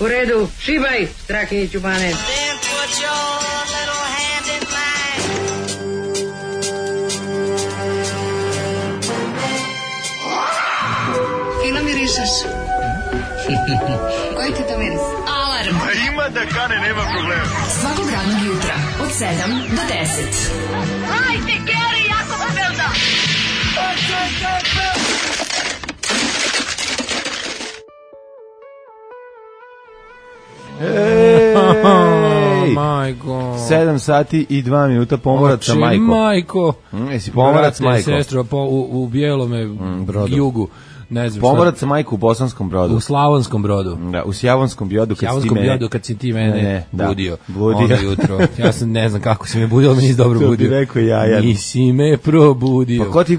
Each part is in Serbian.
U redu, šibaj, Strahinjiću Bane. Fino mirišeš. Koji ti to miris? Alarm. Ima da kane, nema problema. Svakog radnog jutra, od 7 do 10. Hajde, Geri, jako se velda. Majko. 7 sati i 2 minuta pomorac sa majkom. Majko. Jesi pomorac sa majkom? Sestro, u bijelome jugu. Ne znam pomorac sa majku u Bosanskom Brodu. U Slavonskom Brodu. Da, u Sjavonskom Bjodu kad si ti mene budio. Onda jutro. Ja sam ne znam kako si me budio, ali mi nisi dobro budio. To bi rekao ja. Nisi me probudio. Pa ko ti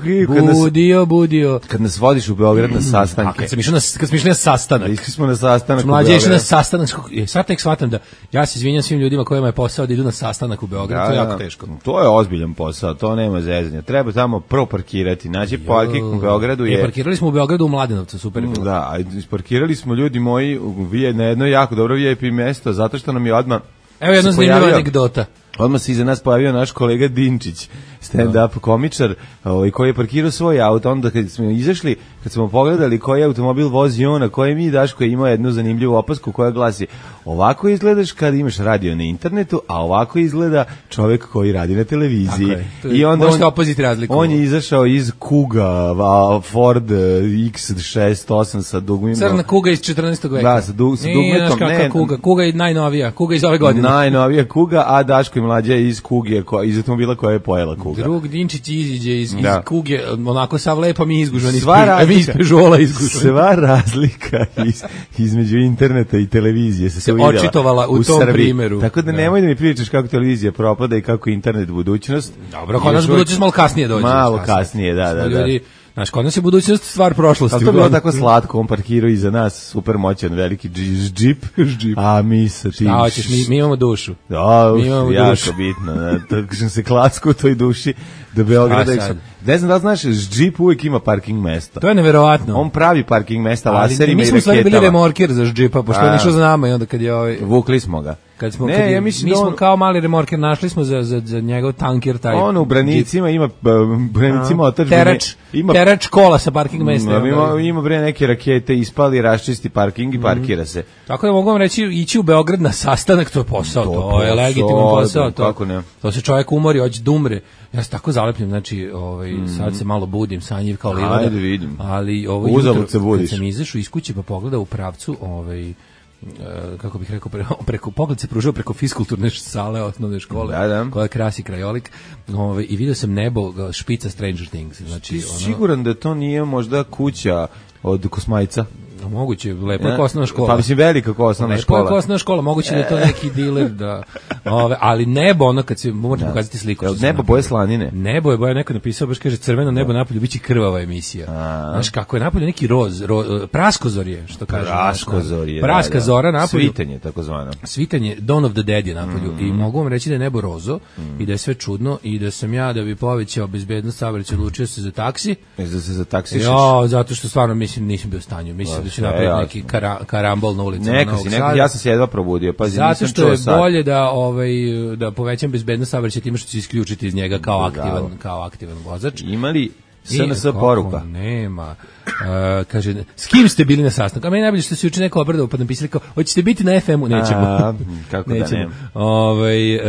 budio. Kad nas vodiš u Beograd na sastanke. A kad smo išli na sastanak. Išli smo na sastanak u Beograd. Mlađe išli na sastanak. Sad tek shvatam da ja se izvinjam svim ljudima kojima je posao da idu na sastanak u Beograd. To je jako teško. To je ozbiljan posao, to nema zezanja. Treba tamo prvo parkirati. Naći parking u Beogradu je. Parkirali smo u Beogradu u Mladenovcu, super je bilo. Da, isparkirali smo ljudi moji na jedno jako dobro VIP mjesto, zato što nam je odmah... Evo jedna zanimljiva anegdota. Odmah se iza nas pojavio naš kolega Dinčić, stand-up komičar, koji je parkirao svoj auto. Onda kad smo izašli, kad smo pogledali koji automobil vozi on, a koji mi Daško ima jednu zanimljivu opasku koja glasi: ovako izgledaš kad imaš radio na internetu, a ovako izgleda čovjek koji radi na televiziji. I onda on je izašao iz Kuga, Ford X68 sa dugmima. Crna Kuga iz 14. veka. Da, sa dugmetom. Kuga je najnovija, Kuga iz ove godine. Najnovija Kuga, a Daško i mlađa iz Kuge, iz automobila koja je pojela Kuga. Drug Dinčić iziđe iz Kuge, onako sav lepa mi izgužvan, mi iz Peugeota izgužvan. Sva razlika između interneta i televizije se očitovala u tom primjeru. Tako da nemoj da mi pričaš kako televizija propada i kako internet budućnost. Dobro, kod nas budućnost malo kasnije dođe. Malo kasnije, da. Znaš, kod nas je budućnost stvar prošlosti. Ali to je bilo tako slatko, on parkirao iza nas, super moćan, veliki džip, a mi sa tim... A, hoćeš, mi imamo dušu. Jako bitno, tako što se klacku u toj duši do Beograda. Ne znam da li znaš, džip uvijek ima parking mesta. To je neverovatno. On pravi parking mesta laserima i raketama. Mi smo stvari bili remorker za džipa, pošto je išao za nama i onda kad je vukli smo ga. Mi smo kao mali remorker, našli smo za njegov tanker taj. On u Branicima ima terač kola sa parking mesta. Ima neke rakete, ispali, raščisti parking i parkira se. Tako da mogu vam reći, ići u Beograd na sastanak, to je posao, to je legitiman posao. To se čovjek umori, hoće da umre. Ja se tako zalepim, znači, sad se malo budim, sanjiv kao livada. Ajde vidim. Ali uzalud se budiš. Kad sam izašao iz kuće pa pogledao u pravcu, kako bih rekao, preko pogled se pružao preko fiskulturne sale osnovne škole, koja krasi krajolik, i vidio sam nebo špica Stranger Things. Znači, siguran da to nije možda kuća od Kosmajca? Moguće, lepo je osnovna škola. Pa mislim, velika osnovna škola. Lepo je osnovna škola, moguće da je to neki diler, ali nebo, ono kad se, možete pokazati sliku. Nebo boje slanine. Nebo je boje, neko napisao, baš kaže, crveno nebo napolju, bit će krvava emisija. Znaš, kako je napolju neki praskozorje, što kaže. Praskozorje, praska zora napolju. Svitanje, tako zvano. Svitanje, Dawn of the Dead je napolju. I mogu vam reći da je nebo rozo i da je sve čudno i da sam ja, da bi povećao bezbednost saobraćaja, odlučio se za taksi. Zato što stvarno mislim nisam bio u stanju. Mislim da će napraviti neki karambol na ulici. Ja sam se jedva probudio. Pazi, zato što je bolje da povećam bezbednost saobraćaja time što će isključiti iz njega kao aktivan vozač. Ima li SNS poruka? Nema. Kaže, s kim ste bili na sastanku? A meni najbolje što se juče neko obradao pa napisali kao, hoćete biti na FM-u? Nećemo. Kako da nema.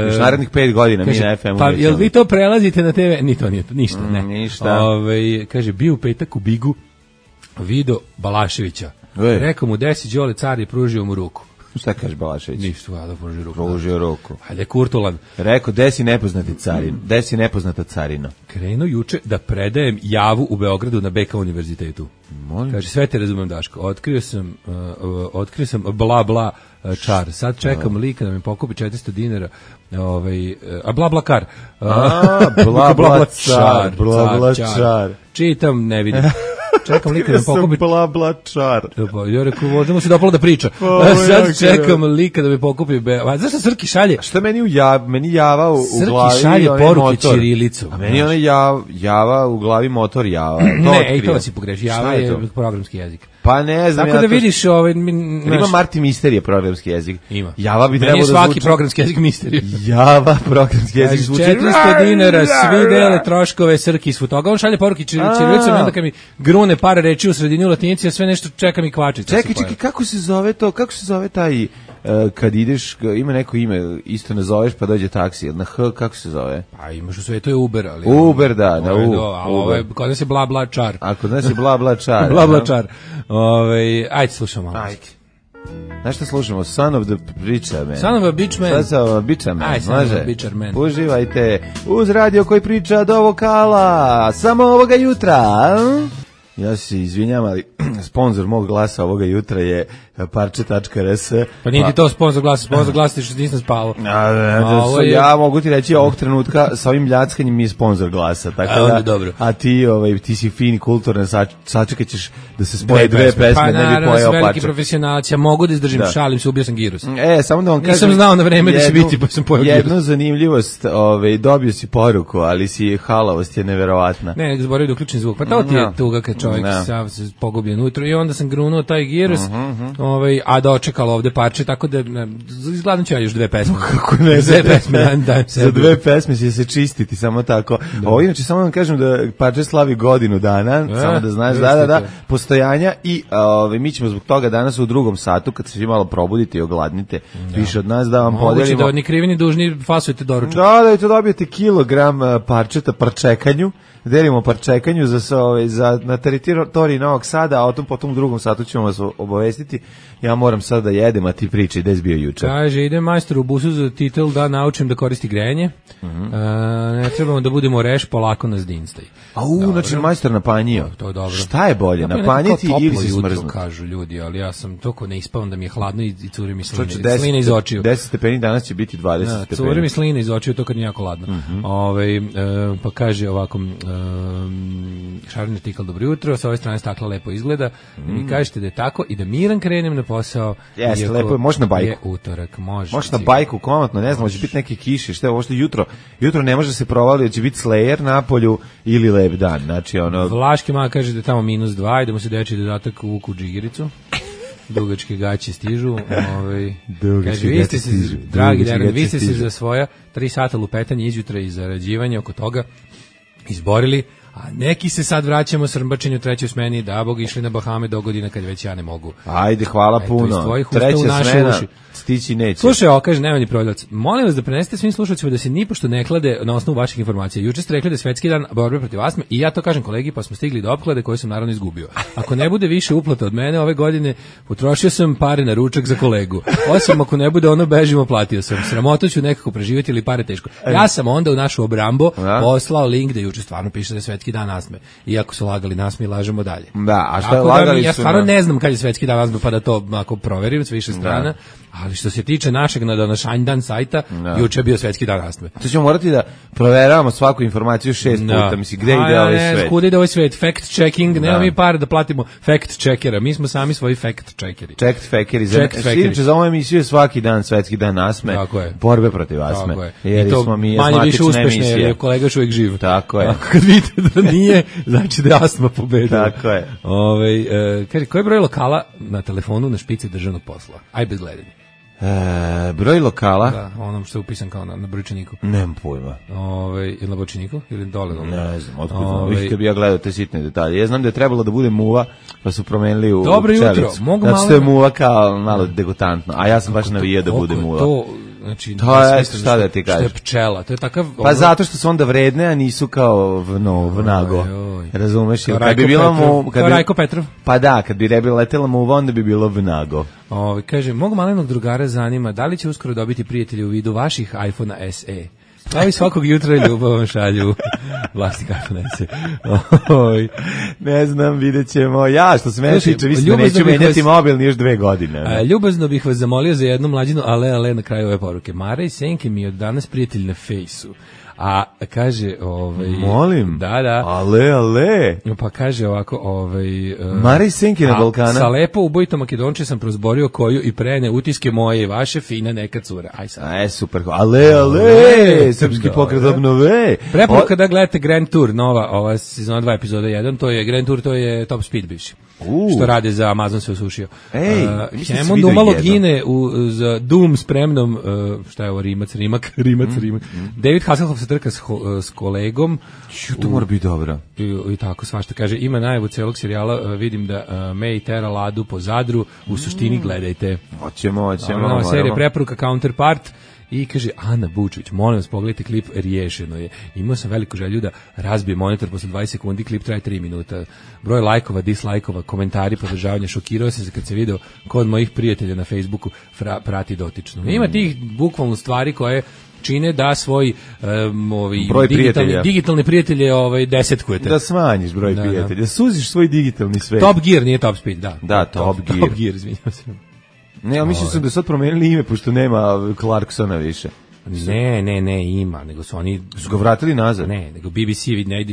Još narednih 5 godina mi na FM-u pa nećemo. Jel vi to prelazite na TV? Ni to, ništa. Ništa. Kaže, bio u petak u Bigu, video Balaševića. Rekao mu, desi Đole car i pružio mu ruku. Šta kaže Balašević? Ništa, da pružio ruku. Hajde, Kurtulan. Rekao, desi nepoznata carina. Krenuo juče da predajem javu u Beogradu na BK univerzitetu. Kaže, sve te razumem, Daško. Otkrio sam bla čar. Sad čekam lika da mi pokupi 400 dinara. Bla kar. Bla čar. Čitam, ne vidim. Čekam lika da mi pokupi... Bla čar. Ja rekao, možda mu se dopalo da priča. Sad čekam lika da mi pokupi... Zašto Srki šalje? Šta meni java u glavi... Srki šalje poruke ćirilicom. A meni java u glavi motor java. Ne, to si pogreši. Java je programski jezik. Pa ne znam. Tako da vidiš ima Marti Misterije programski jezik. Ima. Java bi trebalo da svaki zvuči... programski jezik Misterije. Java programski jezik zvuči... 400 dinara, svi dele troškove, Srki svu toga. On šalje poruke ćirilicom i onda kad mi grune par reči u sredini u latinici, ja sve nešto čekam i kvačica. Čekaj, kako se zove to? Kako se zove taj... kad ideš, ima neko ime, isto nazoveš pa dođe taksi, na H, kako se zove? Pa imaš u svetu je Uber, ali... Uber, da, na U. A ovo je, kod nas je bla bla čar. A kod nas je bla bla čar. Bla bla čar. Ajde, slušamo malo. Ajde. Znaš šta slušamo? Son of the Preacher Man. Son of a Bitch Man. Son of a Bitcher Man. Aj, Son of a Bitcher Man. Uživajte uz radio koji priča do vokala, samo ovoga jutra. Ja se izvinjam, ali sponsor mog glasa ovoga jutra je parče.rs. Pa nije ti to sponsor glasa ti što nisam spavao. Ja mogu ti reći ovog trenutka sa ovim ljackanjem mi je sponsor glasa. Tako da, dobro. A ti si fin, kulturan, sačekat ćeš da se spoje dve pesme, pa, ne bi pojeo parče. Veliki profesionalac, ja mogu da izdržim, šalim se, ubio sam girus. Samo da vam kažem. Nisam znao na vreme da će biti, pa sam pojeo girus. Jednu zanimljivost, dobio si poruku, ali si halavost je neverovatna. Ne, zaboravio da uključim zvuk. Pa to ti je tuga kad čovjek sav se pogubljen ujutro i onda sam grunuo taj girus, a dočekalo ovde parče, tako da izgledam ću ja još dve pesme. Kako ne, za dve pesme, za dve pesme će se čistiti, samo tako. Ovo inače, samo vam kažem da parče slavi godinu dana, samo da znaš, da, postojanja i mi ćemo zbog toga danas u drugom satu, kad se vi malo probudite i ogladnite, više od nas da vam podelimo. Moguće da ni krivi ni dužni fasujete doručak. Da to dobijete kilogram parčeta parčekanju, delimo parčekanju na teritoriji Novog Sada, a potom u drugom satu ćemo vas obavestiti. Ja moram sad da jedem, a ti priči gde si bio juče. Kaže, ide majstor u busu za titel da naučim da koristi grejanje. Ne trebamo da budemo reš, polako nas dinstaj. Znači majstor napanjio. To je dobro. Šta je bolje, napanjiti ili se smrznuti? Kažu ljudi, ali ja sam toliko ne ispavam da mi je hladno i curi mi slina iz očiju. 10 stepeni, danas će biti 20 stepeni. Curi mi slina iz očiju, to kad nije jako hladno. Pa kaže ovako, šarni artikal, dobro jutro, sa ove strane stakla lepo izgleda, mi kažete da je tako i da miran krenem na posao. Jeste, lepo je, može na bajku. Je utorak, može. Može na bajku, komotno, ne znam, će biti neke kiše, šta je ovo što jutro ne može se provali, će biti Slayer na polju ili lep dan, znači ono... Vlaški mak kaže da je tamo -2 i da mu se deči dodatak uvuku u džigiricu. Dugačke gaće stižu. Kaže, vi ste se, dragi Deran, vi ste se za svoja 3 sata lupetanja izjutra i zarađivanja oko toga izborili, a neki se sad vraćamo s rmbačenju u trećoj smeni, da Bog išli na Bahame do godina kad već ja ne mogu. Ajde, hvala puno. Treća smena stići neće. Slušaj, kaže Nevani prodavac, molim vas da prenesete svim slušalcima da se nipošto ne klade na osnovu vaših informacija. Juče ste rekli da je svetski dan borbe protiv astme i ja to kažem kolegi, pa smo stigli do opklade koje sam naravno izgubio. Ako ne bude više uplata od mene ove godine, potrošio sam pare na ručak za kolegu. Osim ako ne bude ono bežimo, platio sam. Sramoto ću nekako preživjeti ili pare teško. Ja sam onda u našu obrambo poslao link da juče stvarno piše da je svetski dan astme. Iako su lagali nas, mi lažemo dalje. Da, a šta je lagali su? Ja stvarno ne znam kad je svetski dan astme, pa da to ako proverim s više strana. Ali što se tiče našeg današnjeg sajta, juče je bio svetski dan astme. To ćemo morati da proveravamo svaku informaciju 6 puta, misli, gde ide ovaj svet? Kuda ide ovaj svet? Fact checking, nema mi pare da platimo fact checkera, mi smo sami svoji fact checkeri. Inače, za ovu emisiju je svaki dan svetski dan astme, borbe protiv astme. I to manje više uspešne, jer je kolega još uvijek živ. Tako je. Ako kad vidite da nije, znači da je astma pobedila. Tako je. Kaže, koji je broj lokala na telefonu na špici državnog posla? Aj bez gledanja. Broj lokala? Da, onom što je upisan kao na brojčaniku. Nemam pojma. Ili na brojčaniku? Ili dole? Ne znam, otkud kad bi ja gledao te sitne detalje. Ja znam da je trebalo da bude muva, pa su promenili u dobro pčelicu. Jutro, mogu malo... Znači, to je muva kao malo degutantno, a ja sam baš navijao da bude muva. Znači, to je šta da ti kažeš? Što je pčela, to je takav... Pa zato što su onda vredne, a nisu kao vnago. Razumeš? Kad bi bila kao Rajko Petrov. Pa da, kad bi letela muva, onda bi bilo vnago. Kaže, mog malenog drugara zanima, da li će uskoro dobiti prijatelji u vidu vaših iPhone SE? Kao i svakog jutra ljubavom šalju vlasnik iPhone SE. Ne znam, vidjet ćemo. Ja, što se mene tiče, mislim da neću menjati mobil ni još 2 godine. Ljubazno bih vas zamolio za jednu mlađinu, ale na kraju ove poruke. Mara i Senke mi je od danas prijatelj na fejsu. A kaže, molim. Da. Ale. Pa kaže ovako, Mara i Senke na Balkana. Sa lepo ubojitom Makedonče sam prozborio koju i prene utiske moje i vaše fina neka cura. Aj sad. Super. Ale. Srpski pokret obnove. Preporuka da gledate Grand Tour, nova sezona 2 epizoda 1, to je Grand Tour, to je Top Speed bivši. što rade za Amazon se osušio. Hammond umalo gine za Doom spremnom, šta je ovo, Rimac. David Hasselhoff se trka s kolegom. To mora biti dobro. I tako svašta kaže, ima najavu celog serijala, vidim da May tera Ladu po Zadru, u suštini gledajte. Hoćemo. Nova serija preporuka Counterpart. I kaže, Ana Bučević, molim vas, pogledajte klip, riješeno je. Imao sam veliku želju da razbije monitor posle 20 sekundi, klip traje 3 minuta. Broj lajkova, dislajkova, komentari, podržavanja, šokirao sam se kad se video kod mojih prijatelja na Facebooku prati dotično. Ima tih bukvalno stvari koje čine da svoj digitalne prijatelje desetkujete. Da smanjiš broj prijatelja, da suziš svoj digitalni svet. Top Gear, nije Top Speed, da. Da, Top Gear, izvinjam se. Ne, ja mislim da sad promenili ime, pošto nema Clarksona više. Ne, ima, nego su oni... Su ga vratili nazad? Ne, nego BBC,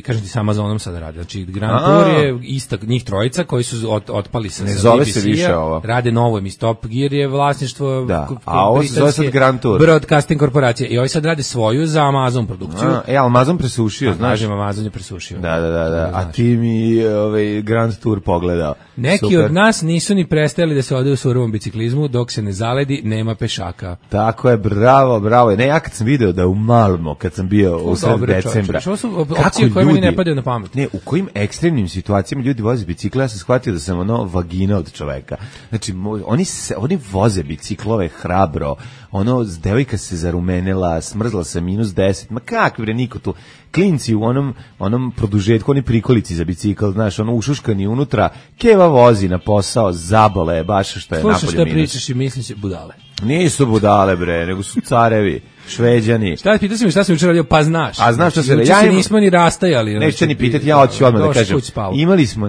kažem ti, sa Amazonom sada radi. Znači, Grand Tour je ista, njih trojica koji su otpali sa BBC-a. Ne zove se više ovo. Rade novo emisiju. Top Gear je vlasništvo... Da, a ovo se zove sad Grand Tour. Broadcasting korporacije. I ovi sad rade svoju za Amazon produkciju. Amazon presušio, znaš? Kažem, Amazon je presušio. Da. A ti mi Grand Tour pogledao. Neki od nas nisu ni prestajali da se ode u surovom biciklizmu, dok se ne zaledi, nema pešaka. Tako je, bravo. Ne, ja kad sam video da u Malmo, kad sam bio u sred decembra, ovo su opcije koje mi ne padaju na pamet. Ne, u kojim ekstremnim situacijama ljudi voze bicikle, ja sam shvatio da sam vagina od čoveka. Znači, oni voze biciklove hrabro, devojka se zarumenila, smrzla se -10, ma kakvi bre, niko tu. Klinci u onom produžetku, oni prikolici za bicikl, znaš, ušuškani unutra, keva vozi na posao, zabole je baš što je napolje minus. Slušaj šta pričaš i misliš budale. Nisu budale bre, nego su carevi, Šveđani. Pitao si mi šta sam jučer radio, pa znaš. A znaš šta se jučer se nismo ni rastajali. Nećete ni pitati, ja hoću odmah da kažem. Imali smo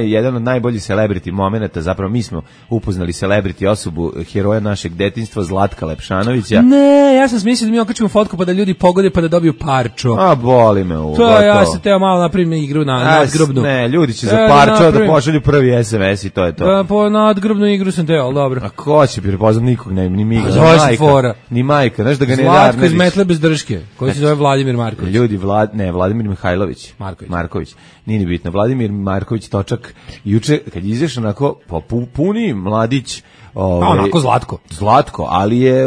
jedan od najboljih celebrity momenata, zapravo mi smo upoznali celebrity osobu, heroja našeg detinjstva, Zlatka Lepšanovića. Ne, ja sam smislio da mi okačimo fotku pa da ljudi pogode pa da dobiju parčo. A boli me u. To ja se teo malo napravim igru na nadgrobnu. Ne, ljudi će za parčo da pošalju prvi SMS i to je to. Po nadgrobnu igru sam teo, dobro. A ko će prepoznat nikog, ni mi, ni majka, znaš da ga ne da. Zlatko iz Metle bez drške, koji se zove Vladimir Marković. Ljudi, Vladimir Mihajlović. Marković. Nije ni bitno. Vladimir Marković točak. Juče, kad izaš onako, puni mladić. Onako Zlatko, ali je,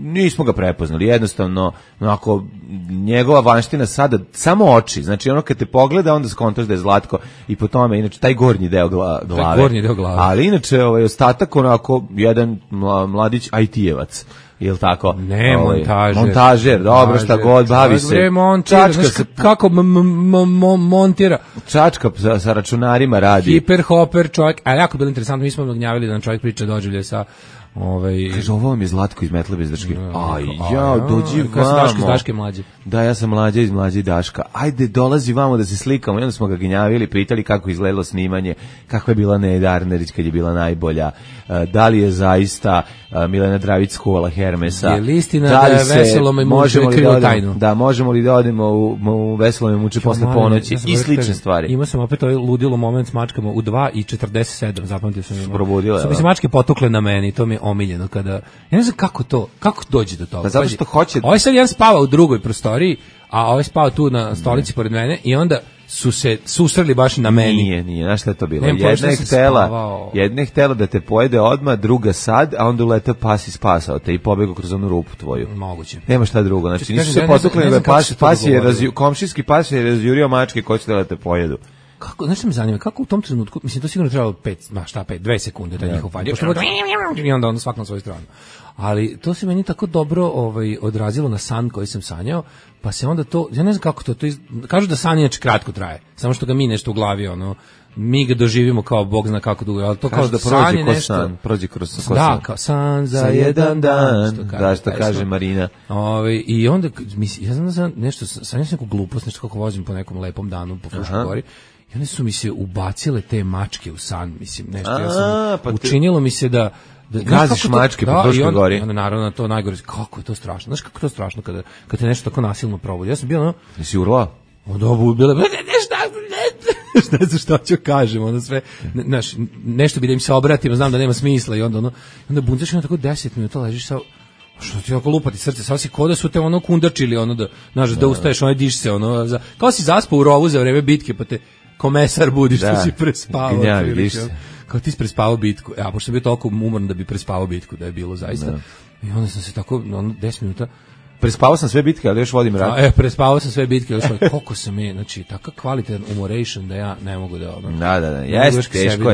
nismo ga prepoznali. Jednostavno, onako, njegova vanština sada, samo oči. Znači, kad te pogleda, onda skontaš da je Zlatko i po tome, inače, taj gornji deo glave. Ali inače, ostatak, onako, jedan mladić IT-evac. Jel tako? Ne, montažer, dobro, šta god, bavi se. Čačka se, kako montira. Čačka sa računarima radi. Hiper-hoper čovjek, ali jako bilo interesantno, mi smo gnjavili da nam čovjek priča doživlje sa... Kaže, ovo vam je Zlatko iz Metle bez drške. Dođi vamo. Daško iz Daške mlađe. Da, ja sam mlađa iz mlađe Daška. Ajde, dolazi vamo da se slikamo. I onda smo ga gnjavili, pitali kako izgledalo snimanje, kakva je bila Neda Arnerić kad je bila najbolja, da li je zaista Milena Dravić skuvala Hermesa. Je li istina da je Veselome muče krivo tajnu? Da, možemo li da odemo u Veselome muče posle ponoći i slične stvari. Imao sam opet ovaj ludilo moment s mačkama u 2:47, zapamtio sam. Probudila. Su mi se mačke potukle na meni, to mi je omiljeno kada... Ja ne znam kako dođe do toga. Pa zato što hoće... Ovaj sad jedan spava u drugoj prostoriji, a ovaj spava tu na stolici pored mene i onda su se susreli baš na meni. Nije, znaš šta je to bilo? Jedna je htela da te pojede odmah, druga sad, a onda uletao pas i spasao te i pobegao kroz onu rupu tvoju. Moguće. Nema šta drugo, znači nisu se potukli, komšijski pas je razjurio mačke koje će da te pojedu. Kako, znaš što me zanima, kako u tom trenutku, mislim, to sigurno trebalo 2 sekunde, taj njihov falj, i onda svak na svoju stranu. Ali to se meni tako dobro odrazilo na san koji sam sanjao, pa se onda to, ja ne znam kako to kažu da san inače kratko traje, samo što ga mi nešto u glavi, mi ga doživimo kao Bog zna kako dugo, ali to kao da prođe kroz san, prođe kroz san. Da, kao san za jedan dan, što kaže Marina. I onda, ja znam da sam nešto, sanjao sam neku glupost, nešto kako vozim po nekom lepom danu po Fruškoj gori, i one su mi se ubacile te mačke u san, mislim, nešto, ja sam, učinilo mi se da gaziš mačke po Fruškoj gori. Onda naravno to najgore, kako je to strašno, znaš kako je to strašno kad te nešto tako nasilno provodi. Ja sam bio Jesi urlao? Onda bilo, ne znam šta ću kažem, onda sve, nešto bi da im se obratimo, znam da nema smisla i onda buncaš i onda tako 10 minuta ležiš sa, što ti tako lupati srce, sad si ko da su te kundačili, da ustaješ, diš se, kao si zaspao u rovu za vreme bitke, pa te komesar budi što si prespavao. Gnjavi, vidiš se. Kao ti si prespavao bitku. Ja, pošto sam bio toliko umoran da bi prespavao bitku, da je bilo zaista. Da. I onda sam se tako, 10 minuta... Prespavao sam sve bitke, ali još vodim rat. Prespavao sam sve bitke, još koliko sam je, znači, takav kvalitetan umoration da ja ne mogu da... Da, jeste,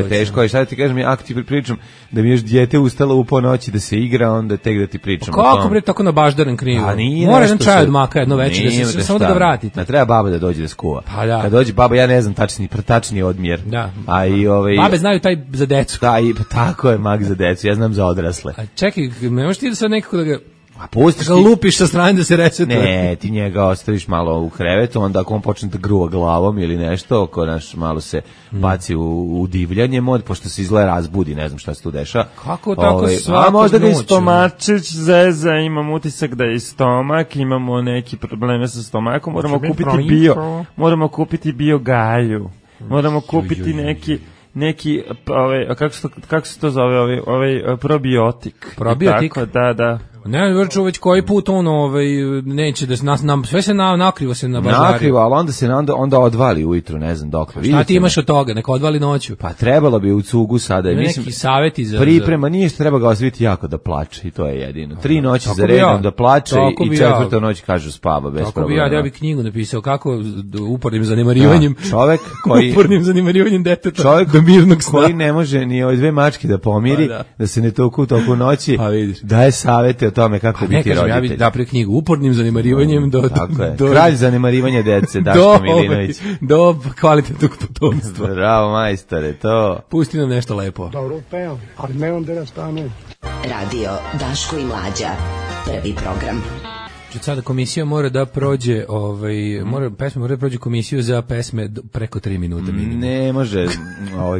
teško je. Šta da ti kažem, ako ti pričam da mi još dijete ustalo u ponoći da se igra, onda tek da ti pričam. Kako bre, tako na baždaran krivo? Mora jedan čaj od maka, jedno veće, da se samo da ga vratite. Ne treba baba da dođe da skuva. Pa da. Kad dođe baba, ja ne znam tačni odmjer. Da. A i babe znaju taj za decu. Da, i tako je mak za decu, ja znam za odrasle. A čekaj, ne možeš ti da sad nekako da ga... A pustiš ti... lupiš sa strane da se resetuje. Ne, ti njega ostaviš malo u krevetu, onda ako on počne da gruva glavom ili nešto, ako naš malo se baci u divljanje mod, pošto se izgleda razbudi, ne znam šta se tu deša. Kako tako svako a možda da je stomačić zeza, imam utisak da je stomak, imamo neki probleme sa stomakom, moramo kupiti bio galju, moramo kupiti neki kako se to zove, probiotik. Probiotik? Tako, da. Ne, vrču već koji put neće da nam sve se nakrivo se na baždari. Nakrivo, ali onda se onda odvali ujutru, ne znam dokle. Šta ti imaš od toga? Neka odvali noću. Pa trebalo bi u cugu sada. Mislim, neki savjeti za... Priprema, nije što treba ga ostaviti jako da plače i to je jedino. 3 noći za redom da plače i 4. noć kažu spava bez problema. Ja bi knjigu napisao kako upornim zanemarivanjem. Čovek koji... upornim zanemarivanjem deteta čovek do mirnog sna. Koji ne može ni ove 2 mačke da pomiri, da se ne toku toku noći, daje savete o tome kako biti roditelj. Ja bih napravio knjigu upornim zanemarivanjem do kralj zanemarivanja dece, Daško Milinović. Do kvalitetnog potomstva. Bravo, majstore, to. Pusti nam nešto lepo. Dobro pevam, ali nemam da rastanem. Radio Daško i Mlađa. Prvi program. Sada komisija mora da prođe, pesme mora da prođe komisiju za pesme preko 3 minuta minimum. Ne može,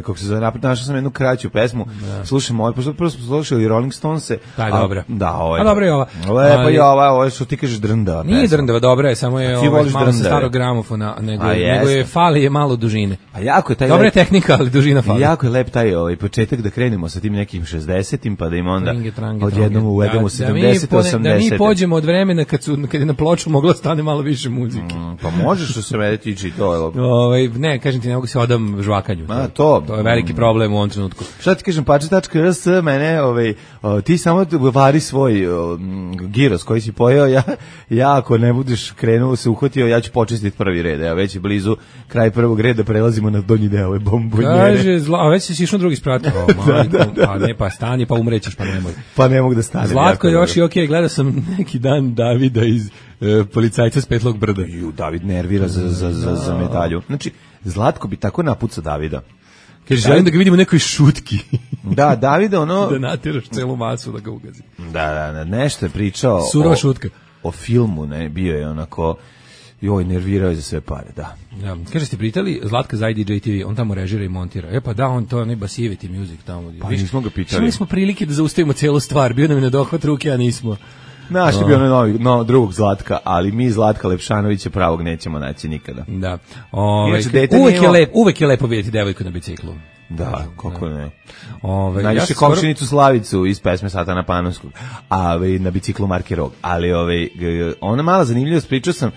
kako se zove, našao sam jednu kraću pesmu, slušamo, pošto prvo smo slušali Rolling Stonese. Da, je dobra. Da, a dobra je ova. Lepa je ova, što ti kažeš drndava pesma. Nije drndava, dobra je, samo je malo sa starog gramofona, nego je fali je malo dužine. A jako je taj... Dobra je tehnika, ali dužina fali. Jako je lep taj početak da krenemo sa tim nekim 60-im, pa da im onda odjednom uvedemo 70-80. Da mi pođemo od vremena kad je na ploču mogla stane malo više muzike. Pa možeš što se mene tiče i to. Ne, kažem ti, ne mogu se odam žvakanju. To je veliki problem u ovom trenutku. Šta ti kažem, pače.rs, mene, ti samo vari svoj giros koji si pojeo, ja ako ne budeš krenuo se uhvatio, ja ću počistiti prvi red. Ja već je blizu kraj prvog reda, prelazimo na donji deo ove bombonjere. Kaže, a već si išao drugi sprat. Pa ne, pa stani, pa umrećeš, pa nemoj. Pa ne mogu da stanem. Zlatko još i okej, gledao sam neki dan Davida iz policajca s Petlog brda. David nervira za medalju. Znači, Zlatko bi tako napucao Davida. Kaže, želim da ga vidimo u nekoj šutki. Da, Davida da natiraš celu masu da ga ugazi. Da, nešto je pričao surova šutka. O filmu, ne, bio je onako... nervirao je za sve pare, da. Kaže, ste pritali Zlatka za IDJ TV, on tamo režira i montira. Pa da, on to ne basiviti music tamo. Pa nismo ga pitali. Imali smo prilike da zaustavimo celu stvar, bio nam je na dohvat ruke, a nismo. Naš je bio drugog Zlatka, ali mi Zlatka Lepšanovića pravog nećemo naći nikada. Da. Uvek je lepo vidjeti devojku na biciklu. Da, kako ne. Najviše komšinicu Slavicu iz pesme Satana Panonskog, a na biciklu marke Rog. Ali ona mala zanimljivost, pričao sam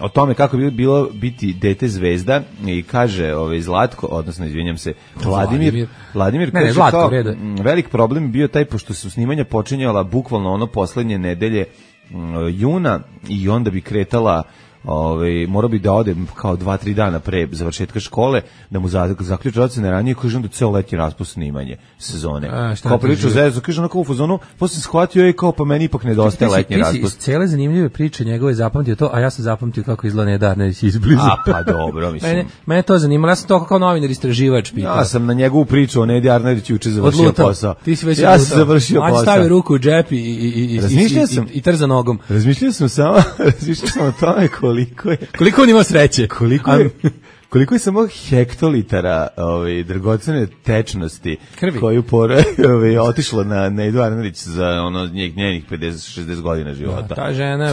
o tome kako bi bilo biti dete zvezda i kaže Zlatko, odnosno izvinjam se, Vladimir kaže Zlatko, velik problem bio taj pošto su snimanja počinjala bukvalno poslednje nedelje juna i onda bi kretala morao bi da ode kao 2-3 dana pre završetka škole, da mu zaključi ocene ranije, kaže onda ceo letnji raspust snimanje sezone. Kao priču zezu, kaže onako u fazonu, posle shvatio kao pa meni ipak nedostaje letnji raspust. Ti si iz cele zanimljive priče njegove zapamtio to, a ja sam zapamtio kako izgleda Nedarneć izbliza. A pa dobro, mislim. Mene to zanimalo, ja sam to kao novinar istraživač pitao. Ja sam na njegovu priču o Nedi Arneriću juče završio posao. Ti si već ja sam završio posao. Stavi ruku u džep i trza nogom. Razmišljao sam o tome koliko on ima sreće. Koliko je samo hektolitara dragocene tečnosti krvi koju otišlo na Nedu Arnerić za njenih 50-60 godina života. Ta žena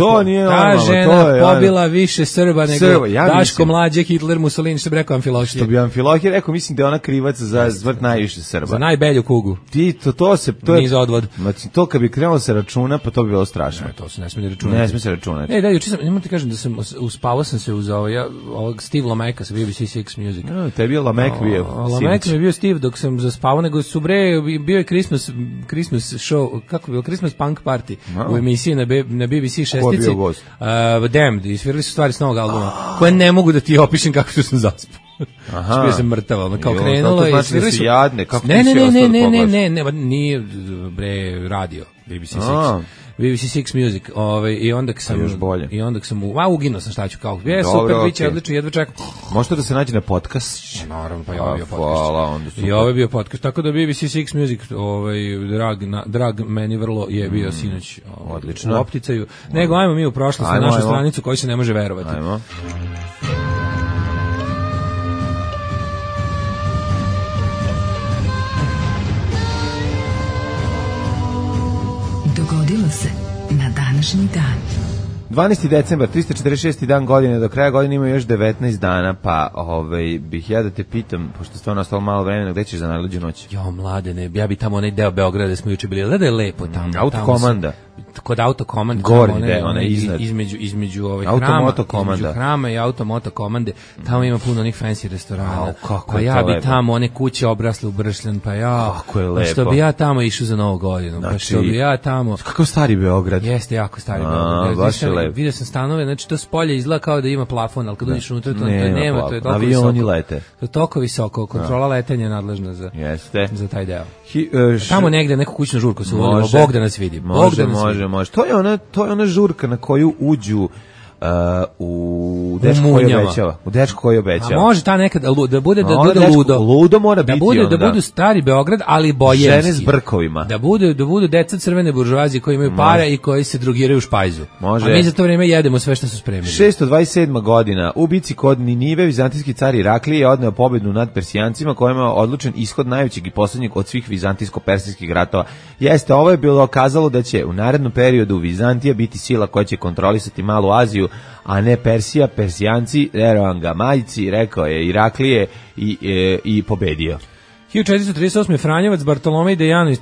pobila više Srba nego Daško Mlađe, Hitler, Mussolini, što bi rekao Amfilohije. Što bi Amfilohije rekao, mislim da je ona krivac za smrt najviše Srba. Za najbelju kugu. Niz odvod. To kad bi krenulo se računa, pa to bi bilo strašno. To se ne smije računati. Ne smije se računati. Da, juče sam, nemoj ti kažem da uspavao sam se uz ovog Steve Lomeka, sam bio BBC Six Music. Tebi je Lamek bio. Lamek mi je bio Steve dok sam zaspavao, nego su bio je Christmas show, kako je bilo, Christmas Punk Party u emisiji na BBC šestici. Ko je bio gost? Damned, isvirali su stvari s novog albuma, koje ne mogu da ti opišem kako što sam zaspao. Aha. Bio sam mrtav, kao krenulo i svirali su... Jadne, kako ne, nije bre radio, BBC Six. BBC Six Music, i onda sam uginuo sam šta ću kao. Super, biće odlično, jedva čekam. Možete da se nađe na podcast? Naravno, pa i ovo je bio podcast. I ovo je bio podcast, tako da BBC Six Music, drag meni vrlo je bio sinoć u opticaju. Nego, ajmo mi u prošlost na našu stranicu koju se ne može verovati. Ajmo. Dogodilo se na današnji dan. 12. decembar, 346. dan godine, do kraja godine ima još 19 dana, pa bih ja da te pitam, pošto stvarno ostalo malo vremena, gde ćeš za najluđu noć? Jo, mladene, ja bi tamo onaj deo Beograda da smo juče bili, da je lepo tamo. Autokomanda. Kod autokomande. Gornji deo, onaj iznad. Između hrama i automotokomande, tamo ima puno onih fancy restorana. Pa ja bi tamo one kuće obrasle u bršljan, pa ja... Kako je lepo. Što bi ja tamo išao za Novu godinu, pa što bi ja tamo... Kakav stari Beograd. Jeste, jako stari Beograd. Baš je lepo. Vidio sam stanove, znači to s polja izgleda kao da ima plafon, ali kad uđeš unutra to nema, to je toliko visoko. Avioni lete. To je toliko visoko, kontrola letenja je nadležna za taj deo. Tamo negde neku kućnu žurku se uvodimo, Bog da nas vidi. Može. To je ona žurka na koju uđu u dečko koji obećava. A može ta nekad da bude ludo. Ludo mora biti onda. Da budu stari Beograd, ali bojenski. Žene s brkovima. Da budu deca crvene buržoazije koji imaju para i koji se drogiraju u špajzu. Može. A mi za to vrijeme jedemo sve što su spremili. 627. godina u bici kod Ninive vizantijski car Iraklije je odneo pobjedu nad Persijancima kojima je odlučen ishod najvećeg i posljednjeg od svih vizantijsko-persijskih ratova. Ovo je bilo kazalo da će u narednom periodu Vizantija biti sila koja će kontrolisati Malu Aziju, a ne Persija, Persijanci, Ervanga majci, rekao je Iraklije i pobedio. 1438. Franjevac Bartolomej Dejano iz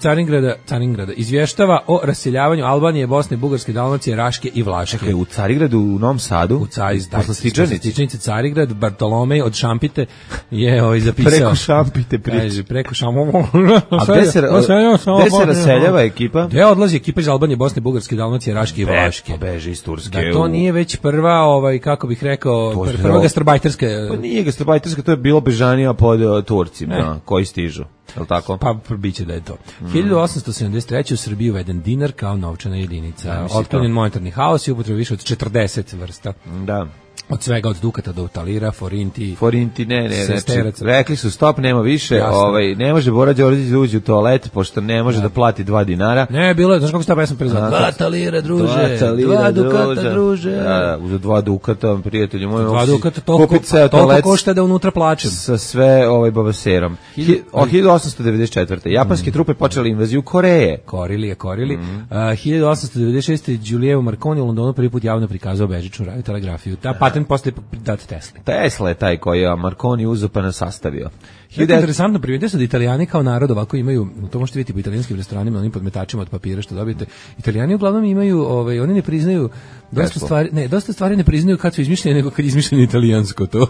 Caringrada izvještava o raseljavanju Albanije, Bosne, Bugarske, Dalmacije, Raške i Vlaške. Čekaj, u Carigradu, u Novom Sadu? Posle Stičanice Carigrad, Bartolomej od Šampite je zapisao. Preko Šampite priča. Kaže, preko Šampite. A gde se raseljava ekipa? Gde odlazi ekipa iz Albanije, Bosne, Bugarske, Dalmacije, Raške i Vlaške? Beže iz Turske. Da to nije već prva, kako bih rekao, prva gastarbajterska. Pa nije gastarbajterska, to je bilo bežanija pod Turcima, koji stižu. Je li tako? Pa biće da je to. 1873. u Srbiji uveden dinar kao novčana jedinica. Otklonjen monetarni haos i upotreba više od 40 vrsta. Da. Od svega, od dukata do talira, forinti, ne, rekli su stop, nema više, ne može Bora Đorđević da uđe u toalet, pošto ne može da plati 2 dinara. Ne, bilo je, znaš kako se ta pesma prezvala? 2 talira, druže, 2 dukata, druže. Uz 2 dukata, prijatelju moj, 2 dukata, toliko košta da unutra plačem. Sa sve babaserom. 1894. Japanske trupe počeli invaziju Koreje. Korili. 1896. Giulio Marconi u Londonu prvi put javno prikazao bežičnu radiotelegrafiju. Ta patent posle dat Tesla. Tesla je taj koji je Marconi uzeo pa nas sastavio. Interesantno, primetio se da Italijani kao narod ovako imaju, to možete vidjeti po italijanskim restoranima, onim podmetačima od papira što dobijete. Italijani uglavnom imaju, oni ne priznaju dosta stvari ne priznaju kad su izmišljene, nego kad je izmišljeno italijansko to.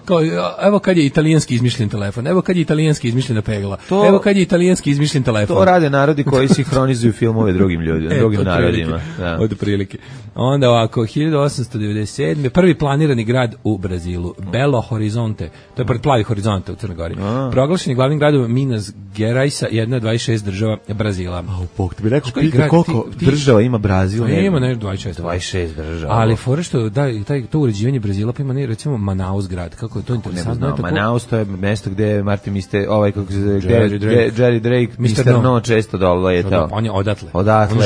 Kao, evo kad je italijanski izmišljen telefon, evo kad je italijanski izmišljena pegla, evo kad je italijanski izmišljen telefon. To rade narodi koji sinhronizuju filmove drugim ljudima, drugim narodima. Od prilike. Onda ovako, 1897. prvi planirani grad u Brazilu, Belo Horizonte, to je plavi Horizonte u Crnoj Gori. Proglašen je glavnim gradom Minas Geraisa, jedna od 26 država Brazila. Ti bi rekao, koliko država ima Brazil? Ima 26 država. Ali fora što to uređivanje Brazila pa ima recimo Manaus grad, kako je to interesantno. Manaus to je mesto gde Martin Jerry Drake, Mr. No često letao. On je odatle.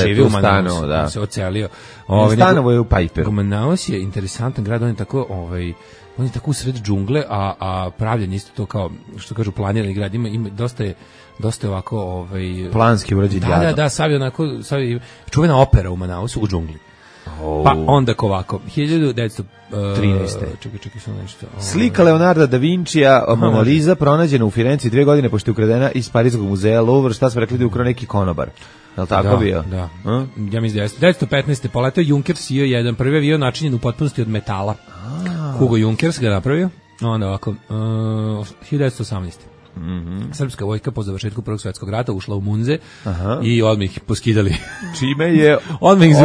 Živi u Manaus, da. Se ocelio. Stanovo je u Piperu. Manaus je interesantan grad, on je tako on je tako u sred džungle, a pravljen isto to kao, što kažu, planirani grad, ima dosta je ovako planski urađen grad. Da, sad čuvena opera u Manausu u džungli. Pa onda ovako, 1913. Čekaj, sam nešto. Slika Leonarda da Vincija, Mona Lisa, pronađena u Firenci 2 godine pošto je ukradena iz Parijskog muzeja Louvre, šta smo rekli da je ukrao neki konobar. Je li tako bio? Da. Ja mislim da jeste. 1915. poletao Junkers IO-1, prvi avion načinjen u potpunosti od metala. Hugo Junkers ga napravio. Onda ovako, 1918. Srpska vojska po završetku Prvog svjetskog rata ušla u Munze i odmah ih poskidali. Čime je odmah ih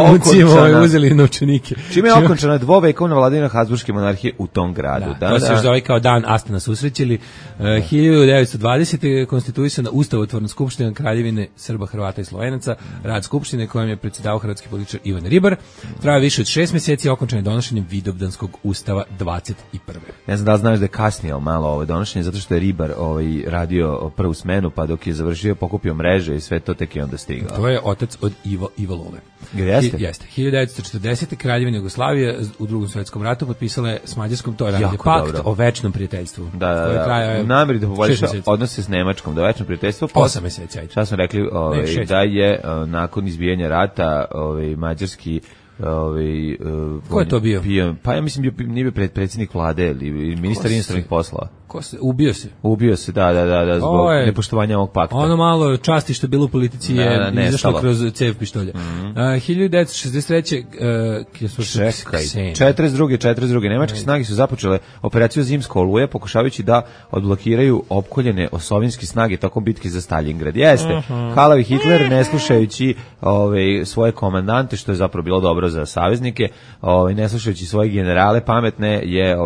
uzeli novčanike. Čime je okončana dvovekovna vladavina Habsburške monarhije u tom gradu. To se još zove kao dan Astana susrećili. 1920. konstituisana ustavotvorna skupština Kraljevine Srba, Hrvata i Slovenaca, rad skupštine kojom je predsjedavao hrvatski političar Ivan Ribar. Traja više od 6 mjeseci, okončan je donošenjem Vidovdanskog ustava 21. Ne znam da li znaš da je kasnije malo ovo donošenje, zato što je Ribar radio prvu smenu, pa dok je završio pokupio mreže i sve to tek je onda stigao. To je otac od Iva Lole. Jeste? Jeste. 1940. Kraljevina Jugoslavije u Drugom svjetskom ratu potpisala je s Mađarskom, to je pakt o večnom prijateljstvu. Da. Nameri da poboljša odnose s Nemačkom, da večno prijateljstvo. 8 mjeseci, ajde. Šta smo rekli, da je nakon izbijanja rata mađarski ko je to bio? Pa ja mislim nije bio predsjednik vlade ili ministar inostranih poslova. Ko se ubio se, da zbog nepoštovanja ovog pakta. Ono malo časti što je bilo u politici je izašlo kroz cev pištolja. 1963. 42. Nemačke snage su započele operaciju Zimska oluja pokušavajući da odblokiraju opkoljene osovinske snage tokom bitke za Stalingrad. Jeste. Halavi Hitler ne slušajući svoje komandante, što je zapravo bilo dobro za saveznike, ne slušajući svoje generale pametne, je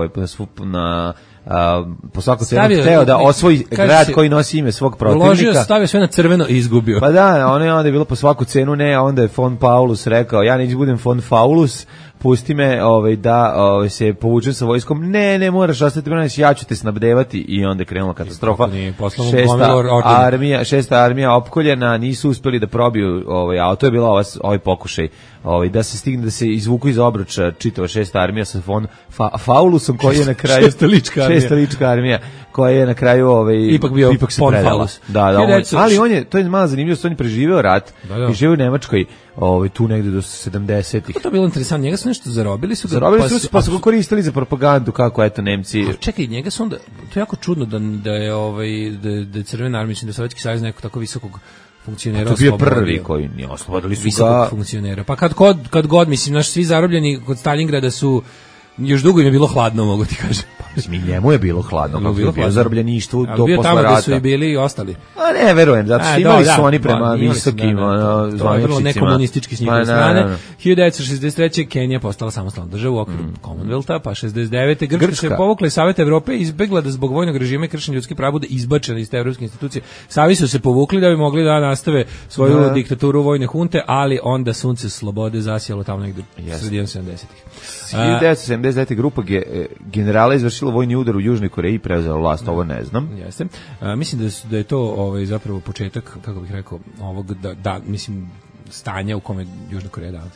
po svaku cenu hteo da osvoji grad koji nosi ime svog protivnika. Stavio sve na crveno i izgubio. Pa da, onda je bilo po svaku cenu ne, onda je von Paulus rekao, ja neću budem von Faulus, pusti me da se povučem sa vojskom. Ne moraš ostati braniš, ja ću te snabdevati. I onda je krenula katastrofa. Šesta armija opkoljena, nisu uspeli da probiju, a to je bila ovaj pokušaj da se stigne, da se izvuku iz obruča čitava šesta armija sa von Faulusom koji je na kraju šesta lička armija koja je na kraju ipak se predala. Ali to je malo zanimljivo, on je preživeo rat i živio u Nemačkoj tu negde do 70-ih. Kako to bilo interesantno? Njega su nešto zarobili su pa su ga koristili za propagandu, kako eto Nemci. Čekaj, njega su onda, to je jako čudno da je Crvena armija, da Sovjetski savez neko tako visokog funkcionera. To je bio prvi koji nije oslobodili su visokog funkcionera. Pa kad god, mislim, naši svi zarobljeni kod Stalingrada su još dugo im je bilo hladno, mogu ti kažem. Mislim, njemu je bilo hladno, kako je bio zarobljeništvu do posle rata. Bio tamo gde su i bili i ostali. A ne, verujem, zato što imali su oni prema visokim zvaničnicima. To je vrlo nekomunistički s njihove strane. 1963. Kenija postala samostalna država u okviru Commonwealtha, pa 69. Grčka se povukla iz Saveta Evrope i izbegla da zbog vojnog režima i kršenja ljudskih prava bude izbačena iz te evropske institucije. Savi su se povukli da bi mogli da nastave svoju diktaturu vojne hunte, ali onda sunce slobode zasijalo tamo negde sredinom 70-ih. 1979. grupa generala izvršila vojni udar u Južnoj Koreji i preuzela vlast, ovo ne znam. Jeste. Mislim da je to zapravo početak, kako bih rekao, ovog mislim stanja u kome Južna Koreja danas.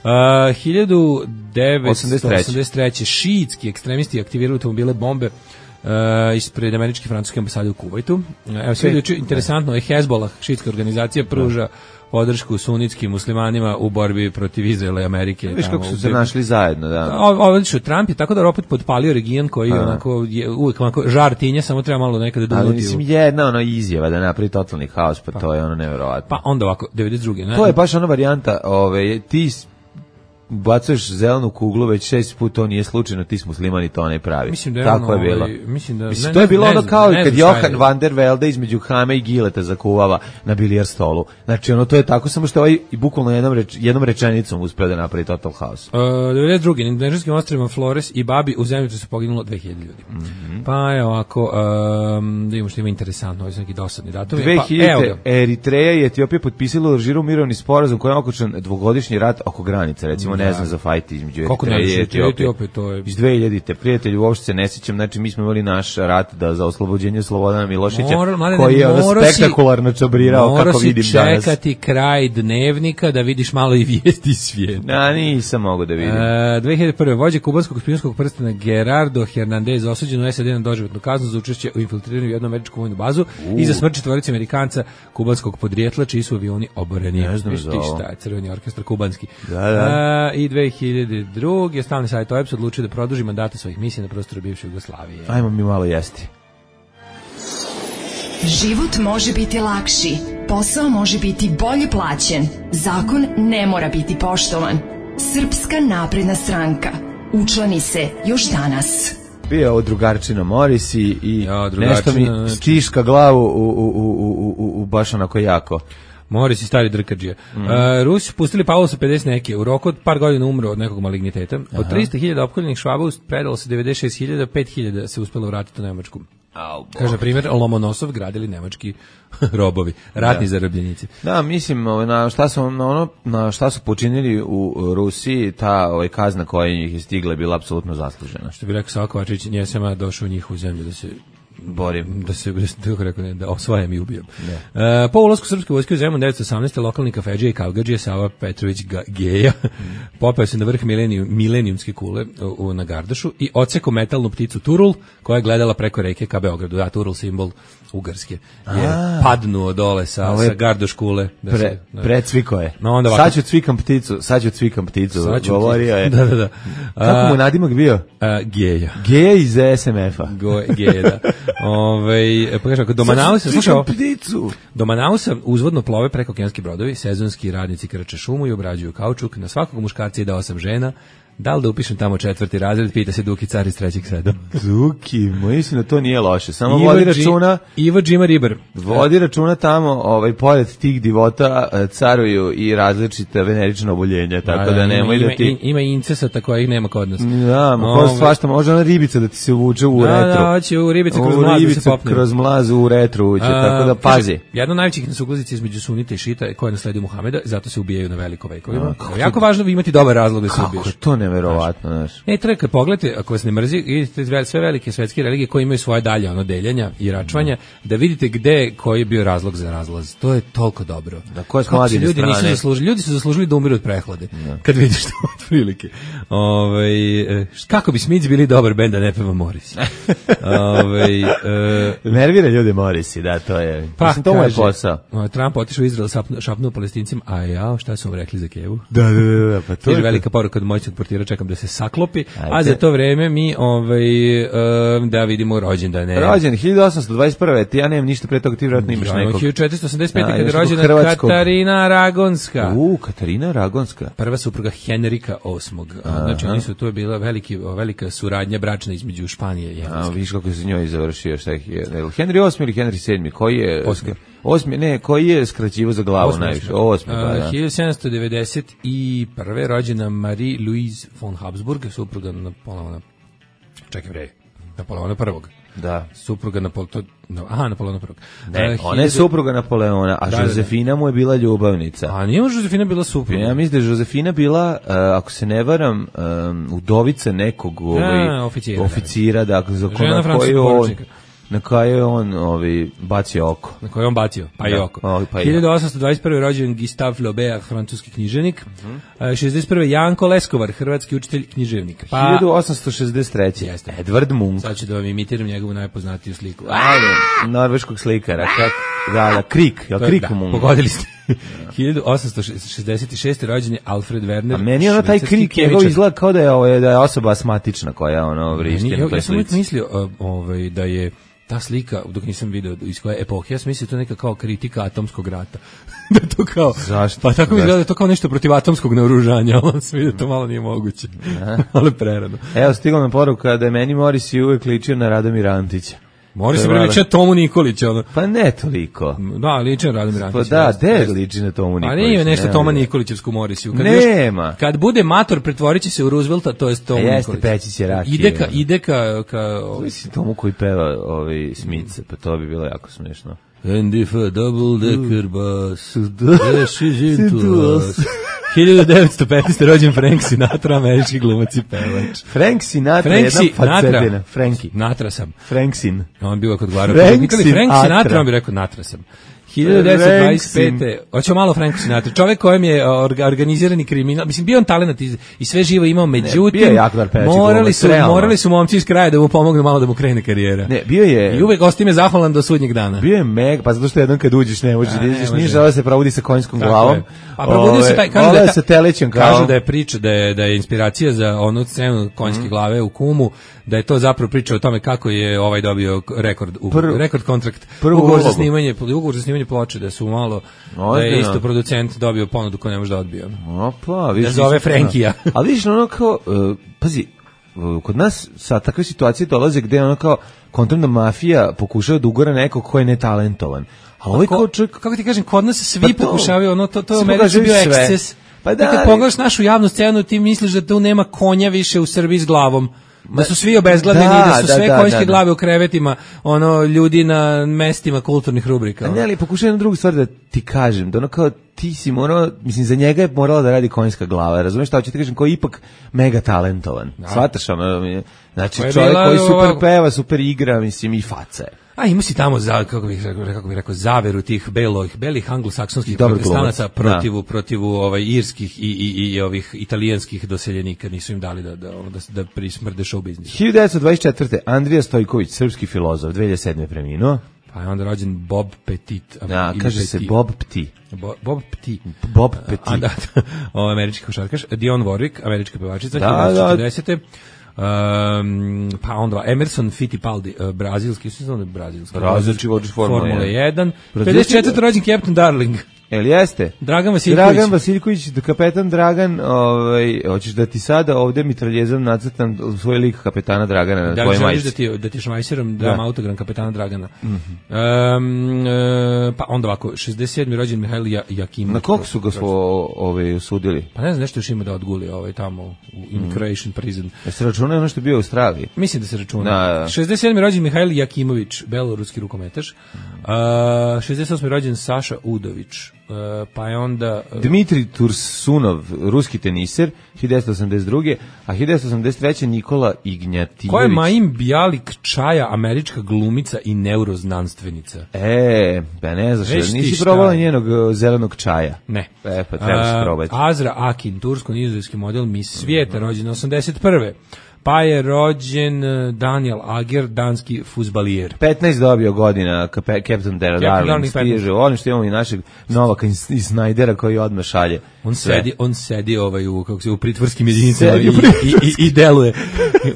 1983. šiitski ekstremisti aktivirali automobile bombe ispred američke i francuske ambasade u Kuvajtu. Evo sve interesantno je Hezbollah, šiitska organizacija, pruža podršku sunitskim muslimanima u borbi protiv Izraela i Amerike. Viš kako su se našli zajedno, da. Odlično, Trump je tako da opet podpalio region koji je uvijek žar tinja, samo treba malo nekada donuti. Ali mislim jedna izjava da napravi totalni haos, pa to je nevjerovatno. Pa onda ovako, 92. To je baš ona varijanta, ti bacuješ zelenu kuglu već 6 puta, to nije slučajno, ti s muslimani to ne pravi. Mislim da je tako je bilo. To je bilo ono kao kad Johan van der Velde između Hame i Gileta zakuvava na bilijar stolu. Znači to je tako, samo što i bukvalno jednom rečenicom uspeo da napravi total haos. 92. Na Indonežanskim ostrvima Flores i Babi u zemljotrisu se poginulo 2000 ljudi. Pa je ovako, da imamo što ima interesantno, ovo su neki dosadni datumi. 2000. Eritreja i Etiopija potpisali u Alžiru mirovni sporazum koji je okončan dvogodšnji rat oko granice, recimo ne znam za fajt između Eritreje i Etiopije. Iz 2000-te, prijatelji, uopšte se ne sjećam, znači mi smo imali naš rat za oslobođenje Slobodana Miloševića, koji je spektakularno čabrirao, kako vidim danas. Morao si čekati kraj dnevnika da vidiš malo i vijesti svijeta. Nisam mogu da vidim. 2001. vođa kubanskog špijunskog prstena Gerardo Hernandez osuđen u SAD na doživotnu kaznu za učešće u infiltriranju u jednu američku vojnu bazu i za smrt četvorice Amerikanca kubanskog podrijetla, čiji su avioni oboreni. Ne znam za ovo. Crveni orkestar kubanski. Da. I 2002. Stalni savjet OEBS odlučio da produži mandate svojih misija na prostoru bivše Jugoslavije. Ajmo mi malo jesti. Život može biti lakši, posao može biti bolje plaćen, zakon ne mora biti poštovan. Srpska napredna stranka. Učlani se još danas. Bio ovo drugarčina Morisi i nešto mi stiška glavu u baš onako jako. Moris i stari drkađija. Rusi pustili Pavla sa 50 neke. U roku od par godina umro od nekog maligniteta. Od 300.000 opkoljenih Švaba predalo se 96.000, 5.000 se uspelo vratiti u Nemačku. Kaže, na primjer, Lomonosov gradili nemački robovi, ratni zarobljenici. Da, mislim, na šta su počinili u Rusiji, ta kazna koja ih je stigla je bila apsolutno zaslužena. Što bi rekao Savakovačić, nije sama došao u njihovu zemlju da se borim. Da osvajam i ubijem. Po ulasku srpske vojske u Zemun 1918. lokalni kafedžija i kavgadžija Sava Petrović Geja popeo se na vrh milenijumske kule na Gardašu i odseko metalnu pticu Turul koja je gledala preko reke ka Beogradu. Da, Turul simbol Ugarske. Je padnuo dole sa Gardoš kule. Precviko je. Sad ću cvikam pticu. Govorio je. Da. Kako mu nadimak bio? Geja. Geja iz SMF-a. Geja, da. Pa kaže, do Manausa, slušao, do Manausa uzvodno plove preko okeanski brodovi, sezonski radnici krče šumu i obrađuju kaučuk, na svakog muškarca ide 8 žena. Da li da upišem tamo 4. razred, pita se Duki car iz 3. seda. Duki, mislim da to nije loše, samo vodi računa. Ivo Džima Ribar. Vodi računa tamo, pored tih divota caruju i različite venerične oboljenja, tako da nemoj da ti... Ima incesata kojih nema kod nas. Da, svašta, može ona ribica da ti se uvuče u retru. Da, hoće u ribice kroz mlaz da se popne. Kroz mlaz u retru uđe, tako da pazi. Jedna od najvećih nesuglasnica između sunita i šita koja nasledio Muhameda, zato se ubijaju na veliko vekovima. Jako važno imati dobar razlog da se ubiješ. Neverovatno, znaš. Treba kad pogledate, ako vas ne mrzi, idete sve velike svetske religije koje imaju svoje dalje deljenja i račvanja, da vidite gde koji je bio razlog za razlaz. To je toliko dobro. Da, koje su mladine strane. Ljudi su zaslužili da umiru od prehlade. Kad vidiš to od prilike. Kako bi Smiths bili dobar bend da ne peva Morris? Nervira ljude Morrisi, da, to je. Mislim, to mu je posao. Trump otišao u Izrael, šapnuo Palestincima, a ja, šta su vam rekli za Kevu? Da, pa to je velika poruka od moćnog portira, čekam da se saklopi, a za to vreme mi da vidimo rođendane. Rođen 1821. Ja nemam ništa pre toga, ti vjerojatno imaš nekog. 1485. kada je rođena Katarina Ragonska. Katarina Ragonska. Prva supruga Henrika VIII. Znači, to je bila velika suradnja bračna između Španije i Engleske. Viš kako se njoj završio, šta je Henry VIII ili Henry VII, koji je... koji je skraćivo za glavu najviše? 1791. rođena Marie-Louise von Habsburg, supruga Napoleona. Napoleona prvog. Da. Supruga Napoleona prvog. Ne, ona je supruga Napoleona, a Josefina mu je bila ljubavnica. A nije Josefina bila supruga? Ja mislim da je Josefina bila, ako se ne varam, udovica nekog oficira, dakle, na koje je on bacio oko. Na koje je on bacio, pa i oko. 1821. rođen Gustave Flaubert, francuski književnik. 61. Janko Leskovar, hrvatski učitelj književnik. 1863. Edvard Munch. Sad ću da vam imitiram njegovu najpoznatiju sliku. Norveškog slikara. Krik, je li Krik Munch? Pogodili ste. 1866. rođen je Alfred Werner. A meni je taj Krik njegov izgleda kao da je osoba asmatična koja vrišti na toj slici. Ja sam uvijek mislio da je ta slika, dok nisam vidio iz koje epohe, ja sam mislio to neka kao kritika atomskog rata. Da to kao... Zašto? Pa tako mi izgleda da je to kao nešto protiv atomskog naoružanja, ali sam vidio da to malo nije moguće. Ali prerano. Evo, stigla nam poruka da je meni Morisi uvijek ličio na Radomira Antića. Mora se liči na Tomu Nikolića. Pa ne toliko. Da, liči na Radomir Antić. Pa da, liči na Tomu Nikolića. A nije nešto Toma Nikolićevsku Morisiju. Nema. Kad bude mator, pretvorit će se u Roosevelta, to je Tomu Nikolić. Jeste, peći će rakije. Ide ka... Mislim, Tomu koji peva Smice, pa to bi bilo jako smiješno. And if a double decker bus dashes into us. 1915. rođen Frank Sinatra, američki glumac i pevač. Frank Sinatra je jedna facedina. Franki. Natra sam. Frank Sin. On bi uvijek odgovarao. Frank Sinatra, on bi rekao Natra sam. 1925. Hoćemo malo Frank Sinatra. Čovjek kojem je organizirani kriminal. Mislim, bio on talent i sve živo imao, međutim, morali su momci iz kraja da mu pomognu malo da mu krene karijera. Ne, bio je... I uvek ostime zahvalan do sudnjeg dana. Bio je pa zato što jednom kad uđeš ne možeš da ideš, nije žele se provodi sa konjskom glavom. A probudio se taj, kažu da je priča, da je inspiracija za onu scenu konjske glave u Kumu, da je to zapravo priča o tome kako je dobio rekord kontrakt. Ugovor za snimanje ploče, da su malo, da je isto producent dobio ponudu koju ne može da odbije. Opa, da zove Frankija. Ali vidiš, ono kao, pazi, kod nas sa takve situacije dolaze gde ono kao kontrolna mafija pokušava da ugora nekog ko je netalentovan. A ovaj kako ti kažem, kod nas svi pokušavaju, ono, to je u Americi bio eksces. Pa da, kad pogledaš našu javnu scenu, ti misliš da tu nema konja više u Srbiji s glavom. Da su svi obezglavljeni, da su sve konjske glave u krevetima, ono, ljudi na mestima kulturnih rubrika. Ne, ali pokušaj jednu drugu stvar da ti kažem, da ono kao ti si morao, mislim, za njega je morala da radi konjska glava, razumiješ šta hoću ti kažem, koji je ipak mega talentovan. Shvataš ono, znači čovjek koji super peva, super igra, mislim, i faca je. A ima si tamo kako bih rekao zaveru tih belih anglosaksonskih protestanaca protiv irskih i ovih italijanskih doseljenika, nisu im dali da prismrde show biznis. 1924. Andrija Stojković, srpski filozof, 2007. preminuo. Pa je onda rođen Bob Petit. Kaže se Bob Petit. Bob Petit. Bob Petit. Američki košarkaš. Dionne Warwick, američka pevačica, 1940. Pa onda Emerson Fittipaldi, brazilski Formula 1. 54. rođen Captain Darling. Jel jeste? Dragan Vasiljković, kapetan Dragan, hoćeš da ti sada ovde mitraljezom nacrtam svoj lik kapetana Dragana na tvojoj majici. Da ti šmajserom dam autogram kapetana Dragana. Pa onda ovako, 67. rođen Mihajl Jakimović. Na koliko su ga osudili? Pa ne znam, nešto još ima da odguli tamo u Croatian prison. Se računa ono što je bio u Australiji? Mislim da se računa. 67. rođen Mihajl Jakimović, beloruski rukometaš. 68. rođen Saša Udović. Pa je onda Dmitrij Tursunov, ruski teniser, 1982. A 1983. Nikola Ignjatinović. Ko je Maim Bjalik Čaja, američka glumica i neuroznanstvenica? Pa ne znaš, nisi probala njenog zelenog čaja? Ne. Pa treba se probati. Azra Akin, tursko-nizozemski model Miss Svijeta, rođena 81. Pa je rođen Daniel Ager, danski fuzbalijer. 15 dobio godina Captain Darling stiže. Volim što imamo i našeg Novaka iz Snajdera koji odmah šalje. On sedi u pritvorskim jedinicama i deluje.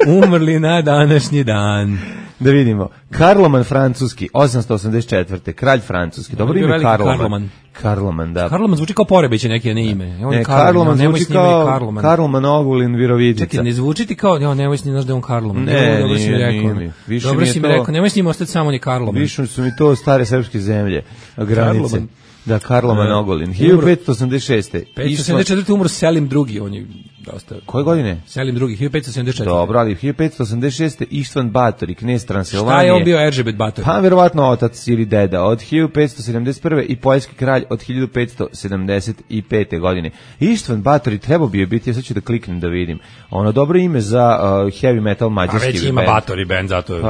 Umrli na današnji dan. Da vidimo. Karloman francuski, 884. Kralj francuski. Dobro ime Karloman. Karloman, da. Karloman zvuči kao Porebić neki, ne ime. Ne, Karloman zvuči kao Karloman Ogulin Virovidica. Čekaj, ne zvuči ti kao, nemoj s njim znaš da je on Karloman. Dobro si mi rekao. Dobro si mi rekao, nemoj s njim ostati samo on je Karloman. Više su mi to stare srpske zemlje, granice. Da, Karloman Ogulin. 1586. 574. umro Selim II, on je dosta. Koje godine? Selim II, 1574. Dobro, ali 1586. Ištvan Batori, knez Transilvanije. Šta je on bio Eržebet Batori? Pa, verovatno otac ili deda. Od 1571. i poljski kralj od 1575. godine. Ištvan Batori trebao bi je biti, ja sad ću da kliknem da vidim. Ono dobro ime za heavy metal mađarski band. A već ima Batori band, zato je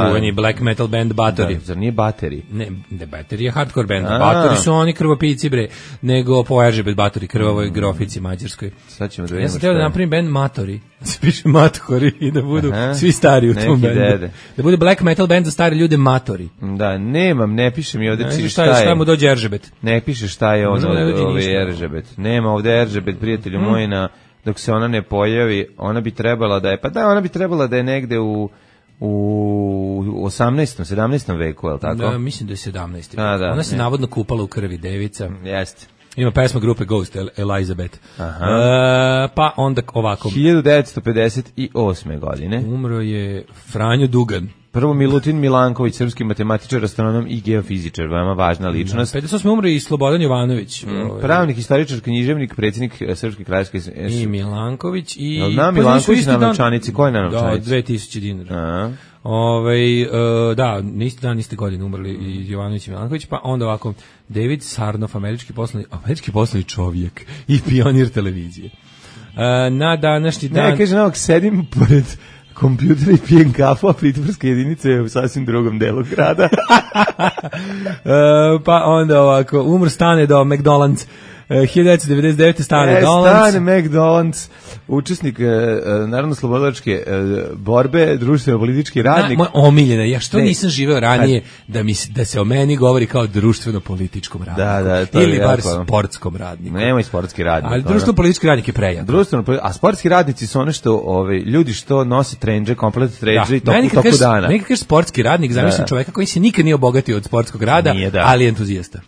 čuveni black metal band Batori. Zar nije Bateri? Ne, Bateri je hardcore band. Batori su oni krvopici, bre, nego po Eržebet Batori, krvavoj grofici mađarskoj. Sad ćemo da vidimo. Ja sam teo da napravim band Matori, da se piše Mathori i da budu svi stari u tom bandu. Da bude black metal band za stare ljude Matori. Da, nemam, ne piše mi ovde šta je. Šta mu dođe Eržebet? Ne piše šta je ono Eržebet. Nema ovde Eržebet, prijatelju moji, dok se ona ne pojavi, ona bi trebala da je, ona bi trebala da je negde u 18. 17. veku, je li tako? Da, mislim da je 17. Ona se navodno kupala u krvi, devica. Jeste. Ima pesma grupe Ghost, Elizabeth. Pa onda ovako. 1958. godine. Umro je Franjo Dugan. Prvo Milutin Milanković, srpski matematičar, astronom i geofizičar, veoma važna ličnost. 58. umro i Slobodan Jovanović. Pravnik, historičar, književnik, predsjednik Srpske kraljevske... I Milanković i... Da, Milanković na novčanici, ko je na novčanici? Da, 2000 dinara. Da, niste dan, niste godine umrli i Jovanović i Milanković, pa onda ovako, David Sarnoff, američki poslovni čovjek i pionir televizije. Na današnji dan... Ne, kaže, sedim pored kompjuter i pijem kafu, a pritvorska jedinica je u sasvim drugom delu grada. Pa onda ovako, umr Stane do McDonald's. 1999. Stane McDonald's, učesnik narodno-slobodilačke borbe, društveno-politički radnik. Moja omiljena, što nisam živeo ranije da se o meni govori kao društveno-političkom radniku. Ili bar sportskom radniku. Nema i sportski radnik. Ali društveno-politički radnik je prejak. A sportski radnici su one što, ljudi što nose trendže, komplet trendže i toku dana. Neki kaže sportski radnik, zamislim čoveka koji se nikad nije obogatio od sportskog rada, ali je entuzijasta.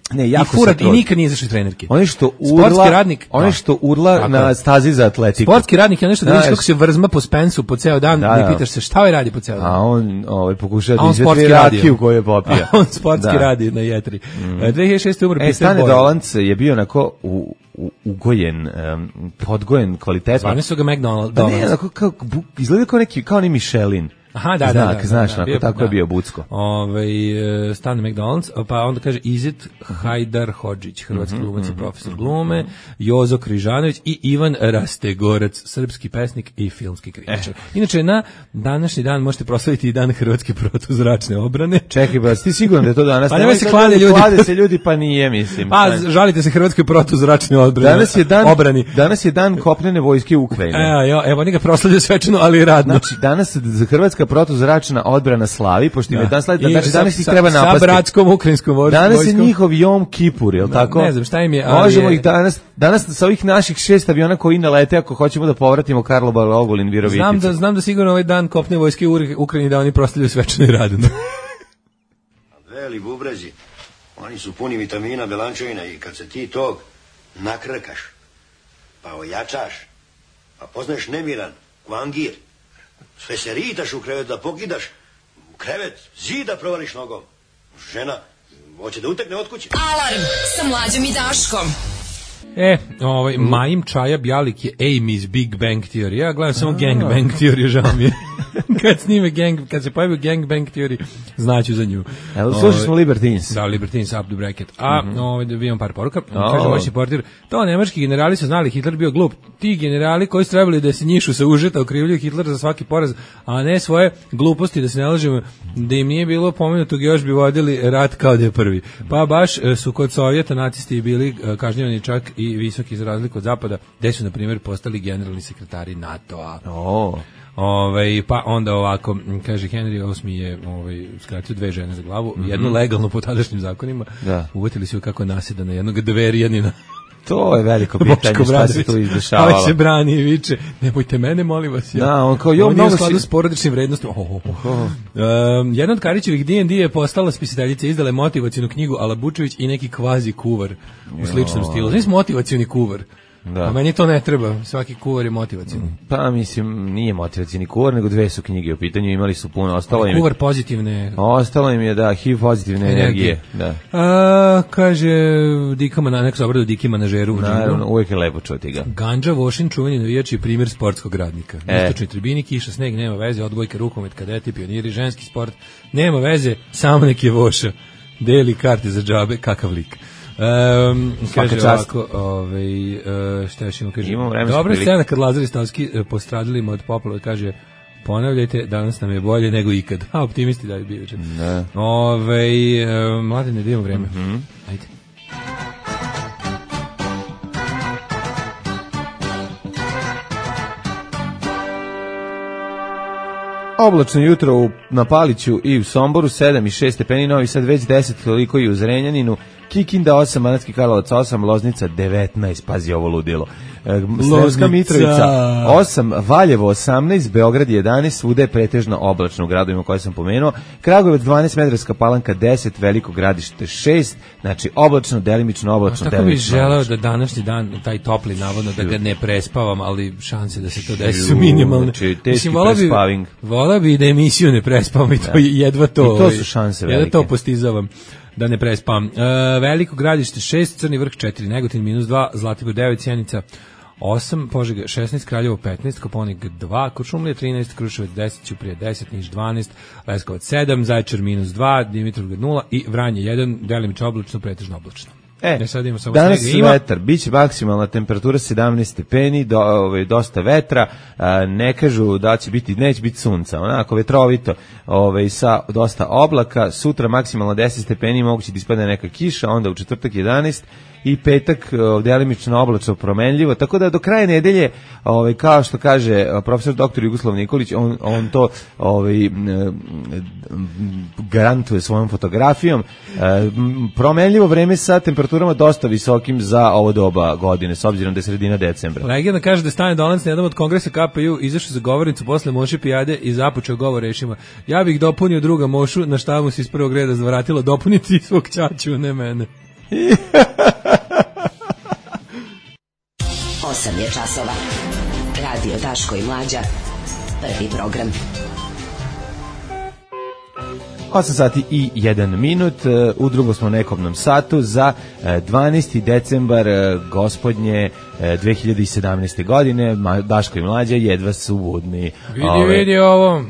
I nikad nije izašao iz trenerke. Oni što urla, radnik, onaj što urla na stazi za atletiku. Sportski radnik je nešto da vidiš kako se vrzma po Spensu po ceo dan i pitaš se šta radi po ceo dan. A on pokušava da izvetri rakiju koju je popio. A on sportski radi na jetri. 2006. umro Peter Stane Dolanc je bio onako ugojen, podgojen kvalitetno. Zvane su ga McDonald's. Ne, onako izgleda kao neki Michelin. Aha, da. Znaš, tako je bio Bucko. Stan McDonald's, pa onda kaže Izet Hajdar Hodžić, hrvatski glumac i profesor glume, Jozo Križanović i Ivan Rastegorac, srpski pesnik i filmski kritičar. Inače, na današnji dan možete proslaviti i dan hrvatske protuzračne obrane. Čekaj, ba, ti siguran da je to danas? Pa nemoj se klade ljudi. Klade se ljudi, pa nije, mislim. Pa, žalite se hrvatskoj protuzračne obrane. Danas je dan kopnene vojske Ukrajine. Evo, oni ga proslavljaju svečano, ali radno. Znači, danas hrvatska protuzračna odbrana slavi, pošto im je dan slavi, znači danas ih treba napasti. Sa bratskom ukrajinskom vojskom. Danas je njihov Jom Kipur, je li tako? Ne znam šta im je, ali možemo ih danas sa ovih naših 6 aviona koji nalete, ako hoćemo da povratimo Karlobag, Ogulin, Viroviticu. Znam da sigurno ovaj dan kopne vojske u Ukrajini da oni proslavljaju svečano i radno. Veli bubrezi, oni su puni vitamina, belančevina i kad se ti tog nakrkaš, pa ojačaš, pa poznaješ nemiran, kvangir, sve se ritaš u krevet da pokidaš, u krevet zida provališ nogom. Žena hoće da utekne od kuće. Alarm sa Mlađom i Daškom. Maim Čaja Bjalik je Amy's Big Bang Theory. Ja gledam samo Gang Bang Theory, žao mi je. Kad se pojavi Gang Bang Theory, znaću za nju. Slušali smo Libertines. Da, Libertines, up the bracket. Da imam par poruka. Kaže vaš portir, to nemački generali su znali, Hitler bio glup. Ti generali koji su trebali da se njišu sa užeta, okrivljuju Hitlera za svaki poraz, a ne svoje gluposti, da se ne lažemo, da im nije bilo pomenutog, još bi vodili rat kao da je prvi. Pa baš su kod Sovjeta nacisti bili kažnjavani čak i visoki za razliku od Zapada, gde su, na primjer, postali generalni sekretari NATO-a. Pa onda ovako, kaže Henry VIII je skratio 2 žene za glavu, jednu legalno po tadašnjim zakonima, uvetili su kako nasjeda na jednog dverijanina. To je veliko pitanje, šta se tu izdešavalo. Ali se brani i viče, nemojte mene, molim vas. On je u skladu s porodičnim vrednostima. Jedna od Karićevih D&D je postala spisateljica, izdala je motivacijnu knjigu Alabučević i neki kvazi kuvar u sličnom stilu. Znači motivacijni kuvar. A meni to ne treba, svaki kuvar je motivacijni. Pa mislim, nije motivacijni kuvar, nego 2 su knjige u pitanju, imali su puno, kuvar pozitivne. Ostalo im je, HIV pozitivne energije. Kaže, neko se obradu Diki manažeru. Naravno, uvijek je lepo čuti ga. Ganđa Vošin, čuveni navijač i primjer sportskog radnika. Istočni tribini, kiša, sneg, nema veze, odbojka, rukomet, kadeti, pioniri, ženski sport, nema veze, samo nek je Voša. Deli karte za džabe, kakav lik. Kaže ovako, šta još imamo, kaže, dobra scena kad Lazar i Stavski postradili od poplave, kaže, ponavljajte, danas nam je bolje nego ikad. Optimisti da je bio. Mladine, da imamo vreme. Ajde. Oblačno jutro na Paliću i u Somboru, 7 i 6 stepeni, Novi Sad već 10, toliko i u Zrenjaninu, Kikinda 8, Banatski Karlovac 8, Loznica 19, pazi ovo ludilo. Sremska Mitrovica 8, Valjevo 18, Beograd 11, svuda je pretežno oblačno u gradovima koje sam pomenuo. Kragujevac 12, Smederevska Palanka 10, Veliko Gradište 6, znači oblačno, delimično oblačno. Tako bih želeo da današnji dan, taj topli navodno, da ga ne prespavam, ali šanse da se to desi su minimalne. Znači, teški prespaving. Volao bi da emisiju ne prespavam i to jedva to. I to su šanse velike. Jedva to postizavam. Da ne prespam. Veliko Gradište 6, Crni Vrh 4, Negotin -2, Zlatibor 9, Sjenica 8, Požega 16, Kraljevo 15, Koponik 2, Kuršumlija 13, Kruševac 10, Ćuprija 10, Niš 12, Leskovac 7, Zaječar -2, Dimitrovgrad 0 i Vranje 1, delimično oblačno, pretežno oblačno. Danas vetar, bit će maksimalna temperatura 17 stepeni, dosta vetra, ne kažu da će biti, neće biti sunca, onako vetrovito, sa dosta oblaka, sutra maksimalno 10 stepeni, moguće da ispadne neka kiša, onda u četvrtak 11 i petak delimično oblačno promenljivo, tako da do kraja nedelje, kao što kaže profesor dr. Jugoslav Nikolić, on to garantuje svojom fotografijom, promenljivo vreme sa temperaturama dosta visokim za ovo doba godine, s obzirom da je sredina decembra. Legenda kaže da Stane Dolanc na jednom od kongresa KPU izašao za govornicu posle Moše pijade i započeo govor rečima: ja bih dopunio druga Mošu, na šta mu se iz prvog reda zvratilo: dopuniti svog ćaću, ne mene. 8 je časova. Radio Daško i Mlađa. Prvi program. 8 sati i 1 minut, u drugom smo nekobnom satu za 12. decembar gospodnje 2017. godine. Daško i Mlađa jedva su budni. Vidi ovo.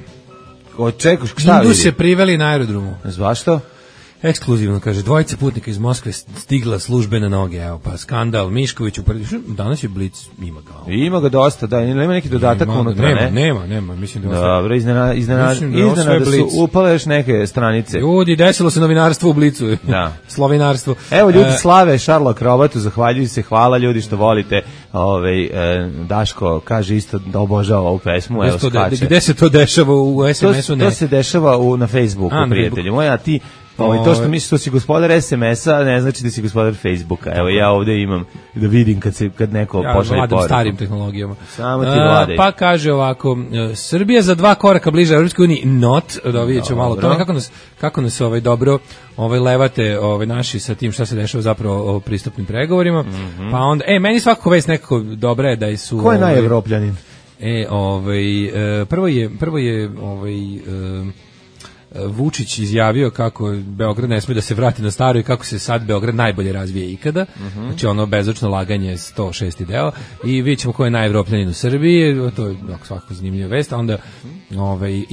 Očekuš, šta vidi? Indu se priveli na aerodromu. Zašto? Ekskluzivno, kaže, dvojica putnika iz Moskve stigla službe na noge, evo pa skandal, Mišković danas je Blic, ima ga. Ima ga dosta, da, nema neki dodatak unutra, ne? Nema, mislim da je dobro, iznenada su upale još neke stranice. Ljudi, desilo se novinarstvo u Blicu, da. Slovinarstvo. Evo, ljudi slave Šarlo Akrobatu, zahvaljuju se, hvala ljudi što volite, Daško kaže isto da obožava ovu pesmu, evo skače. Gde se to dešava u SMS-u? To se dešava na Facebooku, prijatelji moji, a ti to što misliš što si gospodar SMS-a ne znači da si gospodar Facebooka. Evo ja ovde imam da vidim kad neko pošalje poruku. Ja starim tehnologijama. Samo ti vladaj. Pa kaže ovako, Srbija za 2 koraka bliže Evropskoj uniji, da vidjet ćemo malo tome kako nas dobro levate naši sa tim šta se dešava zapravo o pristupnim pregovorima. Pa onda, meni svakako već nekako dobra je da su... Ko je najevropljanin? Prvo je Vučić izjavio kako Beograd ne sme da se vrati na staro i kako se sad Beograd najbolje razvije ikada. Znači ono bezočno laganje 106. deo i vidjet ćemo ko je najevropljanin u Srbiji, to je svakako zanimljiva vest. A onda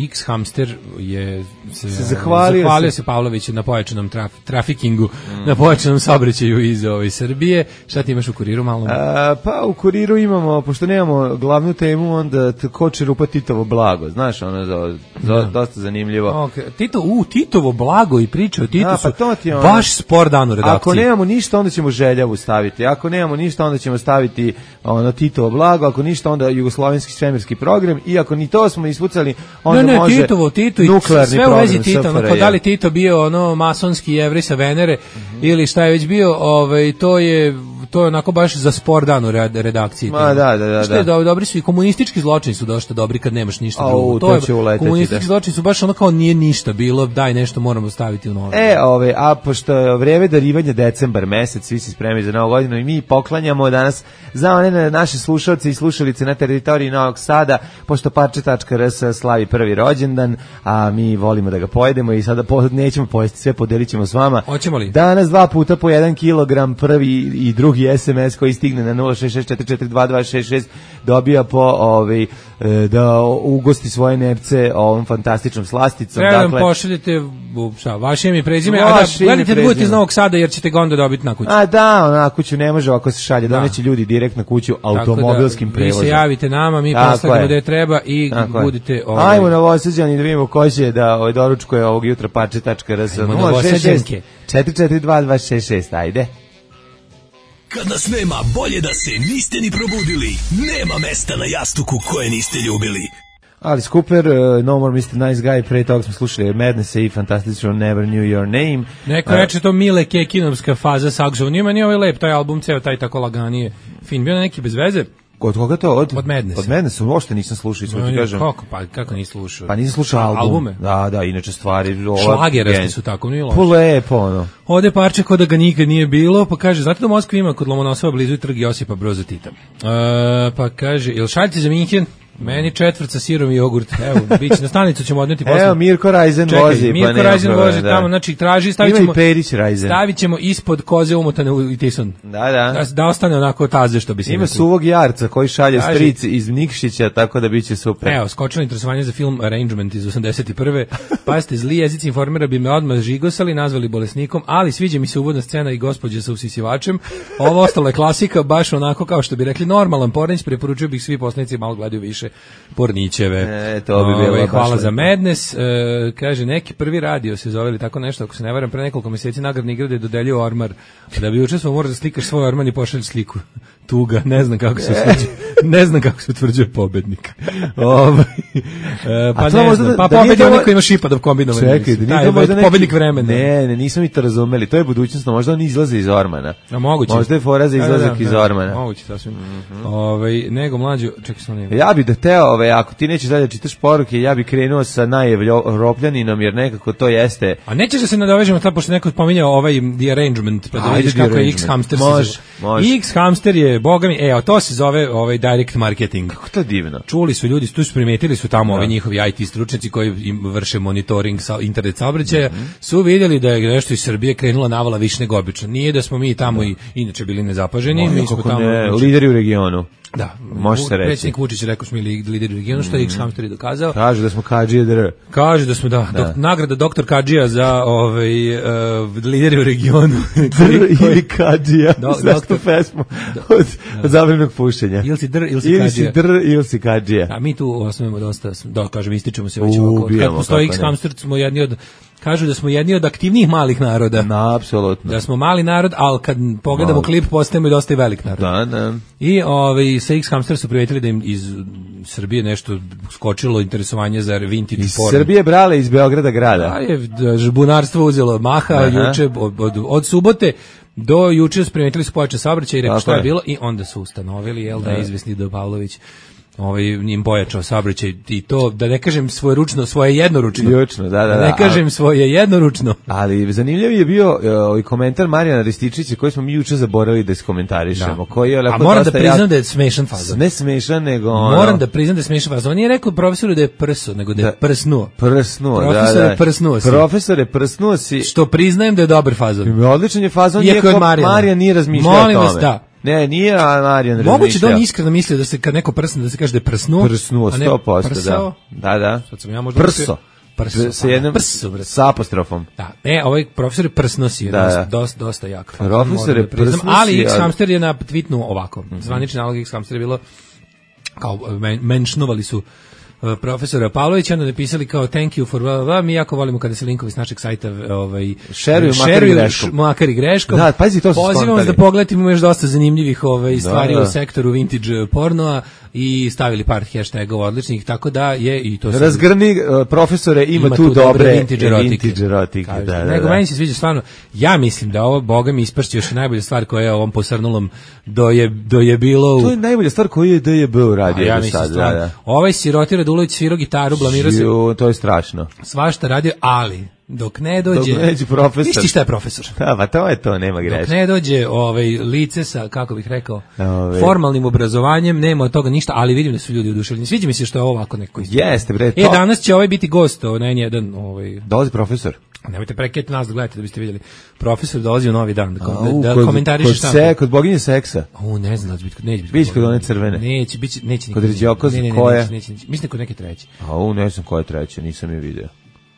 X Hamster se zahvalio se Pavloviću na pojačanom trafikingu, na pojačanom saobraćaju iz Srbije. Šta ti imaš u Kuriru malo? Pa u Kuriru imamo, pošto nemamo glavnu temu, onda ko čerupa Titovo blago, znaš, ono dosta zanimljivo. Titovo blago i priče o Titu su baš spor dan u redakciji. Ako nemamo ništa, onda ćemo Željavu staviti. Ako nemamo ništa, onda ćemo staviti Titovo blago. Ako ništa, onda jugoslovenski svemirski program. I ako ni to smo ispucali, onda može Tito i sve u vezi Tita. Da li Tito bio masonski Jevrej sa Venere ili šta je već bio, to je onako baš za spor dan u redakciji. Da. Što je dobri su i komunistički zločini su dosta dobri kad nemaš ništa drugo. To će uleteti. Komunistički zločini su baš ono kao nije ništa bilo, daj nešto moramo staviti u novo. A pošto je vreme darivanja decembar mesec, svi se spremaju za novu godinu i mi poklanjamo danas za one naše slušalce i slušalice na teritoriji Novog Sada, pošto parče.rs slavi prvi rođendan, a mi volimo da ga pojedemo i sada nećemo pojesti sve, podelit ćemo s vama. Hoćemo li? Danas 2 puta po 1 kilogram, prvi i drugi SMS koji stigne na 066442266 dobija po da ugosti svoje nepce ovom fantastičnom slasticom. Treba da pošaljete vaše ime i prezime, a da gledajte da budete iz Novog Sada jer ćete ga onda dobiti na kuću. Na kuću ne može ako se šalje, doneće ljudi direkt na kuću automobilskim prevozom. Vi se javite nama, mi postavimo gde treba i budite... Ajmo Novosađani da vidimo ko će da doručkuje ovog jutra parče.rs 066 4422266, ajde. Kad nas nema, bolje da se niste ni probudili. Nema mesta na jastuku koje niste ljubili. Alice Cooper, No More Mr. Nice Guy, pre toga smo slušali Madness i fantastično Never Knew Your Name. Neko reče to Mile Kekinovska faza Saxo, nije ovaj lep, taj album, ceo taj tako laganije. Fin, bio neki bez veze. Od koga to? Od Madness. Od Madness, uopšte nisam slušao, iskreno ti kažem. Kako nisi slušao? Pa nisam slušao albume. Da, inače stvari... Šlagerasti su tako, nije loše. Lepo, ono. Ode parče kod da ga nikad nije bilo, pa kaže, zato da Moskva ima kod Lomonosova blizu trg Josipa Broza Tita. Pa kaže, jel šaljite za Minhen? Meni 4 sa sirom i jogurt. Evo, biće na stanicu ćemo odneti posle. Evo Mirko Rajzen vozi, Mirko Rajzen vozi tamo, znači traži, stavit ćemo ispod koze umotane u tison. Da ostane onako taze što bi se. Ima suvog jarca koji šalje stric iz Nikšića, tako da biće super. Evo, skočilo interesovanje za film Arrangement iz 81. Pazite, zli jezici informera bi me odmah žigosali, nazvali bolesnikom, ali sviđa mi se uvodna scena i gospođa sa usisivačem. Ovo ostalo je klasika, baš onako kao što bi rekli normalan pornić, preporučio bih svi poslanici malo gledaju više porničeve. To bi bilo hvala za Madness. Kaže, neki prvi radio se zove ili tako nešto, ako se ne varam, pre nekoliko mjeseci nagradni igrade dodelio ormar. Da bi učestvovao, moraš da slikaš svoj orman i pošalj sliku. Tuga, ne znam kako se osjeća. Ne znam kako se utvrđuje pobednik. Pa to ne možda znam, da pobednik je onaj koji ima šipadov kombinovani. Čekaj, da nije to možda pobednik vremena. Ne, nismo mi to razumeli. To je budućnost, možda on izlaze iz ormana. A moguće. Možda je fora za izlazak iz ormana. Moguće, sasvim. Nego mlađu, čekaj sam nema. Ja bih da teo, ako ti nećeš dalje čitaš poruke, ja bih krenuo sa najevropljaninom, jer nekako to jeste. A nećeš da se nadovežemo tad, pošto neko spominjao The Arrangement, pa da vidiš kako je X-Hamster. Može. X-Hamster je, boga mi, to se zove direct marketing. Kako to divno. Čuli su ljudi, tu su primetili su tamo ovi njihovi IT stručnjaci koji im vrše monitoring internet saobraćaja, su vidjeli da je nešto iz Srbije krenula navala više nego obično. Nije da smo mi tamo i inače bili nezapaženi, mi smo tamo lideri u regionu. Da, može se reći. Predsjednik Vučić je rekao smo mi lideri u regionu, što je X-Hamster i dokazao. Kaže da smo Kadžije dr. Kaže da smo, nagrada doktor Kadžija za lideri u regionu. Ili Kadžija, znaš tu pesmu od zabavnog pušenja. Ili si dr, ili si Kadžija. A mi tu osnovimo dosta, kažem, ističemo se već ovako. Kad postoji X-Hamster, smo jedni od, kažu da smo jedni od aktivnijih malih naroda. Apsolutno. Da smo mali narod, ali kad pogledamo klip, postajemo i dosta i velik narod. Da. I sa X-Hamster su primetili da im iz Srbije nešto skočilo interesovanje za vintage porn. Iz Srbije brale, iz Beograda grada. Žbunarstvo uzelo maha juče, od subote do juče primetili su pojačan saobraćaj i rekao što je bilo i onda su ustanovili, da je izvesni Do Pavlović njim pojačao saobraćaj i to, da ne kažem svoje jednoručno. Da. Ne kažem svoje jednoručno. Ali zanimljiv je bio komentar Marijana Rističića koji smo mi juče zaboravili da iskomentarišemo. A moram da priznam da je smešan fazon. Ne smešan, nego moram da priznam da je smešan fazon. On nije rekao profesoru da je prso, nego da je prsnuo. Profesor je prsnuo si. Što priznajem da je dobar fazon. Odličan je fazon, iako Marijan nije razmišljao o tome. Molim vas, da. Ne, nije Marijan razmišljao. Moguće da on iskreno mislio da se kad neko prsne, da se kaže da je prsnuo. Prsnuo, 100%, da. Sad sam ja možda prso. Sa jednom sa apostrofom. Da. Ovaj profesor je prsnosi, dosta jak. Profesor je prsnosi. Ali X-Hamster je na tweetnu ovako. Zvanični nalog X-Hamster je bilo kao menšnovali su profesora Pavlovića, onda napisali kao thank you for mi jako volimo kada se linkovi s našeg sajta šeruju makar i greškom. Da, pazi, to su pozivamo vas da pogledate, imamo još dosta zanimljivih stvari u sektoru vintage pornoa i stavili par hashtagova odličnih, tako da je i to razgrni profesore, ima tu dobre vintage erotike. Nego meni se sviđa stvarno, ja mislim da ovo, boga mi, ispršće još najbolja stvar koja je ovom posrnulom do je bilo. To je najbolja stvar koju je DJB uradio do sada. Ovaj siroti Radulović svirao gitaru, blamirao se. To je strašno. Svašta radio, ali dok ne dođe profesor. Isti šta je profesor. Da, pa to je to, nema greške. Dok ne dođe lice sa, kako bih rekao, formalnim obrazovanjem, nema od toga ništa, ali vidim da su ljudi oduševljeni. Sviđa mi se što je ovako neko isto. Jeste, bre. Danas će biti gost, N1. Dolazi profesor. Nemojte preketi nas da gledate da biste vidjeli. Profesor dolazi u Novi dan da komentariše šta. Kod boginje seksa. Ne znam, neće biti. Biće kod one crvene. Neće. Kod Ređokoz, koje? Mislim kod neke treće. Ne znam koja je treća, nisam je video.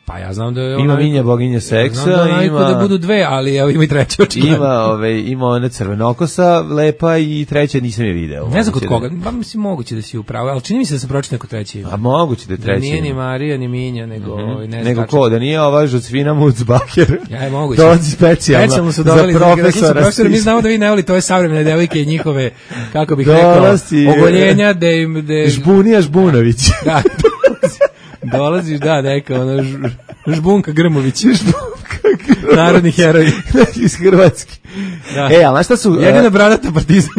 Pa ja znam da je ima Minja boginja seksa, ima da budu dve, ali ima i treća očigledno. Ima ona crvenokosa lepa i treća nisam je video. Ne znam kod koga, pa mislim moguće da si upravo, ali čini mi se da sam pročitao neko treće ime. A moguće da je treće. Nije ni Marija ni Minja, nego nego ko, da nije ova Žocvina Mucbaker. Ja, moguće. Dolazi specijalno su doveli za profesora. Mi znamo da vi ne volite ove savremene devojke i njihove, kako bih rekao, ogoljenja da im Žbunija Žbunović. Da. Dolaziš, neka Žbunka Grmović. Narodni heroj iz Hrvatske. Ali šta su... Jedina bradata partizan.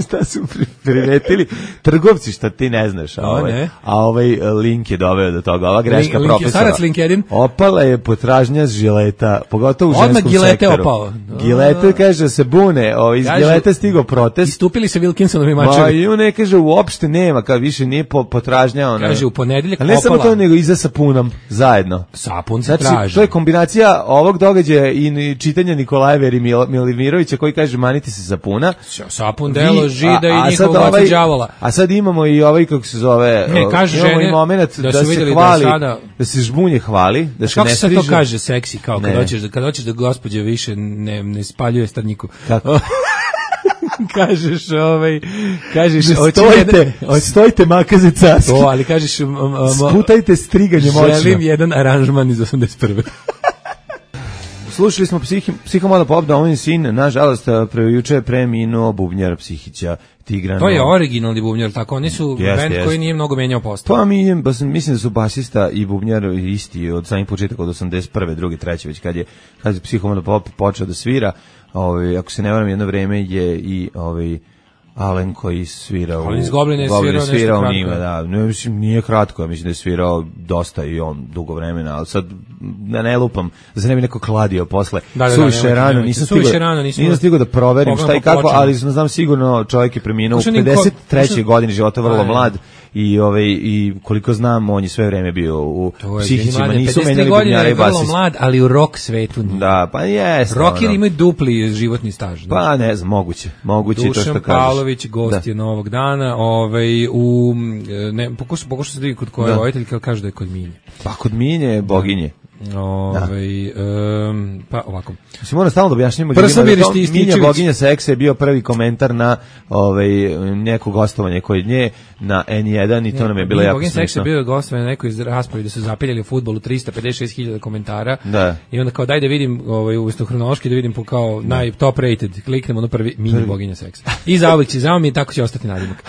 Šta su primetili trgovci, šta ti ne znaš. A ovaj link je doveo do toga. Ova greška profesora. Starac LinkedIn. Opala je potražnja žileta, pogotovo u ženskom sektoru. Odmah Gilete opao. Gilete kaže se bune, iz Gilete stigao protest. Istupili se Wilkinsonovi mačevi. I on ne kaže, uopšte nema, kao više nije potražnja. Kaže, u ponedeljak opala. Ne samo to, nego i za sapunom, zajedno. Sapun se traži. To je kombinacija ovog događaja i čitanja Nikolajeva i Milimirovića koji kaže manite se sapuna. Sapun delo žida i njihovog oca đavola. A sad imamo i kako se zove, imamo i moment da se hvali, da se žbunje hvali, da se ne striže. Kako se to kaže seksi, kao kad hoćeš da gospođa više ne spaljuje starnjiku. Kako? kažeš stojite makaze carski. To, ali kažeš sputajte striganje moćno. Želim jedan aranžman iz 81. Slušali smo Psihomoda Pop, Domovinski sin, nažalost, juče je preminuo bubnjar Psihića. Tigrano. To je originalni bubnjar, tako oni su bend koji nije mnogo menjao postavu. Pa mislim da su basista i bubnjar isti od samih početaka od 81. druge, treće, već kad je Psihomoda Pop počeo da svira, ako se ne varam, jedno vreme je i Alen koji svirao. Ali iz Goblina je svirao nešto njima, da. Mislim, nije kratko, ja mislim da je svirao dosta i on dugo vremena, ali sad ne lupam, da se ne bi neko kladio posle. Suviše rano, nisam stigao da proverim šta i kako, ali znam sigurno čovjek je preminuo u 53. godini života, vrlo mlad. I koliko znam, on je sve vreme bio u Psihićima, nisu menjali bubnjara i basista. 53 godine je vrlo mlad, ali u rock svetu nije. Da, pa jeste. Rockeri imaju dupli životni staž. Pa ne znam, moguće to što kažeš. Dušan Pavlović, gost je Novog dana, pokušao se da vidi kod koje roditelj, kao kaže da je kod Minje. Pa kod Minje je boginje. Pa ovako. Se mora stalno da objašnjamo Minja boginja seksa je bio prvi komentar na neko gostovanje kod nje na N1 i to nam je bilo jako smiješno. Boginja seksa je bio gostovanje na nekoj raspravi da su zapiljali u fudbalu 356.000 komentara i onda kao daj da vidim umesto hronološki da vidim po kao top rated, kliknemo na prvi Minja boginja seksa. I zauvijek će mi i tako će ostati nadimak.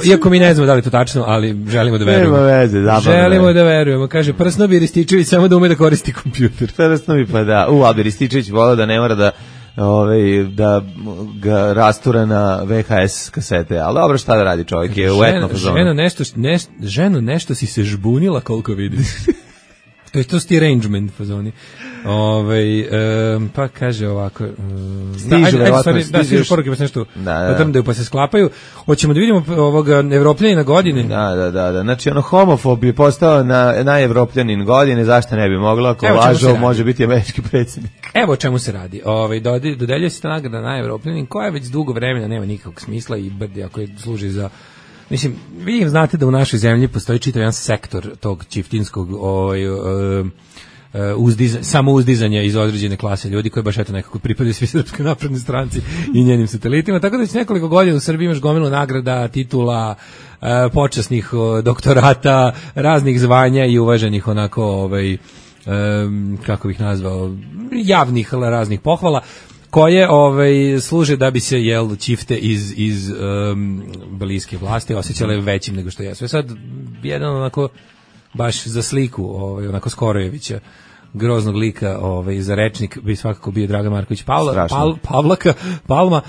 Iako mi ne znamo da li to tačno, ali želimo da verujemo. Želimo da verujemo. Kaže Prsnobi Rističević samo da ume da koristi kompjuter. Prsnobi pa da. Albi Rističević volao da ne mora da ga rastura na VHS kasete, ali dobro, šta da radi čovjek, je u etno fazonu. Ženo, nešto si se žbunila koliko vidim. To su ti arrangement fazoni. Pa kaže ovako, stižu poruke pa se nešto odrmdaju pa se sklapaju. Hoćemo da vidimo ovoga Evropljanina godine. Da. Znači homofob je postao na Evropljanin godine, zašto ne bi moglo, ako lažo može biti američki predsjednik. Evo o čemu se radi. Dodeljuje se ta nagrada na Evropljanin koja već dugo vremena nema nikakvog smisla i brdi ako je služi za. Mislim, vi znate da u našoj zemlji postoji čitav jedan sektor tog čiftinskog samouzdizanja iz određene klase ljudi koji baš nekako pripadaju svi Srpskoj naprednoj stranci i njenim satelitima, tako da već nekoliko godina u Srbiji imaš gomilu nagrada, titula, počasnih doktorata, raznih zvanja i uvaženih onako, kako bih nazvao, javnih raznih pohvala, koje služe da bi se čifte iz bliske vlasti osjećale većim nego što jesu. Sad jedan onako baš za sliku onako Skorojevića, groznog lika za rečnik bi svakako bio Dragan Marković Palma,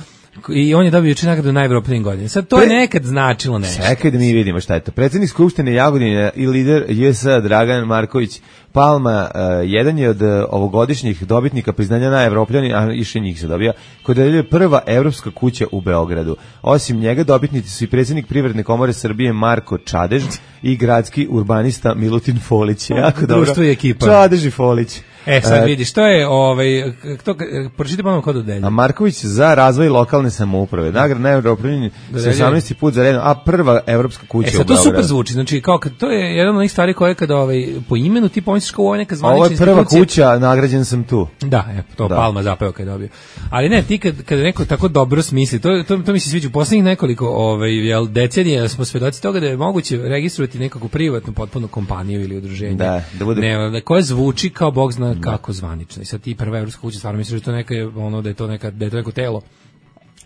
i on je dobio juče nagradu najevropljivim godine. Sad to je nekad značilo nešto. Čekaj da mi vidimo šta je to. Predsjednik Skupštine Jagodine i lider JS Dragan Marković Palma jedan je od ovogodišnjih dobitnika priznanja najevropljanin, a više njih se dobija, koji dodeljuje prva evropska kuća u Beogradu. Osim njega dobitnici su i predsjednik Privredne komore Srbije Marko Čadež i gradski urbanista Milutin Folić. Jako dobro. Čadež i Folić. Sad vidiš, to je, pročite pa nam ko dodelja. A Marković za razvoj lokalne samouprave. Nagrada najevropljanin 18. put za redom, a prva evropska kuća u Beogradu. Sad to super zvuči, znači kao to je jedan od onih stvari koje kada po imenu ti pomisliš kao ovo je neka zvanična institucija. Ovo je prva kuća, nagrađen sam tu. Da, Palma zapeo kad je dobio. Ali ne, ti kada neko tako dobro smisli, to mi se sviđa u posljednjih nekoliko decenija, smo svedoci toga da je moguće registrovati nekakvu privatnu potpuno kompaniju ili udruženje. Da bude koje zvuči kao bog zna kako zvanično. I sad ti prva evropska kuća, stvarno misliš da je to neko telo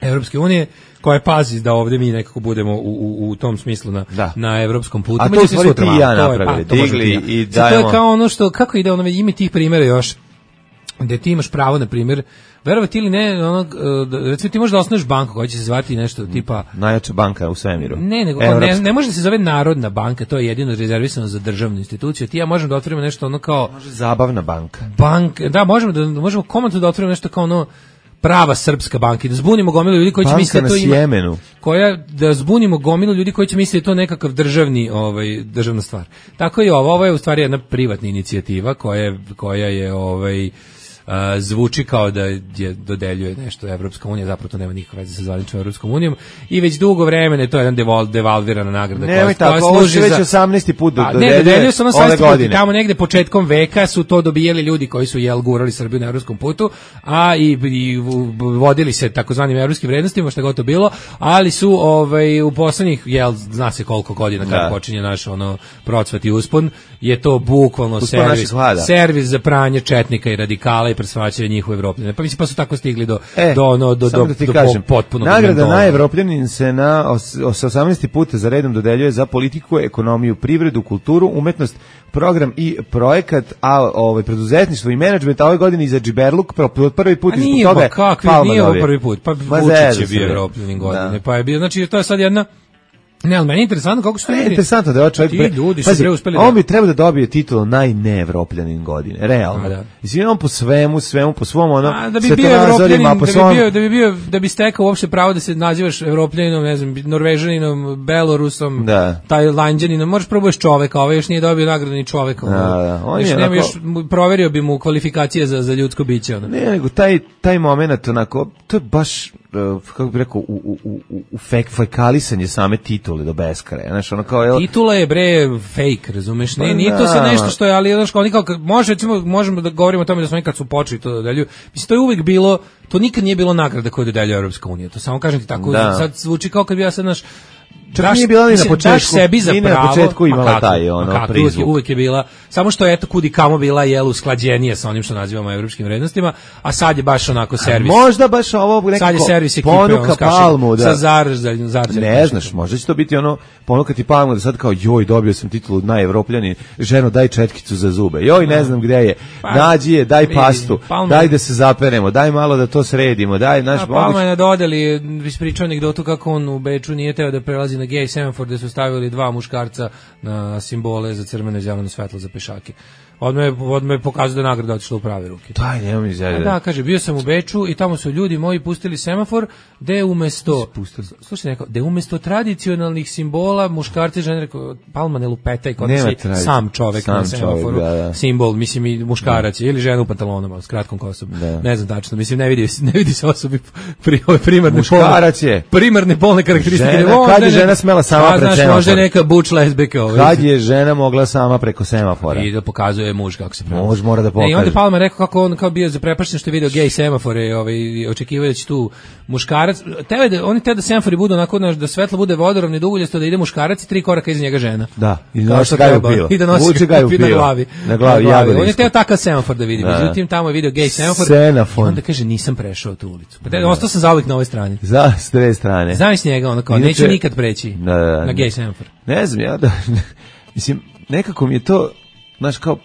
Evropske unije koja pazi da ovdje mi nekako budemo u tom smislu na evropskom putu. A to su ti i ja napravili, digli i dajemo. To je kao ono što, kako ide ima tih primjera još, gde ti imaš pravo, na primjer, verovati ili ne, recimo ti možeš da osnuješ banku koja će se zvati nešto tipa najjača banka u svemiru. Ne može da se zove Narodna banka, to je jedino rezervisano za državnu instituciju. Ti ja možemo da otvorimo nešto ono kao može zabavna banka. Da, možemo komotno da otvorimo nešto kao ono prava srpska banka i da zbunimo gomilu ljudi koji će misliti da to ima. Da zbunimo gomilu ljudi koji će misliti da je to nekakav državna stvar. Tako i ovo je u stvari jedna privatna inicijativa koja je zvuči kao da je dodeljuje nešto Evropska unija, zapravo to nema nikakve veze sa zvaničnom Evropskom unijom i već dugo vremena je to jedan devalvirana nagrada koja služi već 18. put dodeljuje se ove godine. Tamo negde početkom veka su to dobijali ljudi koji su gurali Srbiju na evropskom putu, a i vodili se takozvanim evropskim vrednostima, šta god to bilo, ali su u poslednjih zna se koliko godina kada počinje naš procvat i uspon, je to bukvalno servis za pranje četnika i radikala i presvaćaju njihove Evropljane. Pa mislim pa su tako stigli do potpunog nagrada najevropljanin se na 18. puta za redom dodeljuje za politiku, ekonomiju, privredu, kulturu, umetnost, program i projekat, a preduzetništvo i menadžment, a ove godine i za džiberluk, prvi put iz toga Palma nije prvi put, pa Vučić je bio evropljanin godine, pa je bio, znači to je sad jedna. Ne, ali meni je interesantno kako su to ljudi. Interesantno da je čovjek ljudi su uspeli on bi trebao da dobije titulu najneevropljanin godine, realno. Mislim on po svemu po svom da bi stekao uopšte pravo da se nazivaš evropljaninom, ne znam, Norvežaninom, Belorusom, Tajlanđaninom, možeš probuješ čoveka, ovaj još nije dobio nagradu ni čoveka. On je proverio bi mu kvalifikacije za ljudsko biće. Ne, nego taj moment onako, to je baš kako bih rekao, u fekalisanje same titule do beskraja. Znaš, ono kao, titula je fake, razumeš? Nije to sad nešto što je, ali oni kao, možemo da govorimo o tome da smo nekad su počeli to da dodeljuju. Mislim, to je uvek bilo, to nikad nije bilo nagrada koju dodeljuje Europska unija. To samo kažem ti tako, sad zvuči kao kad bi ja sad naš nije bila ni na početku, sebi za pravo, na početku imala taj prizvuk. Uvijek je bila, samo što je kudi kamo bila usklađenije sa onim što nazivamo evropskim vrednostima, a sad je baš onako servis. Možda baš ovo nekako ponuka Palmu. Ne znaš, možda će to biti ponukati Palmu da sad kao joj, dobio sam titulu najevropljanin, ženo daj četkicu za zube, joj ne znam gde je, nađi je, daj pastu, daj da se zaperemo, daj malo da to sredimo, daj naš moguć. Palma je na dodeli, ispričao anegdotu kako on u Beču nije teo da prelazi na gej semafor gde su stavili dva muškarca na simbole za crveno i zeleno svetlo za pešake. Odmah je pokazao da je nagrada otišla u prave ruke. Daj, nemoj mi izjaviti. Da, kaže, bio sam u Beču i tamo su ljudi moji pustili semafor gde umesto tradicionalnih simbola muškarci žene, rekao, Palma ne lupetaj, kod si sam čovek na semaforu, simbol, mislim i muškarac ili žena u pantalonama s kratkom kosom. Ne znam tačno, mislim ne vidi se osobi primarne polne karakteristike. Kad je žena smela sama pred semafor? Možda je neka buč lesbika. Kad je žena mogla sama preko semafora? I da pokazuje muž kako se pravi. Muž mora da pokaže. I onda Palma rekao kako on kao bio zaprepašten što je video gej semafore, očekivao da će tu muškarac. Oni te da semafori budu onako da svetlo bude vodoravno i duguljasto, da ide muškarac i 3 koraka iza njega žena. Da, i da nosi ga u pilo. I da nosi ga u pilo. Na glavi. On je teo takav semafor da vidi. Međutim, tamo je video gej semafor. I onda kaže nisam prešao tu ulicu. Pa ostao sam zauvijek na ovoj strani. S dve strane. Znaš njega, ono kao, neću nikad preći na gej semafor. Ne znam, ja da, mislim, nekako mi je to, znaš, kao,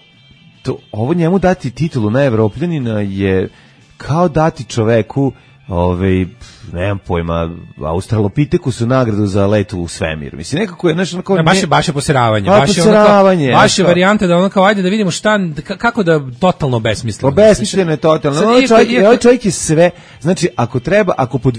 ovo njemu dati titulu najevropljanina je kao dati čoveku nemam pojma, Australopiteku su nagradu za letu u svemir. Mislim, nekako je nešto onako... Baš je poseravanje. Baš je varijanta da ono kao, ajde da vidimo kako da totalno besmisleno. Besmisleno je totalno. Ovaj čovjek je sve, znači, ako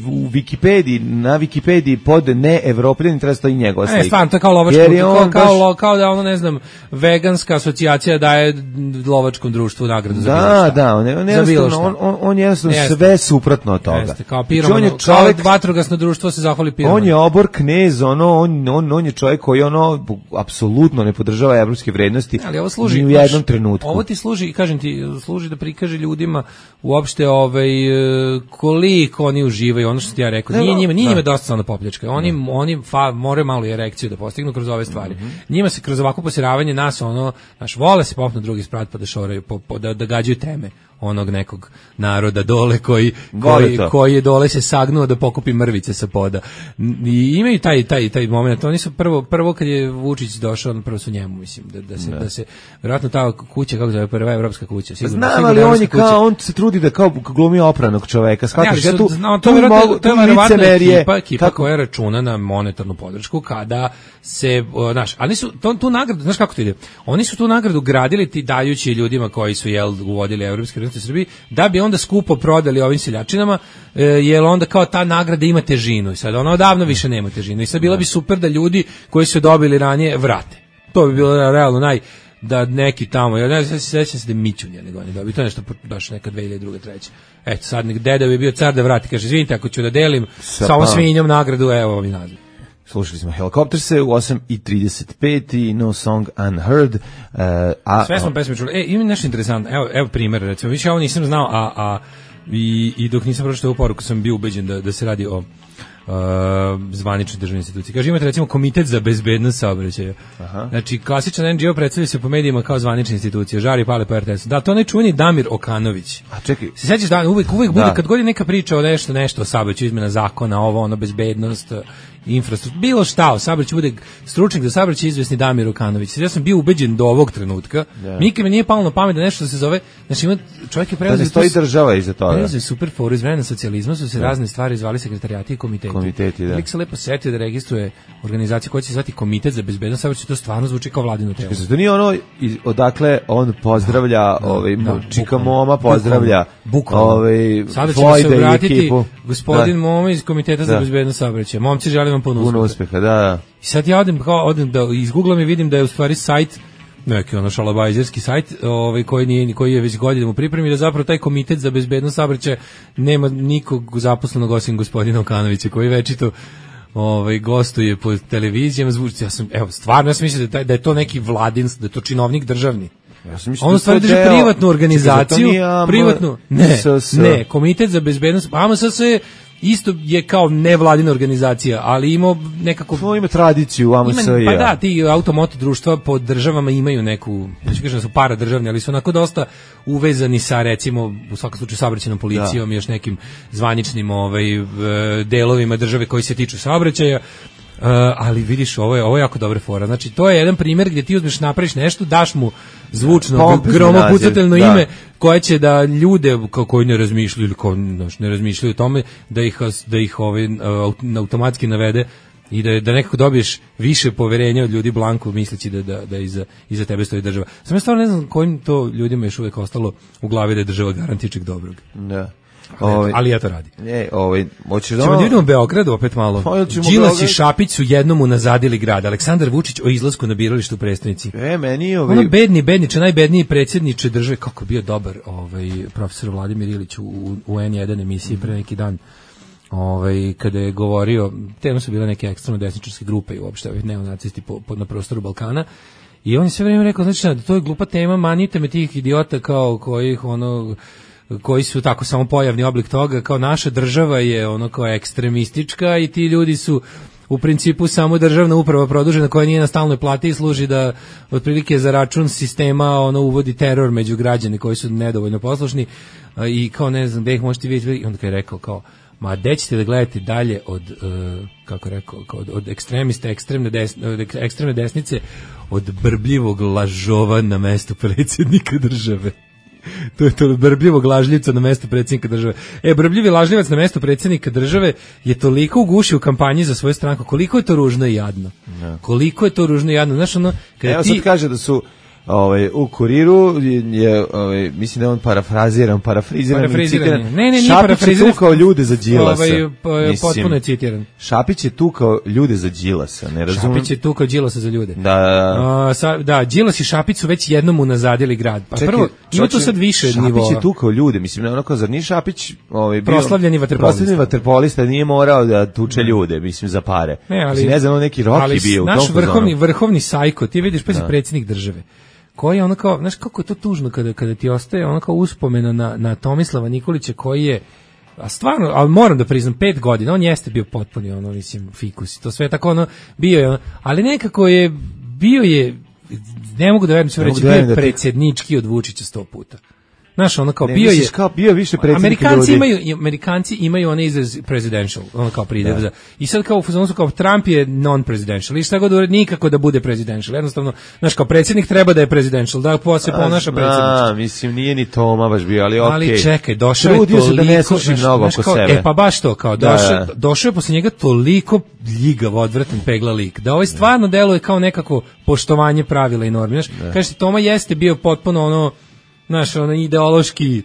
u Wikipediji, na Wikipediji pod neevropljanin treba stoji njegova slika. Stvarno, to je kao lovačko, kao da ono, ne znam, veganska asocijacija daje lovačkom društvu nagradu za bilo šta. On jednostavno sve suprotno od toga. Kao piroman, kao vatrogasno društvo se zahvali piroman. On je obor knez, on je čovjek koji apsolutno ne podržava evropske vrednosti ni u jednom trenutku. Ovo ti služi, kažem ti, služi da prikaže ljudima uopšte koliko oni uživaju, ono što ti ja rekao. Nije njima dosta samo da popljačkaju. Oni moraju malo i erekciju da postignu kroz ove stvari. Njima se kroz ovako posiravanje nas, vole se popnu drugi sprat pa da šoraju, da gađaju teme onog nekog naroda dole koji je dole se sagnuo da pokupi mrvice sa poda. I imaju taj moment. Oni su prvo kad je Vučić došao, prvo su njemu, mislim, da se vjerojatno ta kuća, kako zove, prva evropska kuća. Znam, ali on se trudi da kao glumi opranog čoveka. Shvataš, to je vjerovatno ekipa koja računa na monetarnu podršku kada se, ali su tu nagradu, znaš kako to ide? Oni su tu nagradu gradili ti dajući ljudima koji su uvodili evropske u Srbiji, da bi onda skupo prodali ovim seljačinama, jer onda kao ta nagrada ima težinu i sad ona odavno više nema težinu i sad bila bi super da ljudi koji su dobili ranije vrate. To bi bilo realno da neki tamo, ja ne znam, sećam se da Mićun je nego on je dobio, to je nešto baš neka 2002. 2003. Eto, sad deda bi bio car da vrati, kaže, izvinite, ako ću da delim sa ovom svinjom nagradu, evo ovi naziv. Slušali smo Helicopterse u 8:35 i No Song Unheard. Sve smo pesme čuli. Ima nešto interesantno. Evo primjer, recimo. Više ovo nisam znao, i dok nisam pročitao ovu poruku sam bio ubeđen da se radi zvanične državne institucije. Kaže, imate recimo Komitet za bezbednost saobraćaja. Znači, klasičan NGO predstavlja se po medijima kao zvanična institucija, žari pale po RTS-u. Da, to ne čuveni Damir Okanović. A čekaj. Se sećaš da uvek bude, kad god je neka priča o nešto o saobraćaju, izmena zakona, ono, bezbednost, infrastruktura, bilo šta, o saobraćaju bude stručnjak za saobraćaj izvesni Damir Okanović. Ja sam bio ubeđen do ovog trenutka. Nikad mi nije palo na pamet da nešto se zove, znači ima čovjek je preuzeo, da ne stoji država iza toga. Preuzeo super foru iz vremena socijalizma, su se razne stvari zvali sekreterijati i komiteti. Lik se lepo setio da registruje organizaciju koja će se zvati Komitet za bezbednost saobraćaja, to stvarno zvuči kao vladino telo. To nije ono odakle on pozdravlja, Čika Moma pozdravlja, sada ćemo se obratiti gospodin Moma iz Komiteta za bezbednost saobraćaja. Momci, želim vam puno uspeha. Da. I sad ja odem da izgooglam i vidim da je u stvari sajt, neki ono šalabajzerski sajt, koji je već godinama u pripremi, da zapravo taj Komitet za bezbednost saobraćaja nema nikog zaposlenog osim gospodina Okanovića, koji večito gostuje po televizijama. Ja sam mislio da je to neki vladin, da je to činovnik državni. On stvari drži privatnu organizaciju, ne, Komitet za bezbednost, AMSS isto je kao nevladina organizacija, ali ima nekako... ima tradiciju AMS. Pa da, ti automoto društva po državama imaju neku, neću kažem da su paradržavni, ali su onako dosta uvezani sa, recimo, u svakom slučaju saobraćajnom policijom i još nekim zvaničnim delovima države koji se tiču saobraćaja. Ali vidiš, ovo je jako dobra fora. Znači, to je jedan primjer gdje ti uzmeš, napraviš nešto, daš mu zvučno, gromopucatelno ime koje će da ljude koji ne razmišljaju ili koji ne razmišljaju o tome, da ih automatski navede i da nekako dobiješ više poverenja od ljudi blanko misleći da iza tebe stoji država. Sam ja stvarno ne znam kojim to ljudima još uvijek ostalo u glavi da je država garant ičeg dobrog. Da. Ali ja to radi. Ćemo da vidimo Beograd opet malo. Đilas i Šapić su jednom unazadili grad. Aleksandar Vučić o izlasku na biralištu u prestonici. Ono bedniče, najbedniji predsjedniče države, kako bio dobar profesor Vladimir Ilić u N1 emisiji pre neki dan. Kada je govorio, tema su bile neke ekstremno desničarske grupe i uopšte neonacisti na prostoru Balkana. I on je sve vrijeme rekao, znači, to je glupa tema, manite me tih idiota koji su tako samo pojavni oblik toga, kao naša država je kao ekstremistička i ti ljudi su u principu samo državna uprava produžena koja nije na stalnoj plati i služi da otprilike za račun sistema uvodi teror među građane koji su nedovoljno poslušni i kao ne znam gde ih možete vidjeti. I onda kad je rekao kao, ma gde ćete da gledate dalje od od ekstremista, ekstremne desnice, od brbljivog lažova na mestu predsjednika države. To je to brbljivog lažljivca na mesto predsjednika države. Brbljivi lažljivac na mesto predsjednika države je toliko ugušio u kampanji za svoju stranku, koliko je to ružno i jadno. Koliko je to ružno i jadno. Znaš, kada sad kaže da su u Kuriru je, mislim da je on parafriziran, Šapić je tukao ljude za Đilasa. Potpuno je citiran. Šapić je tukao ljude za Đilasa, ne razumijem. Šapić je tukao Đilasa za ljude. Da, Đilas i Šapić su već jednom unazadili grad. Pa prvo, ima tu sad više nivoa. Šapić je tukao ljude, mislim, onako, zar nije Šapić proslavljeni vaterpolista, nije morao da tuče ljude, mislim, za pare. Ne znam, neki Rocky bio u tom fazonu. Ali naš vrhovni sajko, ti vidiš, predsjednik države, koji je kao, znaš kako je to tužno kada ti ostaje kao uspomena na Nikolića koji je, a stvarno, ali moram da priznam, 5 godina, on jeste bio potpuni mislim, fikus, to sve tako bio je ali nekako bio je, ne mogu da verujem sve reći, bio je predsjednički od Vučića 100 puta. Znaš, kao bio je više predsjednik ljudi. Amerikanci imaju onaj izraz presidential, kao pridev za. I sad kao u fazonu su kao Trump je non-presidential. I šta god uredi, nikako da bude presidential. Jednostavno, znaš, kao predsjednik treba da je presidential, da se ponaša predsjednički. Mislim, nije ni Toma baš bio, ali okej. Ali čekaj, došao je toliko, da ne sluši mnogo oko sebe. Pa baš to, kao došao je posle njega toliko ljigav, odvratan, pegla lik, da stvarno deluje kao nekako poštovanje pravila i normi. Znaš, kažete, Toma jeste bio potpuno znaš, ideološki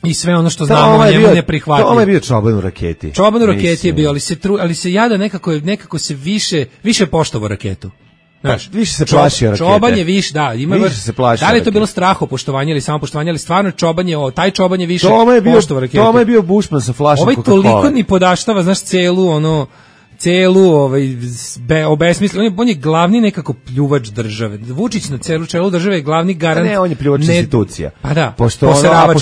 i sve ono što znamo o njemu neprihvatljivo. Toma je bio čoban u raketi. Čoban u raketi je bio, ali se jada nekako se više poštovao raketu. Znaš, više se plašio rakete. Čoban je više, više se plašio. Da li je to bilo strahopoštovanje ili samopoštovanje, ali stvarno taj čoban je više poštovao raketu. Toma je bio Bushman sa flašom Coca-Cola. Toliko ni podaštava, znaš, celu obesmislio. On je glavni nekako pljuvač države. Vučić na čelu države je glavni garant. Ne, on je pljuvač institucija. Pa da, pošto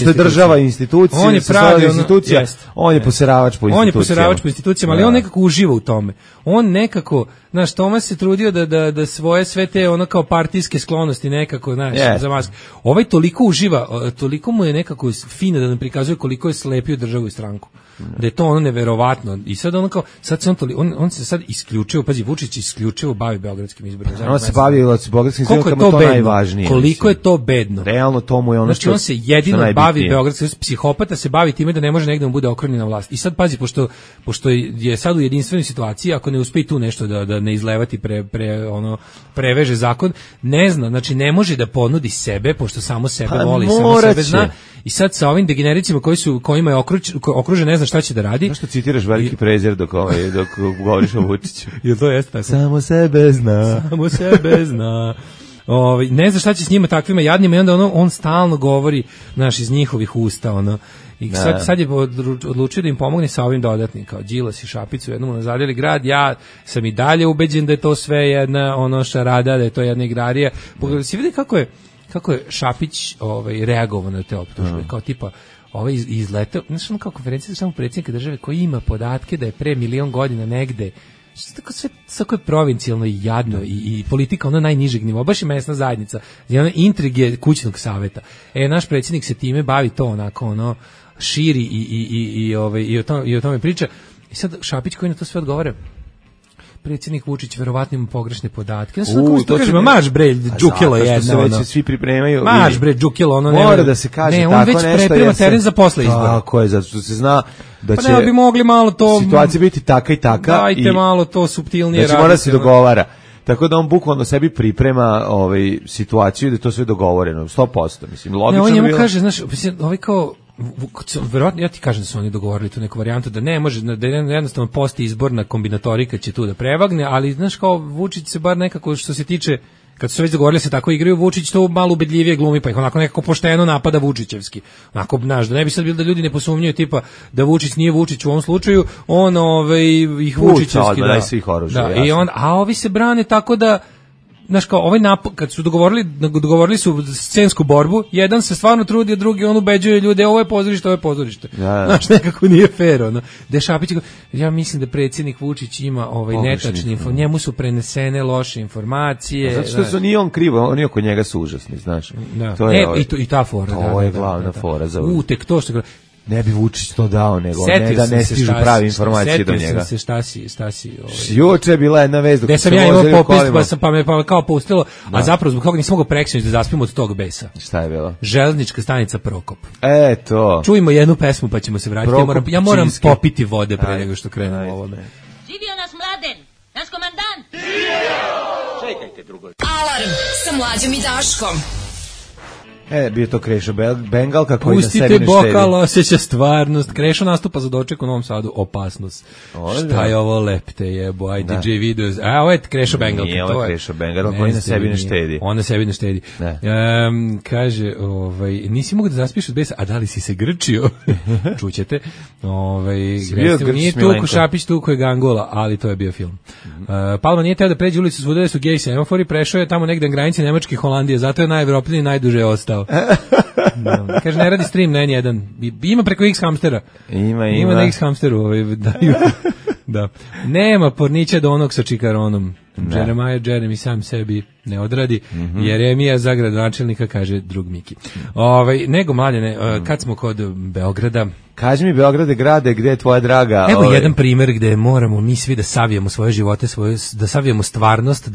je država institucija, on je pravi institucija, on je poseravač po institucijama. On je poseravač po institucijama, ali on nekako uživa u tome. On nekako, znaš, Tomas se trudio da svoje sve te ono kao partijske sklonosti nekako, znaš, za maske. Ovaj toliko uživa, toliko mu je nekako fino da nam prikazuje koliko je slepio državu i stranku. Da je to ono neverovatno. I sad ono kao, on se sad isključivo, pazi, Vučić isključivo bavi beogradskim izborima. On se bavi beogradskim izborima, to najvažnije. Koliko je to bedno. Realno to mu je ono znači, on se jedino bavi beogradskim, psihopata se bavi time da ne može negde mu bude okrnjen na vlast. I sad pazi, pošto je sad u jedinstvenoj situaciji, ako ne uspe tu nešto da ne izlevati preveže zakon, ne zna, znači ne može da ponudi sebe, pošto samo sebe voli, samo sebe zna. I sad sa ovim degenericima kojima je okružen, ne zna šta će da radi. Zašto citiraš veliki prezir dok govoriš o Vučiću? Jel to jeste tako? Samo sebe zna. Samo sebe zna. Ne zna šta će s njima takvima jadnima i onda on stalno govori, znaš, iz njihovih usta, I sad je odlučio da im pomogne sa ovim dodatnim, kao Đilas i Šapić u jednom nazadili grad. Ja sam i dalje ubeđen da je to sve jedna šarada, da je to jedna igrarija. Pogledaj, si vidi kako je Šapić reagovao na te optužbe, kao tipa izletao, znaš, kao konferencija za samog predsjednika države koji ima podatke da je pre 1.000.000 godina negde, sve tako je provincijalno i jadno i politika najnižeg nivoa, baš je mesna zajednica, intrige kućnog saveta. Naš predsjednik se time bavi, to onako širi i o tome priča. I sad Šapić koji na to sve odgovara, predsjednik Vučić verovatno ima pogrešne podatke. To kažemo, maš bre, džukilo jedna. Zato što se već svi pripremaju. Maš bre, džukilo, mora da se kaže tako nešto. Ne, on već preprema teren za posle izbora. Tako je, zato što se zna da će ne bi mogli malo to situacija biti taka i taka. Dajte malo to suptilnije raditi. Znači mora se dogovara. Tako da on bukvalno sebi priprema situaciju da je to sve dogovoreno, 100%. Mislim, logično on njemu kaže, znaš, kao verovatno, ja ti kažem da su oni dogovorili tu neku varijantu da ne može, da jednostavno posti izborna kombinatorika će tu da prevagne, ali znaš kao Vučić se bar nekako što se tiče, kad su se već dogovorili se tako igraju, Vučić to malo ubedljivije glumi, pa ih onako nekako pošteno napada Vučićevski. Onako, znaš, da ne bi sad bilo da ljudi ne posumnjaju tipa da Vučić nije Vučić u ovom slučaju, on ih Vučićevski da svih oružja. I a ovi se brane tako da znaš kao ovaj kad su dogovorili su scensku borbu, jedan se stvarno trudi, a drugi on ubeđuje ljude, ovo je pozorište. Znaš, nekako nije fair, Da Šapić, ja mislim da predsjednik Vučić ima netačne informacije, njemu su prenesene loše informacije. Zato što nije on krivo, oni oko njega su užasni, znaš. To je i ta fora. To je glavna fora za tek to što ne bi Vučić to dao, nego ne da ne stižu prave informacije do njega. Setio sam se Štasi. Juče je bila jedna vest dok sam ja imao popis, pa me kao pustilo, a zapravo zbog toga nisam mogao preksinoć da zaspimo od tog besa. Šta je bilo? Železnička stanica Prokop. To. Čujemo jednu pesmu pa ćemo se vratiti. Ja moram popiti vode pre nego što krenemo ovome. Živio naš Mladen, naš komandant. Čekajte drugo. Alarm sa Mlađom i Daškom. Bio to Krešo Bengalka koji na sebi ne štedi. Pustite bokal, osjeća stvarnost. Krešo nastupa za doček u Novom Sadu, opasnost. Šta je ovo lepte jebo, DJ video. Ovo je Krešo Bengalka. Nije ovo Krešo Bengalka koji na sebi ne štedi. On na sebi ne štedi. Kaže, nisi mogu da zaspiš od besa, a da li si se grčio? Čućete. Nije tuku Šapić, tuku je Gangola, ali to je bio film. Palma nije teo da pređe ulicu svuda su gej semafori, prešao je tamo negde na granici Nemačke i Holandije, zato je najevropniji i najduže ostao. Kaže, ne radi stream na N1. Ima preko X hamstera. Ima na X hamsteru. Da. Nema pornića do onog sa čikaronom. Jeremy sam sebi ne odradi. Jeremija za gradonačelnika, kaže drug Miki. Nego Mladene, kad smo kod Beograda, kaži mi Beograde grade, gde je tvoja draga? Evo jedan primjer gde moramo mi svi da savijemo svoje živote, da savijemo stvarnost,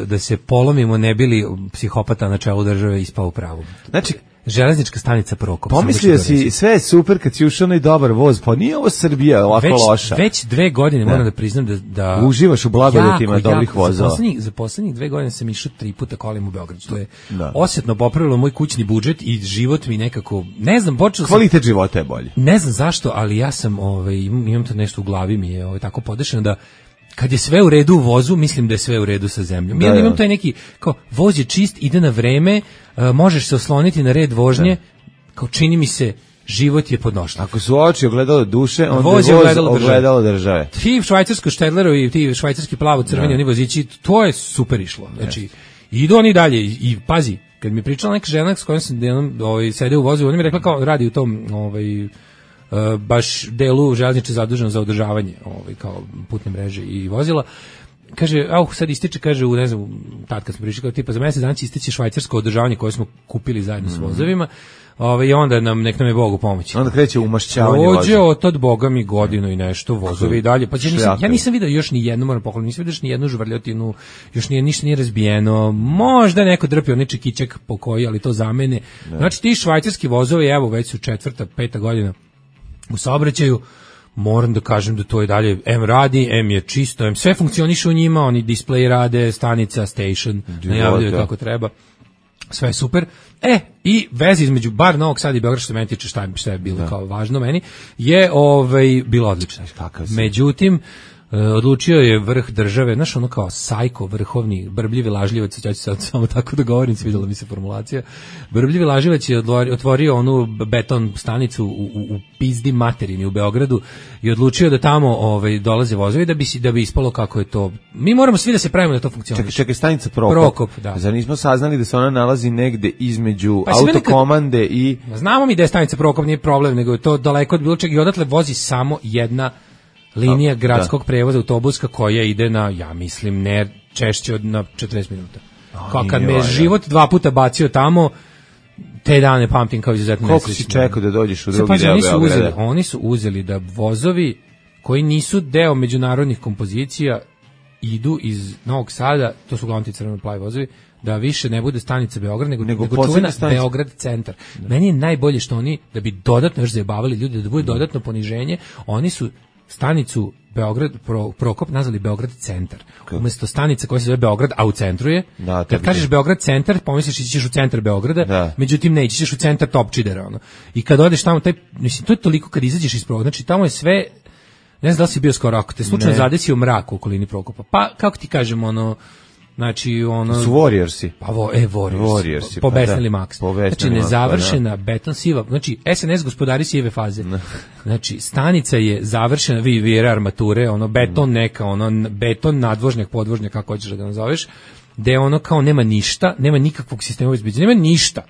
da se polomimo, ne bili psihopata na čelu države ispao u pravu. Znači, železnička stanica Prokop. Pomislio si, sve je super kad si ušao na dobar voz, pa nije ovo Srbija ovako loša. Već 2 godine moram da priznam da uživaš u blagodetima dobrih vozova. Za poslednjih 2 godine sam išao 3 puta kolima u Beograd. To je osjetno popravilo moj kućni budžet i život mi nekako, ne znam, kvalitet života je bolji. Ne znam zašto, ali ja sam, imam to nešto u glavi mi je tako podešeno da kad je sve u redu u vozu, mislim da je sve u redu sa zemljom. Ja imam taj neki, kao, voz je čist, ide na vreme, možeš se osloniti na red vožnje, kao čini mi se, život je podnošljiv. Ako su oči ogledalo duše, onda voz je ogledalo države. Ti švajcarsko Štedleru i ti švajcarski plavo-crveni, oni vozići, to je super išlo. Znači, idu oni dalje i pazi, kad mi je pričala neka žena s kojom sam sede u vozu, ona mi je rekla kao radi u tom baš delu železnice zaduženo za održavanje kao putne mreže i vozila. Kaže, sad ističe, kaže, ne znam, tad kad smo prišli, kao tipa za mesec dana će isteći švajcarsko održavanje koje smo kupili zajedno s vozovima, i onda nek nam je Bog u pomoći. Onda kreće umašćavanje voza. Prođe od tad, Boga mi, godinu i nešto, vozovi i dalje. Pa ja nisam vidio još ni jednu, moram pohvaliti, nisam vidio još ni jednu žvrljotinu, još ništa nije razbijeno, možda neko drpio onaj čekićak po koji, ali to za mene. Znači, ti švajcarski vozovi, evo, već su 4., 5. godina u saobraćaju, moram da kažem da to je dalje M radi, M je čisto, M sve funkcioniše u njima, oni display rade, stanica, station, najavljaju kako treba, sve je super. I veza između bar Novog Sada i Beograda, što meni tiče šta je bilo kao važno meni, je bilo odlično. Međutim, odlučio je vrh države, znaš, ono kao sajko, vrhovni, brbljivi lažljivac, ja ću sad samo tako da govorim, svidjela mi se formulacija, brbljivi lažljivac je otvorio onu beton stanicu u pizdi materini u Beogradu i odlučio da tamo dolaze vozovi da bi ispalo kako je to. Mi moramo svi da se pravimo da to funkcioniše. Čekaj, stanica Prokop, da. Zar nismo saznali da se ona nalazi negde između autokomande i... Znamo mi da je stanica Prokop, nije problem, nego je to daleko od bilo čega i odatle vozi samo jedna linija gradskog prevoza autobuska koja ide na, ja mislim, ne češće od na 40 minuta. Kad me život 2 puta bacio tamo, te dane pamtim kao izuzetno nesrećno. Koliko si čekao da dođeš u drugi deo Beograda? Oni su uzeli da vozovi koji nisu deo međunarodnih kompozicija idu iz Novog Sada, to su uglavnom ti crveno-plavi vozovi, da više ne bude stanica Beograd, nego čuvena Beograd centar. Meni je najbolje što oni, da bi dodatno još zajebavali ljudi, da bude dodatno poniženje, oni su stanicu Beograd Prokop nazvali Beograd centar. Umesto stanice koja se zove Beograd, a u centru je. Kad kažeš Beograd centar, pomisliš da ćeš u centar Beograda, međutim ne, ćeš u centar Topčidera. I kad odeš tamo, mislim, to je toliko kad izađeš iz Prokopa, znači tamo je sve, ne znam da li si bio skoro, ako te slučajno zadesio mrak u okolini Prokopa, pa kako ti kažem, znači su Warriorsi. Pa Warriorsi. Pobesnili Max. Znači nezavršena beton siva. Znači SNS gospodari sive faze. Znači stanica je završena, vi armature, beton neka, beton nadvožnjak, podvožnjak, kako hoćeš da ga nazoveš, gde kao nema ništa, nema nikakvog sistema obezbeđenja, nema ništa.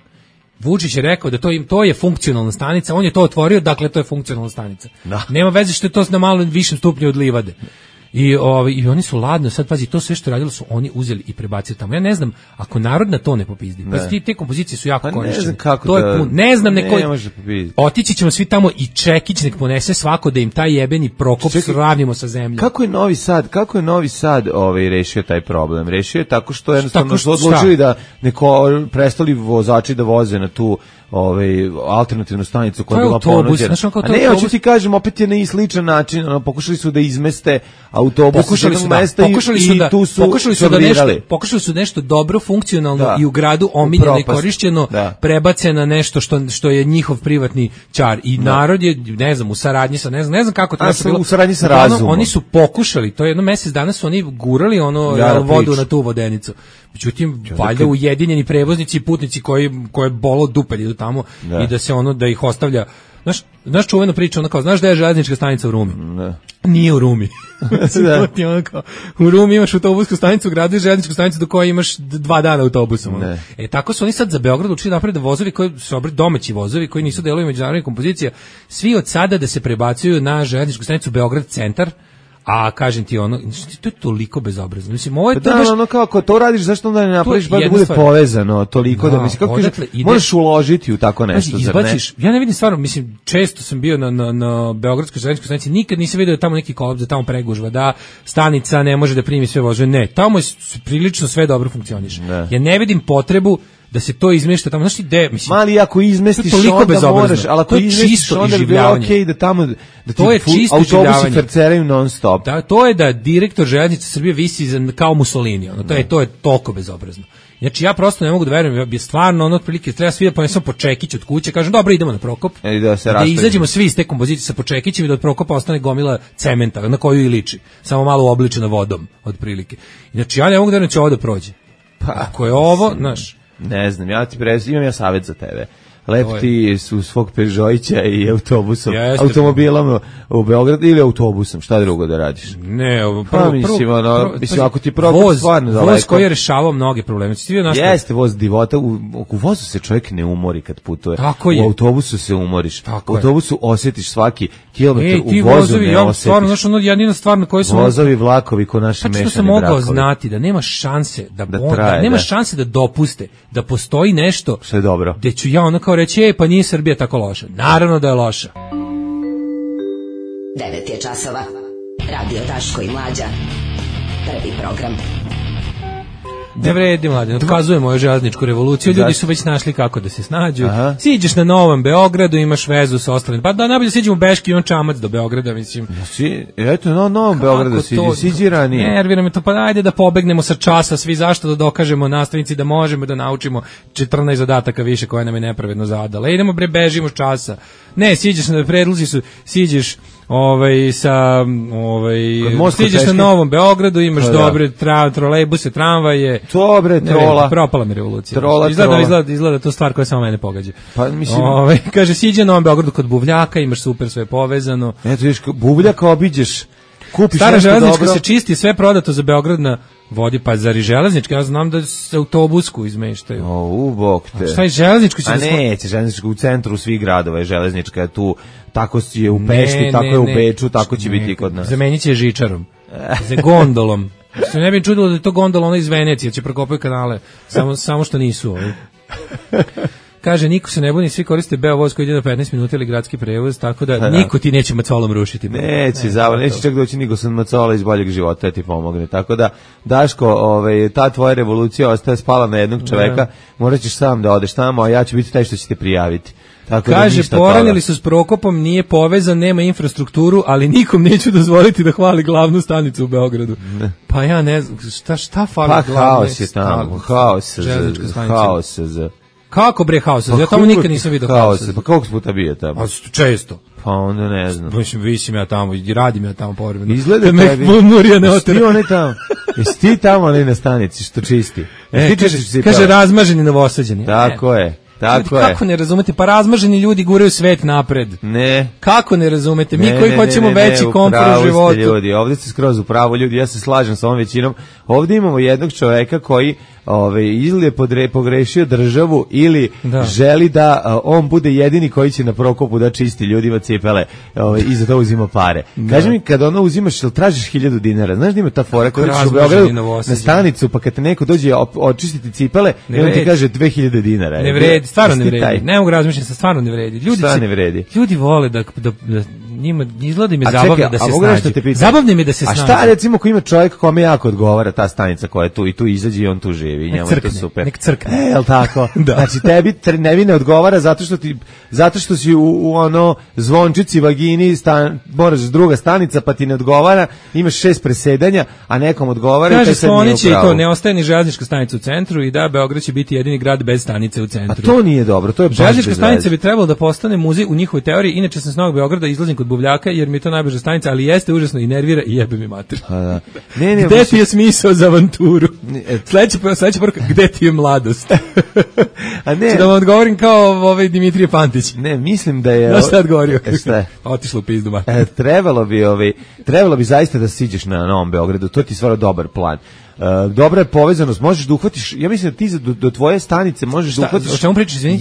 Vučić je rekao da to je funkcionalna stanica, on je to otvorio, dakle to je funkcionalna stanica. Nema veze što je to na malo višem stupnju od livade. I oni su ladno, sad pazi, to sve što radilo su oni uzeli i prebacili tamo. Ja ne znam, ako narod na to ne popizdi, pa te kompozicije su jako korištene. Ne znam kako to je ne znam otići ćemo svi tamo i Čekić nek ponese svako da im taj jebeni Prokop sravnimo sa zemljom. Kako je Novi Sad rešio taj problem? Rešio je tako što jednostavno su odlučili da prestali vozači da voze na tu alternativnu stanicu koja je bila ponuđena. A ne, hoću ti kažem, opet je na sličan način, pokušali su da izmeste autobus iz jednog mesta i tu su pokušali su nešto dobro, funkcionalno i u gradu omiljeno i korišćeno prebace na nešto što je njihov privatni čar i narod je, ne znam, u saradnji sa, ne znam kako to bilo. U saradnji sa razumom. Oni su pokušali, to je jedno mesec dana su oni gurali vodu na tu vodenicu. Međutim, valjda ujedinjeni prevoznici i putnici koje bolo dupe idu tamo i da se da ih ostavlja. Znaš čuvena priča, kao, znaš da je železnička stanica u Rumi? Nije u Rumi. U Rumi imaš autobusku stanicu u gradu i železničku stanicu do koje imaš 2 dana autobusom. Tako su oni sad za Beograd učili napraviti da vozovi koji su domaći vozovi koji nisu delovi međunarodnih kompozicija, svi od sada da se prebacuju na železničku stanicu Beograd centar. A kažem ti to je toliko bezobrazno. Mislim, ovo je kako to radiš, zašto onda ne napraviš da bude povezano toliko da mislim kako možeš uložiti u tako nešto, zar ne? Ja ne vidim stvarno, mislim, često sam bio na beogradskoj železničkoj stanici, nikad nisam vidio tamo neki kolaps, da tamo pregužva, da stanica ne može da primi sve vozove. Ne, tamo je prilično sve dobro funkcioniše. Ja ne vidim potrebu da se to izmešta tamo, znaš ti gde, mislim. Mali, ako izmestiš onda moraš, ali ako izmestiš onda bi bilo okej da tamo, da ti autobusi ferceraju non stop. Da, to je da direktor železnice Srbije visi kao Mussolini, to je toliko bezobrazno. Znači ja prosto ne mogu da verujem, ja bi stvarno otprilike treba svi da ponesem po čekić od kuće, kažem dobro idemo na Prokop, da izađemo svi iz te kompozicije sa počekićem i da od Prokopa ostane gomila cementa na koju i liči, samo malo obličena vodom otprilike. Znači ja ne mogu da verujem da će ovo da prođe. Ako je ovo, znaš, ne znam, imam savjet za tebe. lepti su svog Peugeotića i automobilom u Beograd ili autobusom, šta drugo da radiš? Ne, mislim, ako ti program stvarno daleko. Voz koji je rešavao mnoge probleme. Jeste voz divota, u vozu se čovjek ne umori kad putuje. U autobusu se umoriš. U autobusu osjetiš svaki kilometar, u vozu ne osjetiš. Stvarno, znaš, jedina stvar na kojoj sam... Vozovi, vlakovi, ko naši mešani brakovi. Što sam mogao znati da nema šanse nema šanse da dopuste da postoji nešto što je dobro. Gde ću ja ono kao reći, pa nije Srbija tako loša. Naravno da je loša. 9 je časova. Radio Daško i Mlađa. Prvi program. Ne vredi, mladen, otkazujemo ovu železničku revoluciju, ljudi su već našli kako da se snađu. Siđeš na Novom Beogradu, imaš vezu sa ostalim. Pa da, najbolje siđemo u Beški i on čamac do Beograda, mislim. Eto, na Novom Beogradu siđi ranije. Nervira me to, pa ajde da pobegnemo sa časa, svi zašto da dokažemo nastavnici da možemo da naučimo 14 zadataka više koje nam je nepravedno zadala. Idemo bežimo s časa. Ne, siđeš na predlozi su, siđeš stiđeš na Novom Beogradu, imaš dobre trolejbuse, tramvaje. Dobre, trola. Propala mi revolucija. Izgleda to stvar koja samo mene pogađa. Pa mislim, kaže siđe na Novom Beogradu kod Buvljaka, imaš super sve povezano. Eto vidiš, Buvljaka obiđeš, kupiš Stara železnička se čisti, sve prodato za Beograd na vodi, pa zar i železnička, ja znam da se autobusku izmeštaju. Bog te. Šta je železničko? Neće, železničko u centru svih gradova je železnička, tu tako je u Pešti, tako je u Beču, tako će biti i kod nas. Zamenit će žičarom, za gondolom. Što ne bi čudilo da je to gondola ona iz Venecije, će prokopaju kanale, samo što nisu ovi. Kaže, niko se ne buni, svi koriste Beovoz koji ide na 15 minuta ili gradski prevoz, tako da niko ti neće macolom rušiti. Neće čak doći niko sa macola iz boljeg života da ti pomogne. Tako da, Daško, ta tvoja revolucija ostaje spala na jednog čoveka, morat ćeš sam da odeš tamo, a ja ću biti taj što će te prijaviti. Tako kaže, poranili su s Prokopom, nije povezan, nema infrastrukturu, ali nikom neću dozvoliti da hvali glavnu stanicu u Beogradu. Ne. Pa ja ne znam, šta fali glavne haos je tamo, haos. Kako bre haos? Ja tamo nikad nisam vidio haosa. Pa koliko puta bio tamo? Pa često. Pa onda ne znam. Visim ja tamo, radim ja tamo povremeno. Izgleda tebi. Jesi ti tamo ali na stanici što čisti? Kaže razmaženi Novosađani. Tako je. Kako ne razumete? Pa razmaženi ljudi guraju svet napred. Ne. Kako ne razumete? Mi koji hoćemo veći komfor u životu. Ljudi, ovdje ste skroz u pravu ljudi, ja se slažem sa ovom većinom. Ovdje imamo jednog čoveka koji ili je pogrešio državu ili želi da on bude jedini koji će na Prokopu da čisti ljudima cipele i za to uzima pare. Kaži mi, kada ono uzimaš ili tražiš 1000 dinara, znaš da ima ta fora kada ćeš u Beogradu na stanicu pa kad te neko dođe očistiti cipele i on ti kaže 2000 dinara. Ne vredi, stvarno ne vredi. Ne mogu razmišljati, stvarno ne vredi. Šta ne vredi? Ljudi vole da njima izgleda im je zabavno da se snađu. Zabavno im je da se snađu. A šta recimo ko ima čovjek kome jako odgovara ta stanica koja je tu i tu izađe i on tu živi. Njemu je to super. Nek crkne. Jel tako? Znači tebi ne odgovara zato što si u ono zvončici vagini moraš druga stanica pa ti ne odgovara, imaš 6 presedanja, a nekom odgovara i taj se nije upravo. To ne ostaje ni železnička stanica u centru i da Beograd će biti jedini grad bez stanice u centru. A to nije dobro, to je baš železnička stanica bi trebalo da postane muzej u njihovoj teoriji. Inače sam s Novog Beograda izlazim kod Buvljaka jer mi je to najbliža stanica, ali jeste užasno i nervira i jebe mi mater. Gde ti je smisao za avanturu? Sledeća poruka, gde ti je mladost? A ne. Da vam odgovorim kao Dimitrije Pantić. Ne, mislim da je... Znaš šta je odgovorio? Otišlo u pizdu mater. Trebalo bi zaista da siđeš na Novom Beogradu, to ti je stvarno dobar plan. Dobra je povezanost, možeš da uhvatiš, ja mislim da ti do tvoje stanice možeš da uhvatiš. O čemu pričaš, izvini?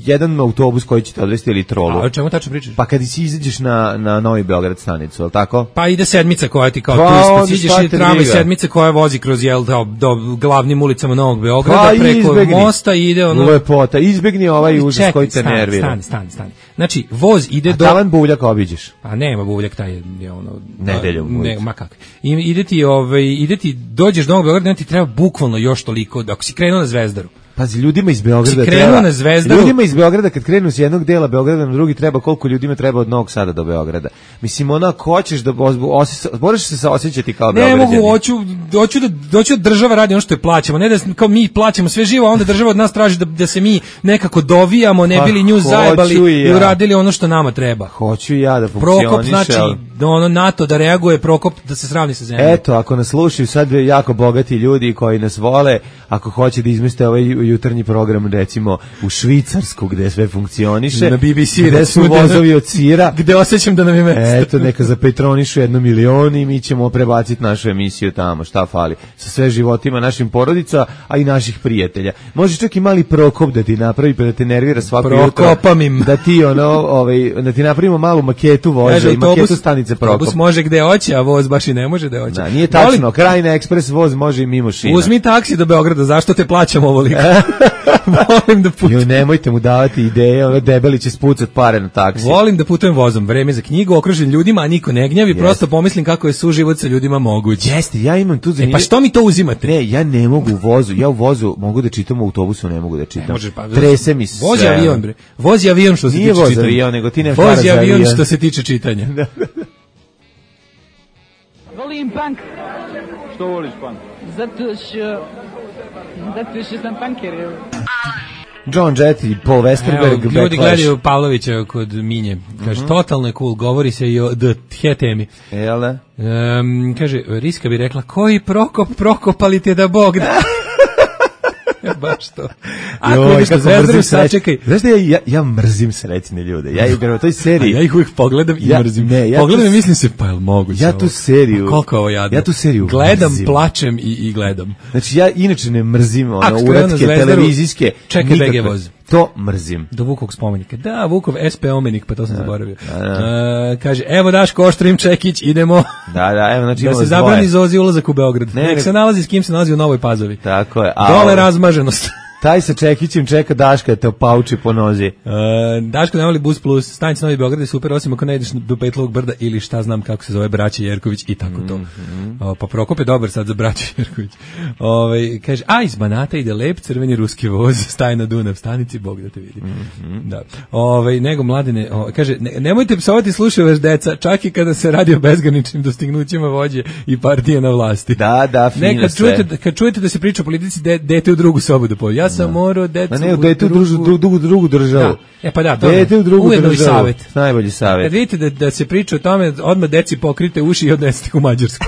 Jedan autobus koji će te odvesti ili trolu. A o čemu tačno pričaš? Pa kad si izađeš na Novi Beograd stanicu, je li tako? Pa ide sedmica koja ti kao turist, siđeš i tramvaj sedmice koja vozi kroz do glavnim ulicama Novog Beograda, preko mosta i ide ono... Lepota, izbegni ovaj užas koji te nervira. Stani. Znači, voz ide do... A tavan Buvljak obiđeš? A nema Buvljak, taj je ono... Nedeljom. Ma kako. Ide ti dođeš do Novog Beograda, ti treba bukvalno još toliko, ako si krenuo na Zvezdaru. Pazi, ljudima iz Beograda ljudima iz Beograda kad krenu s jednog dela Beograda na drugi treba koliko ljudima treba od Novog Sada do Beograda. Mislim, ako hoćeš da moraš se osjećati kao Beograđani. Ne mogu, hoću da država radi ono što je plaćamo, ne da kao mi plaćamo sve živo, a onda država od nas traži da se mi nekako dovijamo, ne bili nju zajebali i uradili ono što nama treba. Hoću ja da funkcioniše. Prokop, znači, NATO da reaguje, Prokop da se sravni sa zemljom. Eto, ako nas slušaju sad jako bogati ljudi koji nas vole, ako hoće da izmeste ovaj jutarnji program, recimo, u Švicarsku, gde sve funkcioniše. Na BBC, gde su vozovi od sira. Gde osjećam da nam je mesto. Eto, neka zapetronišu 1 milion i mi ćemo prebaciti našu emisiju tamo, šta fali. Sa sve životima našim porodica, a i naših prijatelja. Može čak i mali Prokop da ti napravi, pa da te nervira svako jutro. Prokopam im. Da ti, da ti napravimo malu maketu voza i maketu stanice Prokop. Autobus može gde hoće, a voz baš i ne može da hoće. Da, nije tačno, Krajina ekspres voz može i mimo šina. Uzmi taksi do Beograda, zašto te plaćam ovoliko? Volim da putujem. Nemojte mu davati ideje, debeli će spucat pare na taksi. Volim da putujem vozom, vreme za knjigu, okružen ljudima, a niko ne gnjavi, prosto pomislim kako je suživot sa ljudima moguć. Jeste, ja imam tu pa što mi to uzimate? Ne, ja ne mogu u vozu, ja u vozu mogu da čitam, u autobusu ne mogu da čitam. Trese mi se. Vozi avion, bre. Vozi avion što se tiče čitanja. Nije voz avion, nego ti nemaš para za avion. Vozi avion što se tiče čitanja. Volim punk. Što voliš punk? Zato što sam punker. John Jett i Paul Westerberg. Evo, ljudi gledaju Pavlovića kod Minje. Kaže, totalno je cool, govori se i o The temi. Jel da? Kaže, Riska bi rekla, koji prokopali te da Bog da. Baš to. Ako vidiš da Zvezdaru sačekaj. Znaš da ja mrzim srećne ljude. Ja igram u toj seriji. Ja ih uvijek pogledam i mrzim. Pogledam i mislim se, pa je li moguće ja tu seriju. Koliko ovo jadno. Ja tu seriju gledam, mrzim. Plačem i gledam. Znači ja inače ne mrzim uratke televizijske. Čekaj BG voz. To mrzim. Do Vukovog spomenika. Da, Vukov SP omenik, pa to sam zaboravio. Kaže, evo Daško, Oštrim Čekić, idemo. Da, evo, znači da se zabrani Zozi ulazak u Beograd. Nek se nalazi s kim se nalazi u Novoj Pazovi. Tako je. Dole razmaženost. Taj sa Čekićem čeka Daška te opauči po nozi. Daško ne voli Bus Plus, stanica Novi Beograd je super, osim ako ne ideš do Petlovog brda ili šta znam kako se zove braća Jerković i tako to. Pa Prokop je dobar sad za braća Jerković. Kaže, a iz Banata ide lep crveni ruski voz, staje na Dunav stanici, Bog da te vidi. Da. Nego Mladene, kaže, nemojte psovati slušavaš deca, čak i kada se radi o bezgraničnim dostignućima vođe i partije na vlasti. Da, fino sve. Kad čujete da se priča o politici, dete u drugu sobu da pođe. Ja sam morao decu u drugu državu. Pa da, dete u drugu ujedno državu. I savjet. Najbolji savjet. Kad vidite da se priča o tome, odmah deci pokrite uši i odnesite u Mađarsku.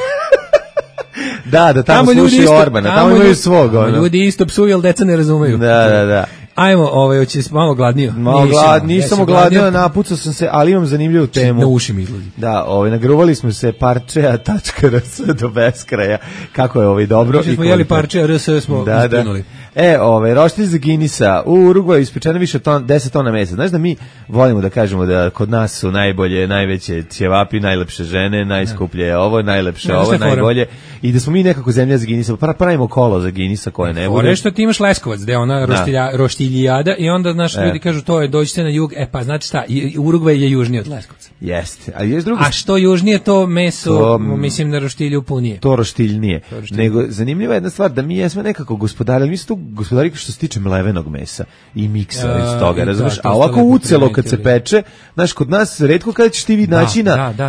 Da, tamo slušaju Orbana, tamo imaju svog. Ljudi isto psuju, ali deca ne razumeju. Da. Ajmo, hoće malo gladnio. Nisam gladnio, napucao sam se, ali imam zanimljivu temu. Na uši mi izlazi. Da, nagruvali smo se parčeja.rs do beskraja. Kako je dobro. Znači smo jeli parčeja.rs, smo isprinuli. Roštilj za Guinnessa u Urugvaju ispečeno više 10 tona mesa. Znaš da mi volimo da kažemo da kod nas su najveće ćevapi, najlepše žene, najskuplje ovo, najlepše ovo, najbolje. I da smo mi nekako zemlja za Guinnessa, pravimo kolo za Guinnessa koje ne bude. Što ti imaš Leskovac, gde ona roštiljijada i onda ljudi kažu to je dođite na jug, pa znate šta, Urugvaj je južniji od Leskovca. Jeste, ali jest drugo. A što južnije to meso, mislim na roštilju punije. To roštiljnije. Nego zanimljiva je jedna stvar da mi jesmo nekako gospodari, mi smo tu gospodari što se tiče mlevenog mesa i miksa iz toga, razumeš? A ovako ucelo kad se peče, znaš, kod nas retko kada ćeš ti vid naći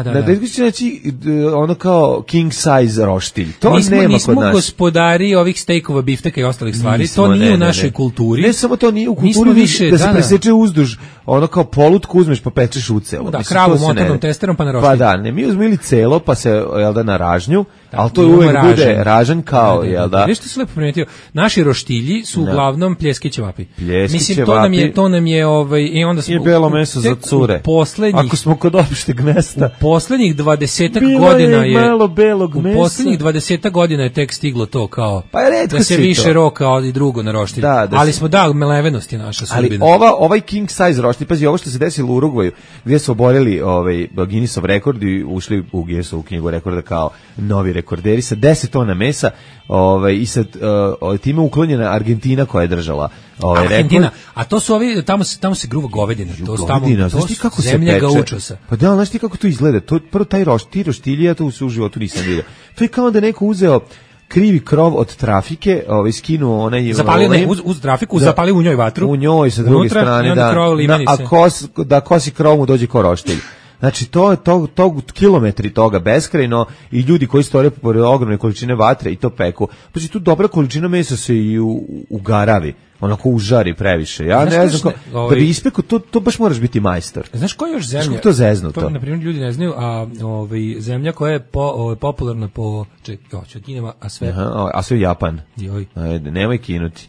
retko ćeš naći ono kao king size roštilj. To nema kod nas. Nismo gospodari ovih stejkova, bifteka i ostalih stvari, to nije u našoj kulturi. Ne samo to nije u kulturi, više, da se preseče uzduž, ono kao polutku uzmeš pa pečeš ucelo. Da, kravu motornom testerom pa na roštilj. Pa da, ne, mi uzmili celo pa se, jel da, na ražnju, ali to uvek bude ražanj kao, jel da. Viš što se lepo primetio, naši roštilji su uglavnom pljeski ćevapi. Mislim, ćevapi. to nam je i onda smo... I belo meso za cure. Ako smo kod opšteg mesta. U poslednjih 20 godina je... malo belog mesa. U poslednjih 20 godina je tek stiglo to kao... Pa je retko da se više roka i drugo na roštilj. Ali smo, melevenost je naša sudbina. Ali ovaj king size roštilj, pazi, ovo što se desilo u Urugvaju, gdje su oborili Guinnessov rekord i ušli u Guinnessovu knjigu rekorda kao novi rekorderi sa 10 tona mesa, i sad time uklonjena Argentina koja je držala Argentina, a to su ovi, tamo se gruva govedina, to su tamo, znaš ti kako zemlja se peče? Gaučosa. Pa da, znaš ti kako to izgleda? Prvo taj roštilj, ja to u životu nisam vidio. To je kao da neko uzeo krivi krov od trafike, skinuo onaj... Zapalio uz trafiku, zapalio u njoj vatru. U njoj sa druge strane, da kosi krov mu dođe ko roštilj. Znači, to kilometri toga beskrajno i ljudi koji stoje pored ogromne količine vatre i to peku. Znači, tu dobra količina mesa se i ugaravi, onako užari previše. Ja ne znam, da bi ispekao, to baš moraš biti majstor. Znaš koja je još zemlja? Znaš to zeznuto? To, na primjer, ljudi ne znaju, a zemlja koja je popularna po... Kinema, a sve... A sve Japan. Joj. Ajde, nemoj kinuti.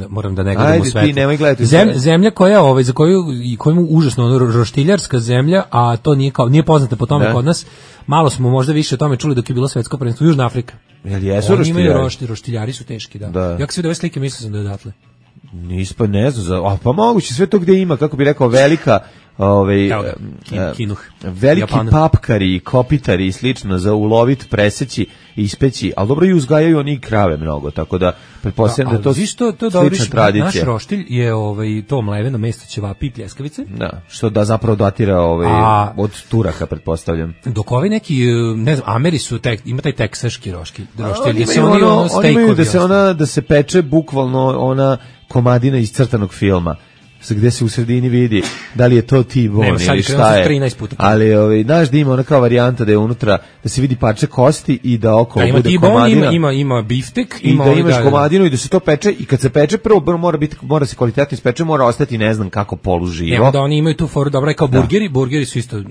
Moram da ne gledam u svetu. Ajde, ti nemoj gledati. Zemlja koja za koju užasno roštiljarska zemlja, a to nije poznata po tome kod nas. Malo smo možda više o tome čuli dok je bilo svetsko prvenstvo. Južna Afrika. Jel jesu roštiljari? Roštiljari su teški, da. Ja kad sam vidio ove slike mislio sam da je odatle. Nispa, ne znam, pa moguće sve to gde ima, kako bi rekao, velika kinuh. Veliki papkari, kopitari i slično za ulovit, preseći i ispeći, ali dobro i uzgajaju oni krave mnogo, tako da pretpostavljam da to slična tradicija. Naš roštilj je to mleveno mesto ćevapi i pljeskavice. Da, što da zapravo datira od Turaka, pretpostavljam. Dok ovi neki, ne znam, Ameri su, ima taj teksaški roštilj, oni imaju da se peče bukvalno ona komadina iz crtanog filma, gde se u sredini vidi da li je to T-bone ili šta je. Ali znaš da ima ona kao varijanta da je unutra, da se vidi parče kosti i da okolo bude komadina. Ima biftek. I da imaš komadinu i da se to peče i kad se peče prvo mora se kvalitetno ispeče, mora ostati ne znam kako poluživo. Evo da oni imaju tu foru, dobro je kao burgeri su isto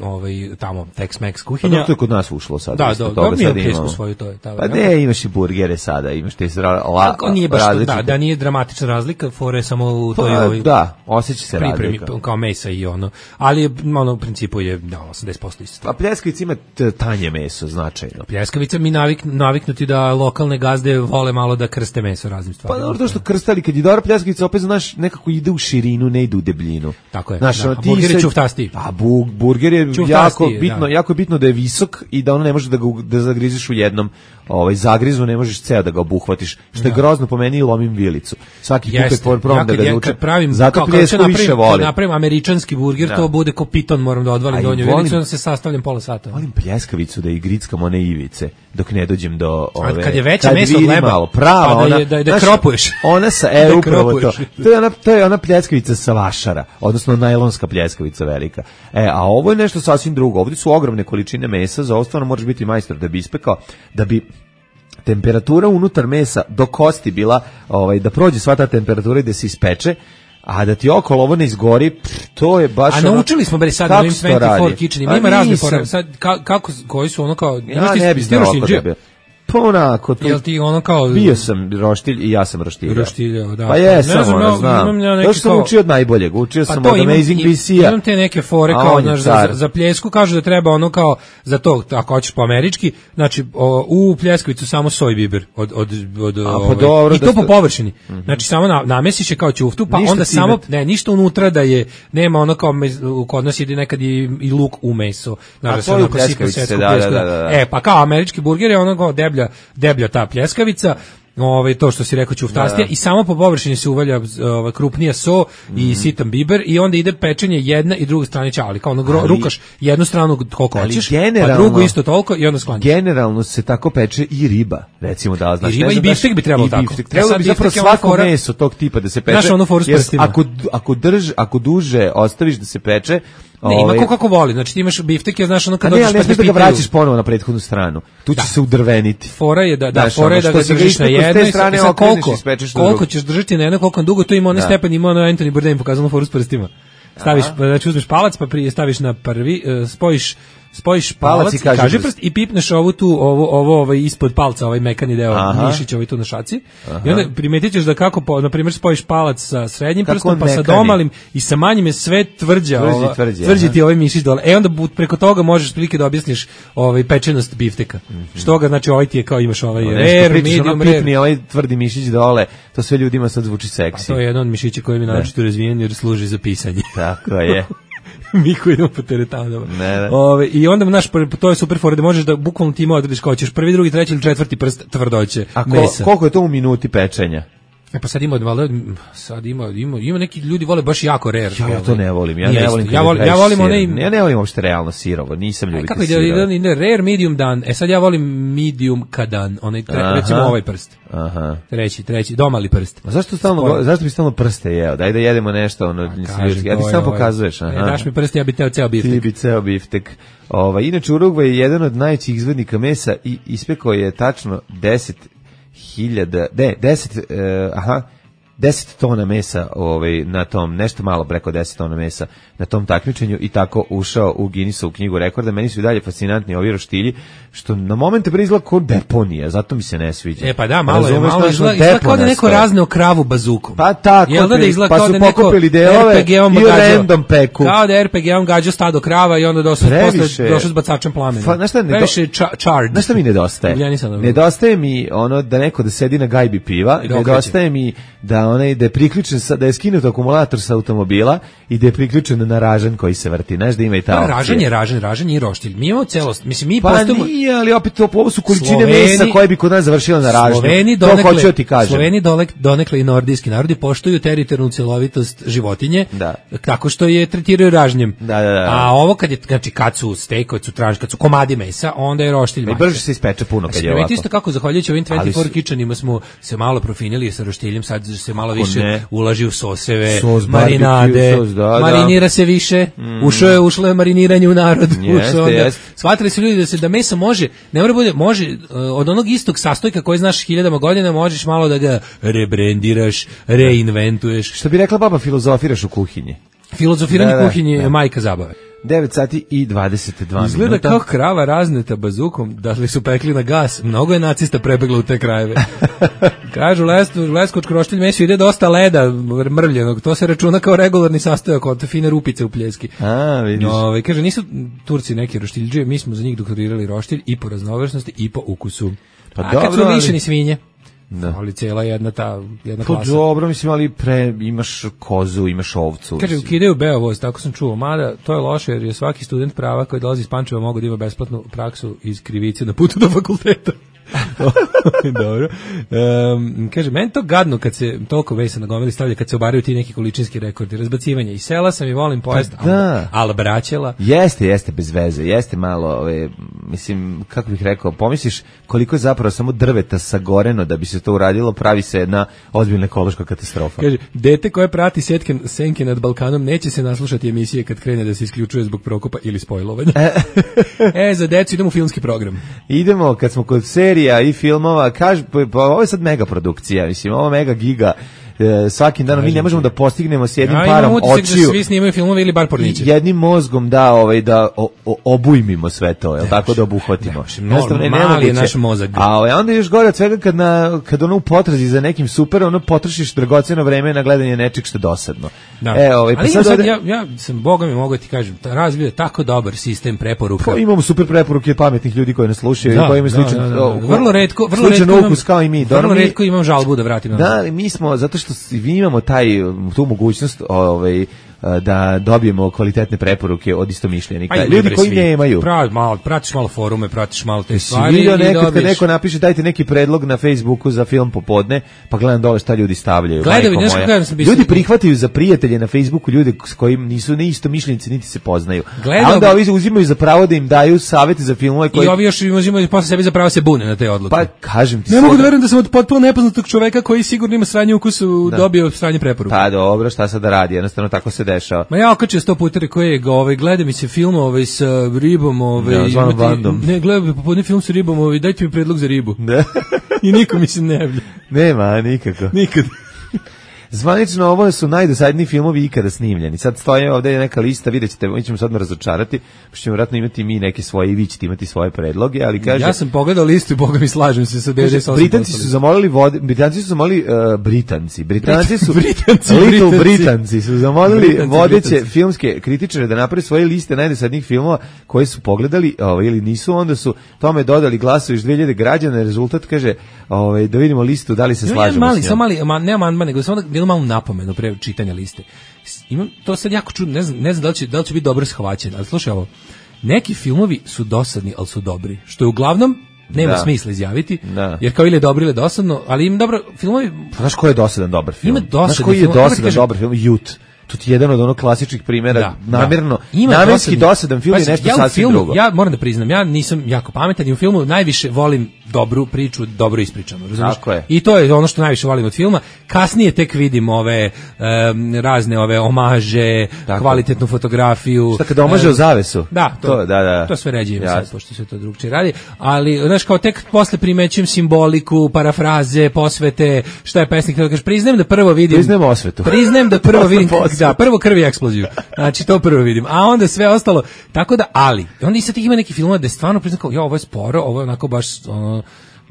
tamo Tex-Mex kuhinja. To je kod nas ušlo sad. Da, mi imamo pljesku svoju, to je. Pa ne, imaš i burgere sada, imaš te različite. Da, nije dramatična razlika, fore samo u toj osjeća se pripremi kao mesa i ali u principu je 80% isto. A pljeskavica ima tanje meso, značajno. Pljeskavica mi naviknuti da lokalne gazde vole malo da krste meso raznim stvarima. Pa dobro, to što krstali, kad je dobra pljeskavica, opet znaš, nekako ide u širinu, ne ide u debljinu. Tako je, a burger je čuftasti. A burger je jako bitno da je visok i da ono ne može da zagriziš u jednom zagrizu, ne možeš ceo da ga obuhvatiš, što je grozno po meni i lomim vilicu. Svaki put probam da ga nučem. Zato pljesku više volim. Napravim američanski burger, to bude ko piton, moram da odvalim donju vilicu, onda se sastavljam pola sata. Volim pljeskavicu da i grickam one ivice, dok ne dođem do ove... Kad je veće meso od leba, da kropuješ. Ona sa, upravo to. To je ona pljeskavica sa vašara, odnosno najlonska pljeskavica velika. A ovo je nešto sasvim drugo. Ovdje su ogromne količine mesa, za ovo stvarno moraš biti majstor da bi ispekao, da bi temperatura unutar mesa do kosti bila, da prođe sva ta temperatura i da se ispeče, a da ti okolo ovo ne izgori, to je baš... A naučili smo bre sad ovim 24 kitchenima, ima razne fore, sad koji su ono kao... Ja ne bi znao ako da bi... Pa onako... Jel ti ono kao... Bio sam roštilj i ja sam roštiljao. Roštiljao, da. Pa jesam, znam. To što sam učio od najboljeg, učio sam od Amazing BC-a. Imam te neke fore kao, za pljesku kažu da treba ono kao, za to, ako hoćeš po američki, znači u pljeskavicu samo soj biber, i to po površini. Znači samo namesiš je kao ćuftu, pa onda samo, ništa unutra da je, nema ono kao, kod nas ide nekad i luk u meso. A to je u pljeskavici, da. Pa kao američki burger je ono kao deblja ta pljeskavica, to što si rekao ćuftastija, i samo po površini se uvalja krupnija so i sitan biber i onda ide pečenje jedna i druga strana ćali, kao rukaš jednu stranu koliko hoćeš, pa drugu isto toliko i onda sklanjaš. Generalno se tako peče i riba, recimo da znaš. I riba i biftek bi trebalo tako. Trebalo bi zapravo svako meso tog tipa da se peče. Znaš ono foru s prstima. Ako duže ostaviš da se peče, ne, ima kako voli, znači ti imaš biftek, znaš ono kad dođeš pa te pitaju. Da ga vraćaš ponovo na prethodnu stranu, tu će se udrveniti. Fora je da ga držiš na jednoj, koliko ćeš držati na jednoj, koliko dugo, to ima onaj stepen, ima ono Anthony Bourdain pokazano foru s prstima. Staviš, znači uzmeš palac, pa prije staviš na prvi, spojiš palac i kažiprst i pipneš ovo ispod palca, ovaj mekani deo mišića, ovaj tu na šaci. I onda primetit ćeš da kako, na primjer, spojiš palac sa srednjim prstom, pa sa domalim i sa manjim je sve tvrđi ti ovaj mišić dole. Onda preko toga možeš prilike da objasniš pečenost bifteka. Što ga, znači ovaj ti je kao imaš ovaj rare, medium rare. Pipni ovaj tvrdi mišić dole, to sve ljudima sad zvuči seksi. To je jedan od mišića koji mi naročito razvijen jer služi za pisanje. Tako je. Mi koji idemo po teretanu. I onda, to je super fora da možeš da bukvalno ti odrediš kao ćeš prvi, drugi, treći ili četvrti prst tvrdoće mesa. A koliko je to u minuti pečenja? Pa sad ima neki ljudi vole baš jako rare. Ja to ne volim. Ja ne volim uopšte realno sirovo, nisam ljubitelj sirova. Kako ide rare, medium dan. Sad ja volim medium kadan, recimo ovaj prst. Treći, domali prst. A zašto bi stalno prste jeo? Daj da jedemo nešto, ja ti samo pokazuješ. Daš mi prst, ja bi teo ceo biftek. Ti bi ceo biftek. Inače, Urugvaj je jedan od najvećih izvodnika mesa i ispekao je tačno 10 10 tona mesa na tom, nešto malo preko 10 tona mesa na tom takmičenju i tako ušao u Guinnessovu knjigu rekorda. Meni su i dalje fascinantni ovi roštilji, što na momente izgleda kao deponija, zato mi se ne sviđa. Pa da, malo izgleda kao da neko razneo kravu bazukom. Pa tako, pa su pokupili delove i random peku. Kao da RPG-om gađao stado krava i onda došao s bacačem plamena. Previše charred. Znaš šta mi nedostaje? Nedostaje mi ono da neko da sedi na gajbi piva, nedostaje mi da je priključen, da je skinut akumulator sa automobila i da je priključen na ražanj koji se vrti. Znaš da ima i ta opcija. Ražanj i roštilj. Mi imamo celost. Mislim, mi pa nije, ali opet ovo su količine mesa koje bi kod nas završile na ražnju. To hoću da ti kažem. Sloveni donekle i nordijski narodi poštuju teritorijalnu celovitost životinje, tako što je tretiraju ražnjem. A ovo kad su steak, kad su komadi mesa, onda je roštilj mača. Brže se ispeče puno kad je ovako. Isto kako zahvaljujući ovim 24 kitchenima smo se malo profinili sa roštiljem, sad se malo više ulaži u soseve, marinade, marinira se više, ušlo je mariniranje u narod. Shvatili su ljudi da meso može, ne mora bude, može od onog istog sastojka koji znaš hiljadama godina, možeš malo da ga rebrandiraš, reinventuješ. Što bi rekla baba, filozofiraš u kuhinji. Filozofiranje kuhinje je majka zabave. 9 sati i 22 minuta. Izgleda kao krava razneta bazukom, da li su pekli na gas. Mnogo je nacista prebeglo u te krajeve. Kažu, leskočko roštilj meso ide dosta leda mrvljenog. To se računa kao regularni sastojak od fine rupice u pljeski. Vidiš. Kaže, nisu Turci neki roštiljđije, mi smo za njih doktorirali roštilj i po raznovrsnosti i po ukusu. Pa kad su lišeni svinje. Ali cijela jedna klasa. Dobro, mislim, ali imaš kozu, imaš ovcu. Kaže, ukidaju beovoz, tako sam čuo. Mada, to je loše, jer je svaki student prava koji dolazi iz Pančeva mogu da ima besplatnu praksu iz krivice na putu do fakulteta. Dobro. Kaže, meni to gadno kad se toliko vesa na gomili stavlja, kad se obaraju ti neki količinski rekordi, razbacivanja. I sela sam i volim pojest, ali braćela. Jeste, bez veze, jeste malo, mislim, kako bih rekao, pomisliš koliko je zapravo samo drveta sagoreno da bi se to uradilo, pravi se jedna ozbiljna ekološka katastrofa. Kaže, dete koje prati senke nad Balkanom neće se naslušati emisije kad krene da se isključuje zbog prokopa ili spojlovanja. Za decu idemo u filmski program. Idemo, kad smo kod serija i filmova, pa ovo je sad mega produkcija, mislim, ovo mega giga, svakim danom mi ne možemo da postignemo s jednim parom očiju. Da svi snimaju filmove ili bar porniće. Jednim mozgom da obujmimo sve to, jel tako, da obuhvatimo. Mali je naš mozak. A onda još gore od svega kad ono u potrazi za nekim super, ono potrošiš dragoceno vreme na gledanje nečeg što je dosadno. Ali ja sam, Boga mi mogu ti kažem, razvio tako dobar sistem preporuka. Imamo super preporuke pametnih ljudi koji nas slušaju i koji imaju vrlo retko ukus kao i mi. Vrlo retko imam žalbu da vratim. Da, mi smo, zato što vi imamo tu mogućnost da dobijemo kvalitetne preporuke od istomišljenika. Ljudi koji nemaju. Pratiš malo forume, pratiš malo te stvari. Vidio nekad kad neko napiše dajte neki predlog na Facebooku za film popodne, pa gledam dole šta ljudi stavljaju. Ljudi prihvataju za prijatelje na Facebooku ljude s kojim nisu ni istomišljenici niti se poznaju. A onda ovi uzimaju za pravo da im daju savete za filmove koji... I ovi još uzimaju posle sebi za pravo se bune na te odluke. Pa kažem ti... Ne mogu da verujem da sam od potpuno nepoznatog čoveka koji sigurno ima sranje ukusu dobio sranje preporuke. Pa dobro, šta sad da radi, jednostavno tako se dešava. Ma ja okačio 100 puta koje gleda mi se film sa ribom, ne gleda popodne film sa ribom, dajte mi predlog za ribu. I niko mi se ne javlja. Nema, nikako. Nikad. Zvanično ovo su najdosadniji filmovi ikada snimljeni. Sad stoje ovdje neka lista, vidjet ćete, mi ćemo sad razočarati, pa ćemo vjerojatno imati mi neke svoje i vi ćete imati svoje predloge, ali kaže... Ja sam pogledao listu i Boga mi slažem se sa 98%. Britanci su zamolili Britanci su zamolili vodeće filmske kritičare da naprave svoje liste najdosadnijih filmova koje su pogledali ili nisu, onda su tome dodali glasovi iz 2000 građana, rezultat kaže da vidimo listu, da li se slažemo s njom. Ne amandman, nego samo jednu malu napomenu pre čitanja liste. Imam to sad jako čudno, ne znam da li će biti dobro shvaćen, ali slušaj ovo, neki filmovi su dosadni, ali su dobri, što je uglavnom nema smisla izjaviti, jer kao ili je dobro ili dosadno, ali im dobro filmovi... Znaš ko je dosadan dobar film? Ima dosadan film. Znaš koji je dosadan dobar film? Youth. To ti je jedan od onog klasičnih primjera, namjerno, Ima namenski dosadan film i nešto sasvim drugo. Ja moram da priznam, ja nisam jako pametan i u filmu najviše volim dobru priču, dobro ispričanu, razumiješ? Tako je. I to je ono što najviše volim od filma. Kasnije tek vidim ove razne ove omaže, kvalitetnu fotografiju. Šta kad omaže u zavesu? Da, to sve ređe ima sad, pošto se to drugčije radi. Ali, znaš, kao tek posle primećujem simboliku, parafraze, posvete, šta je pesnik, da kažeš, priznajem da prvo vidim... Priznajem osvetu. Priznajem da prvo vidim, da, prvo krvi eksploziju. Znači, to prvo vidim. A onda sve ostalo, tako da, ali, onda i sad ima neki film da je stvarno priznam kao, ovo je sporo, ovo je onako baš,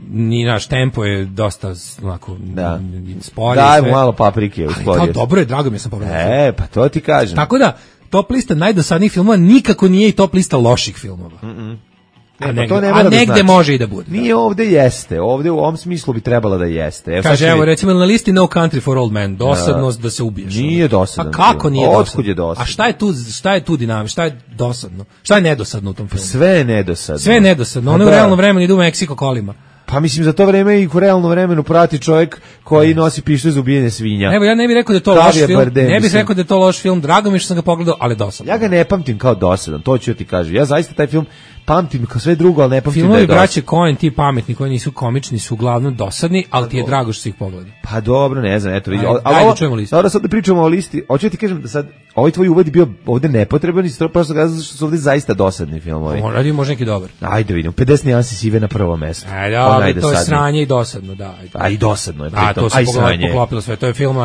ni naš tempo je dosta onako spori. Daj mu malo paprike. Ali kao dobro je, drago mi je sam pogledao. Pa to ti kažem. Tako da, top lista najdosadnijih filmova nikako nije i top lista loših filmova. A negde može i da bude. Nije, ovde jeste. Ovde u ovom smislu bi trebala da jeste. Kaže, evo, recimo na listi No Country for Old Men, dosadnost da se ubiješ. Nije dosadno. A kako nije dosadno? Otkud je dosadno? A šta je tu dinamika? Šta je dosadno? Šta je nedosadno u tom filmu? Sve je nedosadno. Sve je nedosadno. Ono u realnom vremenu idu u Meksiko kolima. Pa mislim, za to vreme i u realnom vremenu prati čovjek koji nosi pištolj za ubijanje svinja. Evo, ja ne bih rekao da je to loš film. Ne bih rekao da je to loš film. Drago mi je što sam ga pogledao, ali dosadan. Ja ga ne pamtim kao dosadan, to ću ti kažem. Ja zaista taj film pamtim kao sve drugo, ali ne pamtim da je dosadan. Filmovi braće Coen, ti pametni koji nisu komični, su uglavnom dosadni, ali ti je drago što si ih pogledao. Pa dobro, ne znam, eto vidi. Ajde, čujemo listu. Dobro, sad da pričamo o listi. Hoću ti kažem da sad ovaj tvoj uvod je bio ovde nepotreban i prosto zato što su ovde zaista dosadni filmovi. Radio može neki dobar. Ajde vidimo. 50 nijansi sive na prvo mesto. Ajde, to je sranje i dosadno, da. A i dosadno je pritom. To se poklopilo sve. To je film,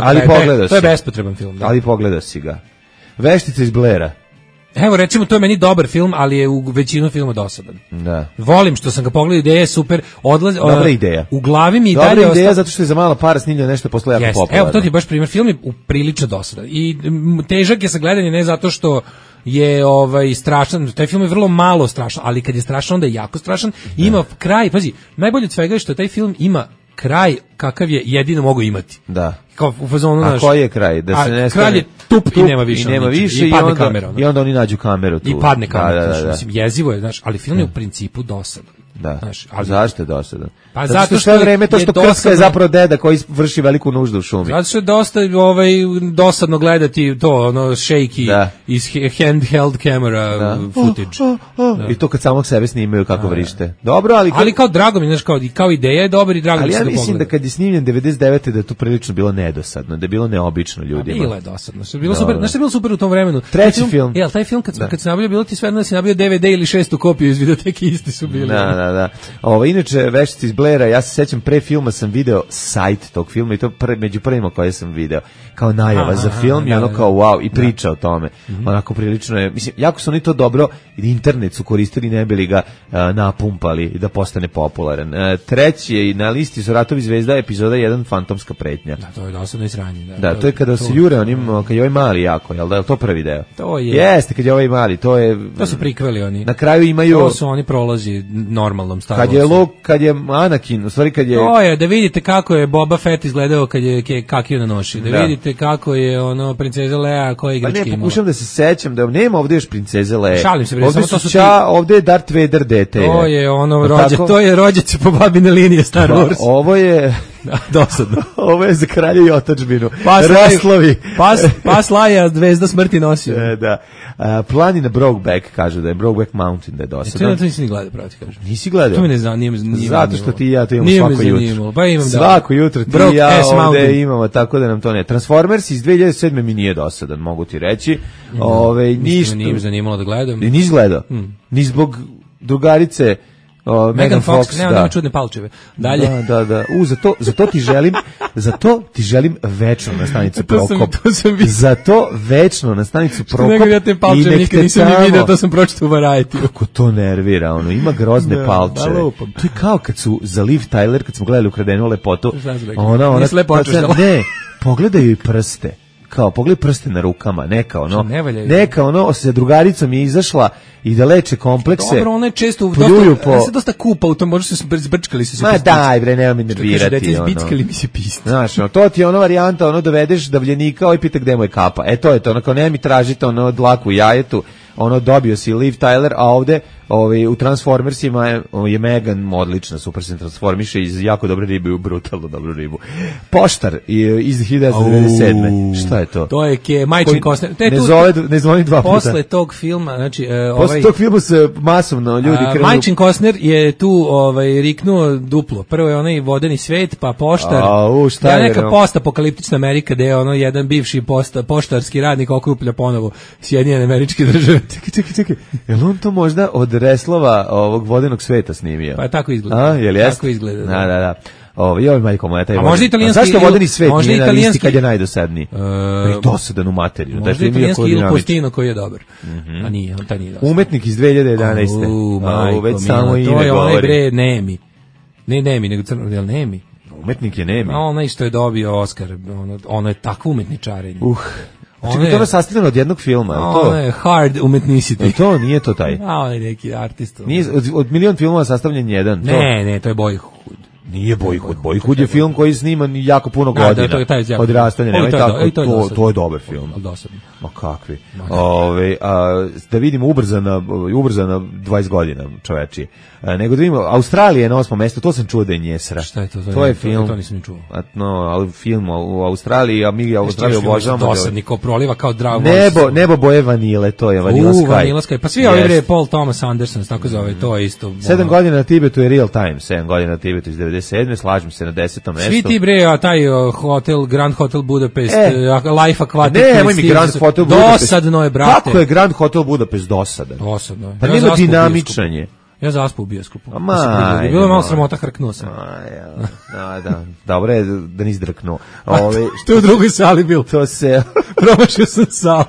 to je bespotreban film. Ali pogledao si ga. Veštica iz Blaira. Evo, recimo, to je meni dobar film, ali je u većinu filma dosadan. Da. Volim što sam ga pogledao, ideja je super. Dobra ideja. U glavi mi i dalje dobra ideja zato što je za mala para snimljeno nešto posle jako popularno. Evo, to ti je baš primjer. Film je prilično dosadan. I težak je sa gledanje ne zato što je strašan, taj film je vrlo malo strašan, ali kad je strašan onda je jako strašan. Ima kraj, pazi, najbolje od svega je što taj film ima kraj kakav je jedino mogu imati. Da. Kao u fazonu naš. A koji je kraj? Da se ne kraj je tup i nema više. I padne kamera. I onda oni nađu kameru tu. I padne kamera. Mislim, jezivo je, znaš, ali film je u principu dosadan. Da. Znaš, ali zašto je dosadan? Pa zato što sve vreme to što krska je zapravo deda koji vrši veliku nuždu u šumi. Zato što je dosta dosadno gledati to, ono shaky iz handheld camera footage. I to kad samog sebe snimaju kako vrište. Dobro, ali kao drago mi, znaš, kao ideja je dobra i drago mi se da pogleda. Ali ja mislim da kad je snimljen 99. da je to prilično bilo nedosadno, da je bilo neobično ljudima. Bilo je dosadno. Bilo super, znaš što je bilo super u tom vremenu? Treći film. Jel, taj film kad se nabavio, bilo ti sve da si nabavio DVD ili 6. kopiju iz videoteke, isti su bili. Da. Inače, Veštice iz Blaira, ja se sećam, pre filma sam video sajt tog filma i to među prvima koje sam video. Kao najava za film i ono kao wow, i priča o tome. Onako prilično je, mislim, jako su oni to dobro, internet su koristili, ne bili ga napumpali i da postane popularan. Treći je na listi su Ratovi zvezda, epizoda 1, Fantomska pretnja. Da, to je dosadno izranje. Da, to je kada se jure onim, kad je ovaj mali jako, jel da je to prvi deo? To je. Jeste, kad je ovaj mali, to je. To su prikveli oni. Na kraju imaju. To su oni prolazi normalnom Star Warsu. Kad je Anakin, u stvari kad je. To je, da vidite kako je Boba Fett izgledao kad je kakio na noši. Da vidite kako je ono princeza Leia koja igrački imala. Pa ne, pokušam da se sećam da nema ovdje još princeze Leia. Šalim se, ovdje samo to su ovdje je Darth Vader dete. To je ono to je rođac po babine linije Star Wars. Ovo je dosadno. Ovo je za kralja i otadžbinu. Raslovi. Pas Laja zvezda smrti nosio. Da. Planina Brokeback, kažu da je Brokeback Mountain, da je dosadan. To nisi ni gledao, pravo ti kažem. Nisi gledao? To me ne zanima. Zato što ti i ja to imamo svako jutro. Pa imam svako jutro ti i ja ovde imamo, tako da nam to ne. Transformers iz 2007. mi nije dosadan, mogu ti reći. Ništa. Nije zanimalo da gledam. Nisi gledao? Ni zbog drugarice Megan Fox, nema čudne palčeve. Dalje. Da. Zato ti želim večno na stanicu Prokop. Zato večno na stanicu Prokop. Nego ja te palčeve nikad nisam ni vidio, to sam pročitao u Variety. Kako to nervira, ima grozne palčeve. To je kao kad su za Liv Tyler, kad smo gledali Ukradenu lepotu. Ona ne, pogledaju i prste. Kao pogledaj prste na rukama, neka ono sa drugaricom je izašla i da leče komplekse. Dobro, ona je često se dosta kupa u tom, možda se zbrčkali su se. Ma daj bre, nema mi nervirati. Zbickali mi se piste. Znaš, to ti je ona varijanta, dovedeš davljenika i pita gde mu je kapa. To je to, nema mi tražite dlaku u jajetu, dobio si Liv Tyler, a ovde u Transformersima je Megan odlična, super se transformiše iz jako dobre ribe u brutalno dobru ribu. Poštar iz 1997. Šta je to? To je Majčin Kostner. Ne zvoni dva puta. Posle tog filma, znači posle tog filma se masovno ljudi krenu. Majčin Kostner je tu riknuo duplo. Prvo je onaj vodeni svet, pa poštar. Ja neka postapokaliptična Amerika gde je ono jedan bivši poštarski radnik okuplja ponovo Sjedinjene Američke Države. Čekaj. Jel on to možda od reslova ovog vodenog sveta snimio? Pa tako izgleda. Jel jest? Tako izgleda. Da. Joj, majko moja, taj možda italijanski. Zašto vodeni svet nije na listi kad je najdosadniji? Je dosadan u materiju. Možda italijanski Il Postino koji je dobar. A nije, on taj nije dosadan. Umetnik iz 2011. Već samo ime govori. To je onaj bre Nemi. Ne Nemi, nego crno, jel Nemi? Umetnik je Nemi. Onaj što je dobio Oskar, ono je takvo umetničarenje. Čekaj, to je sastavljeno od jednog filma. Ono je hard umetnicity. To nije to taj. Ono je neki artist. Od milion filmova sastavljen jedan. Ne, to je Boyhood. Nije Boyhood. Boyhood je film koji je sniman jako puno godina. Odrastanje, nema tako. To je dobar film. Dosadno. Ma kakvi. Da vidimo ubrzana 20 godina čovečije. Nego da vidimo, Australija je na 8. mesto, to sam čuo da je njesra. Šta je to? To je film. To nisam ni čuo. No, film u Australiji, a mi Australiju obožavamo. Dosadni ko proliva kao Drago. Nebo boje vanile, to je Vanilla Sky. Vanilla Sky. Pa svi ovi Paul Thomas Anderson, tako zove, to je isto. 7 godina na Tibetu je Real Time, 7 godina na Tibetu iz 97. Slažem se na 10. mestu. Svi ti bre, a taj Grand Hotel Budapest, Life Aquatic. Nemoj mi Grand Hotel Budapest. Dosadno je, brate. Kako je Grand Hotel Budapest dosadan? Dosadno. Pa nema dinamičanje. Ja zaspao u bioskopu. Bilo je malo sramota, hrknuo sam. Da. Dobro je da nisi drknuo. Što je u drugoj sali bil? To se... Promašio sam salu.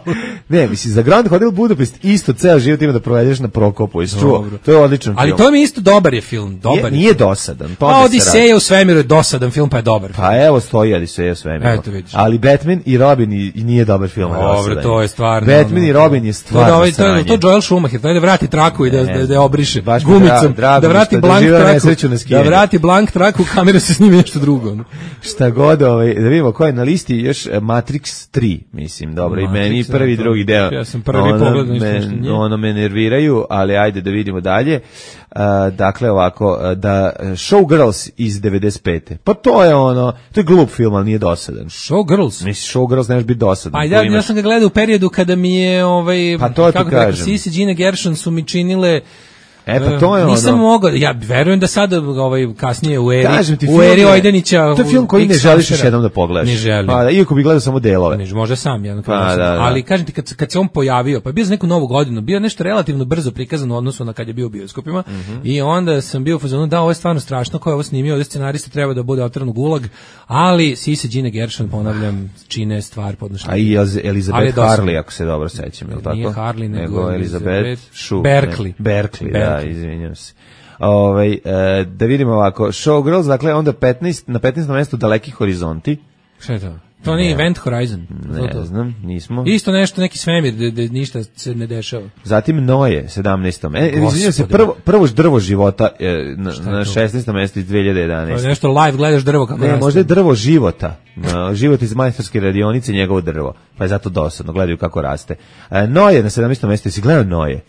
Ne, misli, za Grand Hotel Budapest isto ceo život ima da provedeš na Prokopu. To je odličan film. Ali to mi isto dobar je film. Nije dosadan. Odiseja u svemiru je dosadan film, pa je dobar film. Pa evo stoji Odiseja u svemiru. Ali Batman i Robin nije dobar film. Dobro, to je stvarno. Batman i Robin je stvarno sranje. To Joel Schumacher, to je da vrati traku i da obriše gumicom, da vrati blank traku, da vrati blank traku, kamera se snimi nešto drugo. Šta god, da vidimo ko je na listi, još Matrix 3, mislim, dobro, i meni prvi i drugi deo. Ja sam prvi pogled nešto. Ono me nerviraju, ali ajde da vidimo dalje. Dakle, ovako, da Showgirls iz 95. Pa to je glup film, ali nije dosadan. Showgirls? Mislim, Showgirls nemaš biti dosadan. Pa ja sam ga gledao u periodu kada mi je, pa to ti kažem. Sisi, Gina Gershon su mi činile... Pa to je nisam mogao, ja verujem da sada kasnije u eri Ojdanića. To je film koji ne želiš još jednom da pogledaš. Ne želim. Pa iako bi gledao samo delove. Može sam jedno. Ali kažem ti kad se on pojavio, pa bio za neku novu godinu, bio nešto relativno brzo prikazan u odnosu na kad je bio u bioskopima i onda sam bio u fazonu da ovo je stvarno strašno, ko je ovo snimio, ovdje scenarista treba da bude otran u gulag, ali Sisi, Gina Gershon, ponavljam, čine stvar podnošenja. A i Elizabeth Harley, ako se dobro sećam, je li tako? Nije Harley, nego Elizabeth Berkley. Da, izvinjam se. Da vidimo ovako, Showgirls, dakle onda na 15. mjestu Daleki horizonti. Šta je to? To nije Event Horizon. Ne znam, nismo. Isto nešto, neki svemir gde ništa se ne dešava. Zatim Noje, 17. Izvinjam se, prvo drvo života na 16. mjestu iz 2011. To je nešto live, gledaš drvo kako raste. Možda je drvo života. Život iz majstorske radionice, njegovo drvo. Pa je zato dosadno, gledaju kako raste. Noje na 17. mjestu, jesi gledao Noje?